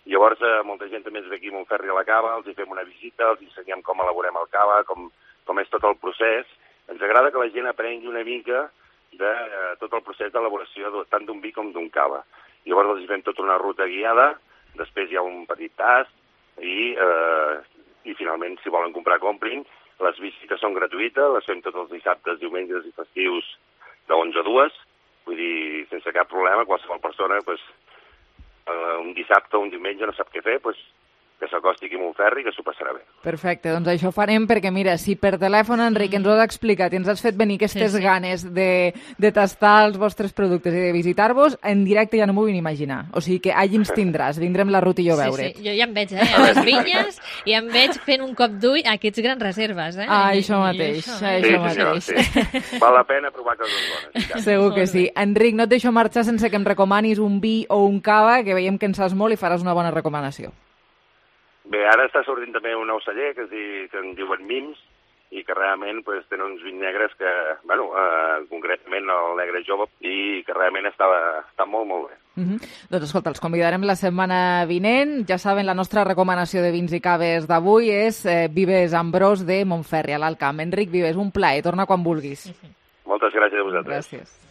Llavors, eh, molta gent també ens ve aquí a Montferri a la cava, els hi fem una visita, els ensenyem com elaborem el cava, com, com és tot el procés. Ens agrada que la gent aprengui una mica de eh, tot el procés d'elaboració tant d'un vi com d'un cava. Llavors els hi fem tota una ruta guiada, després hi ha un petit tast, i... Eh, i finalment, si volen comprar, comprin. Les visites són gratuïtes, les fem tots els dissabtes, diumenges i festius de onze a dues, vull dir, sense cap problema, qualsevol persona, pues, eh, un dissabte o un diumenge no sap què fer, pues, que s'acosti aquí a Montferri, que s'ho passarà bé. Perfecte, doncs això farem perquè, mira, si per telèfon, Enric, ens ho has explicat i ens has fet venir aquestes sí, sí. ganes de, de tastar els vostres productes i de visitar-vos, en directe ja no m'ho vull imaginar. O sigui que allí ens tindràs, vindrem la Ruth i jo a veure't. Sí, sí, jo ja em veig, eh, a les vinyes, i em veig fent un cop d'ull a aquests grans reserves, eh? Ah, això mateix, això, això sí, mateix. Sí. Val la pena provar coses bones. Segur que sí. Enric, no et deixo marxar sense que em recomanis un vi o un cava, que veiem que en saps molt i faràs una bona recomanació. Bé, ara està sortint també un nou celler que, es di, que en diuen Mims, i que realment pues, tenen uns vins negres que, bueno, eh, concretament el negre jove, i que realment està, està molt, molt bé. Uh -huh. Doncs escolta, els convidarem la setmana vinent. Ja saben, la nostra recomanació de vins i caves d'avui és eh, Vives Ambrós de Montferri, a l'Alt Camp. Enric Vives, un plaer, torna quan vulguis. Uh -huh. Moltes gràcies a vosaltres. Gràcies.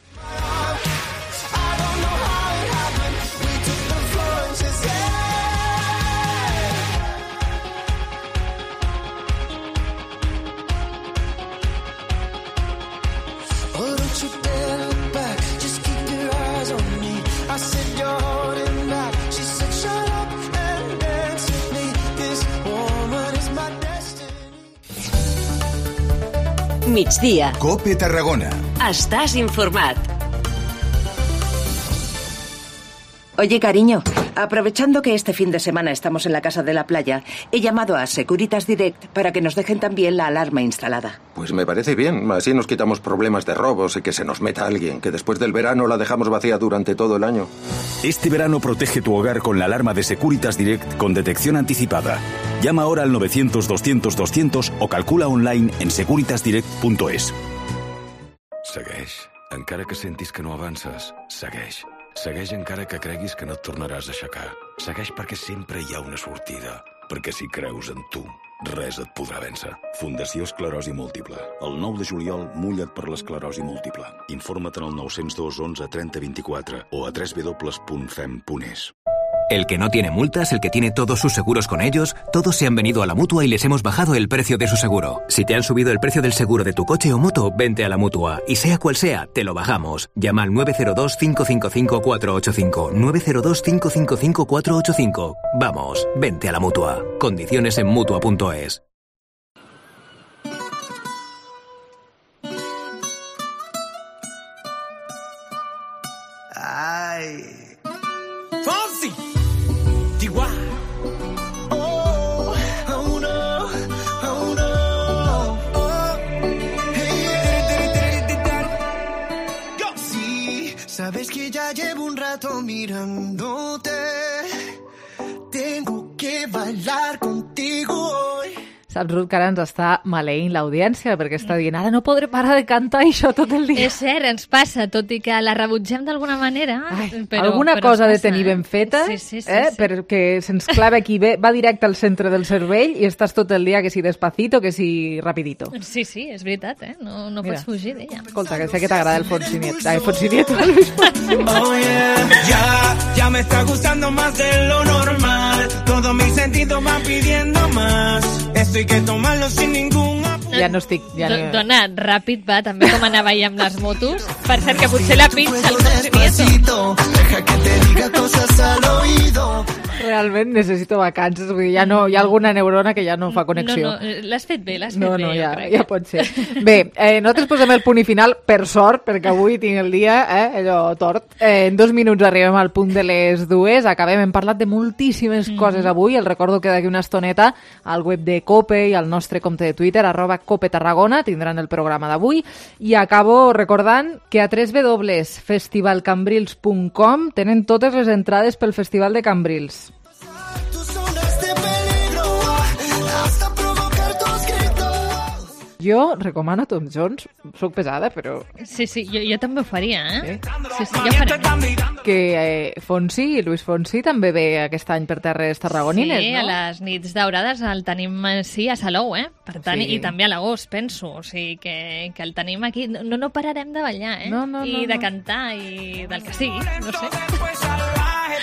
Migdia. COPE Tarragona. Estàs informat. Oye, cariño, aprovechando que este fin de semana estamos en la casa de la playa, he llamado a Securitas Direct para que nos dejen también la alarma instalada. Pues me parece bien, así nos quitamos problemas de robos y que se nos meta alguien, que después del verano la dejamos vacía durante todo el año. Este verano protege tu hogar con la alarma de Securitas Direct con detección anticipada. Llama ahora al novecientos doscientos doscientos o calcula online en securitas direct punto es. Segueix. Encara que sentis que no avances, segueix. Segueix encara que creguis que no et tornaràs a aixecar. Segueix perquè sempre hi ha una sortida. Perquè si creus en tu, res et podrà vèncer. Fundació Esclerosi Múltiple. El nou de juliol, mulla't per l'esclerosi múltiple. Informa't en el nou zero dos onze trenta vint-i-quatre o a w w w punt fem punt es. El que no tiene multas, el que tiene todos sus seguros con ellos, todos se han venido a la Mutua y les hemos bajado el precio de su seguro. Si te han subido el precio del seguro de tu coche o moto, vente a la Mutua. Y sea cual sea, te lo bajamos. Llama al nueve cero dos, cinco cinco cinco, cuatro ocho cinco. nueve cero dos, cinco cinco cinco, cuatro ocho cinco. Vamos, vente a la Mutua. Condiciones en mutua punto es. Sabes que ya llevo un rato mirándote. Tengo que bailar contigo hoy. Saps, Ruth, que ara ens està maleint l'audiència perquè està dient ara no podré parar de cantar això tot el dia. És cert, ens passa, tot i que la rebutgem d'alguna manera. Ai, però, alguna però cosa ha de passa, tenir eh? ben feta, sí, sí, sí, eh? sí. perquè se'ns clava aquí, bé, va directe al centre del cervell i estàs tot el dia que si despacito, que si rapidito. Sí, sí, és veritat, eh? No, no Mira. pots fugir d'ella. Escolta, que sé que t'agrada el Fonsi Nieto. Ai, Fonsi Nieto, Luis Fonsi. Oh yeah, ya, ya me está gustando más de lo normal. Todos mis sentidos van pidiendo más. Esto hay que tomarlo sin ningún apuro. Ja no estic... Ja Do, no... dona, ràpid va, també com anava ahir amb les motos. Per cert, que potser la pinxa el Fonsi Nieto. Deja que te diga cosas al oído. Realment necessito vacances, vull dir, ja no, hi ha alguna neurona que ja no fa connexió. No, no, l'has fet bé, l'has fet No, bé, no, jo ja, crec. ja pot ser. Bé, eh, nosaltres posem el punt i final, per sort, perquè avui tinc el dia, eh, allò tort. Eh, en dos minuts arribem al punt de les dues, acabem, hem parlat de moltíssimes mm. coses avui, el recordo que d'aquí una estoneta al web de COPE i al nostre compte de Twitter, arroba COPE Tarragona, tindran el programa d'avui, i acabo recordant que a w w w punt festival cambrils punt com tenen totes les entrades pel Festival de Cambrils. Jo recomano Tom Jones, soc pesada, però... Sí, sí, jo, jo també ho faria, eh? Sí, sí, jo faria. Que eh, Fonsi, Luis Fonsi, també ve aquest any per terres tarragonines, sí, no? Sí, a les nits daurades el tenim, sí, a Salou, eh? Per tant, Sí. i també a l'agost, penso. O sigui, que, que el tenim aquí. No, no pararem de ballar, eh? No, no, I no, de no. cantar, i del que sigui, no sé.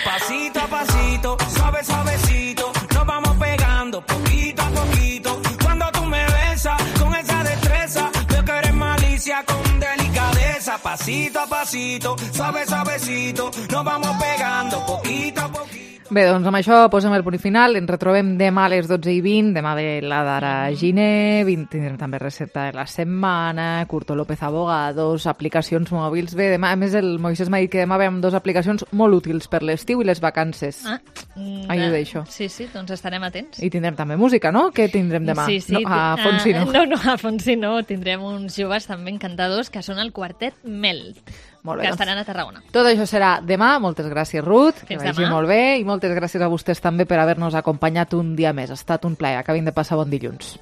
Pasito a pasito, suave, suavecito, nos vamos pegando poquito a poquito. Cuando tú me besas con esa destreza, veo que eres malicia con delicadeza. Pasito a pasito, suave, suavecito, nos vamos pegando poquito a poquito. Bé, doncs amb això posem el punt final. Ens retrobem demà a les dotze i vint. Demà ve la d'Ara Giner, tindrem també recepta de la setmana, Curto López Abogados, aplicacions mòbils. Bé, demà, a més, el Moisés m'ha dit que demà veiem dues aplicacions molt útils per l'estiu i les vacances. Ah, mm, Ahí ho deixo. Sí, sí, doncs estarem atents. I tindrem també música, no? Què tindrem demà? Sí, sí. No, a Fonsi no. Ah, no, no, a Fonsi no. Tindrem uns joves també encantadors que són el quartet Mel, Molt bé, que doncs. estaran a Tarragona. Tot això serà demà. Moltes gràcies, Ruth. Que Fins vagi demà. molt bé. I moltes gràcies a vostès també per haver-nos acompanyat un dia més. Ha estat un plaer. Acabin de passar bon dilluns.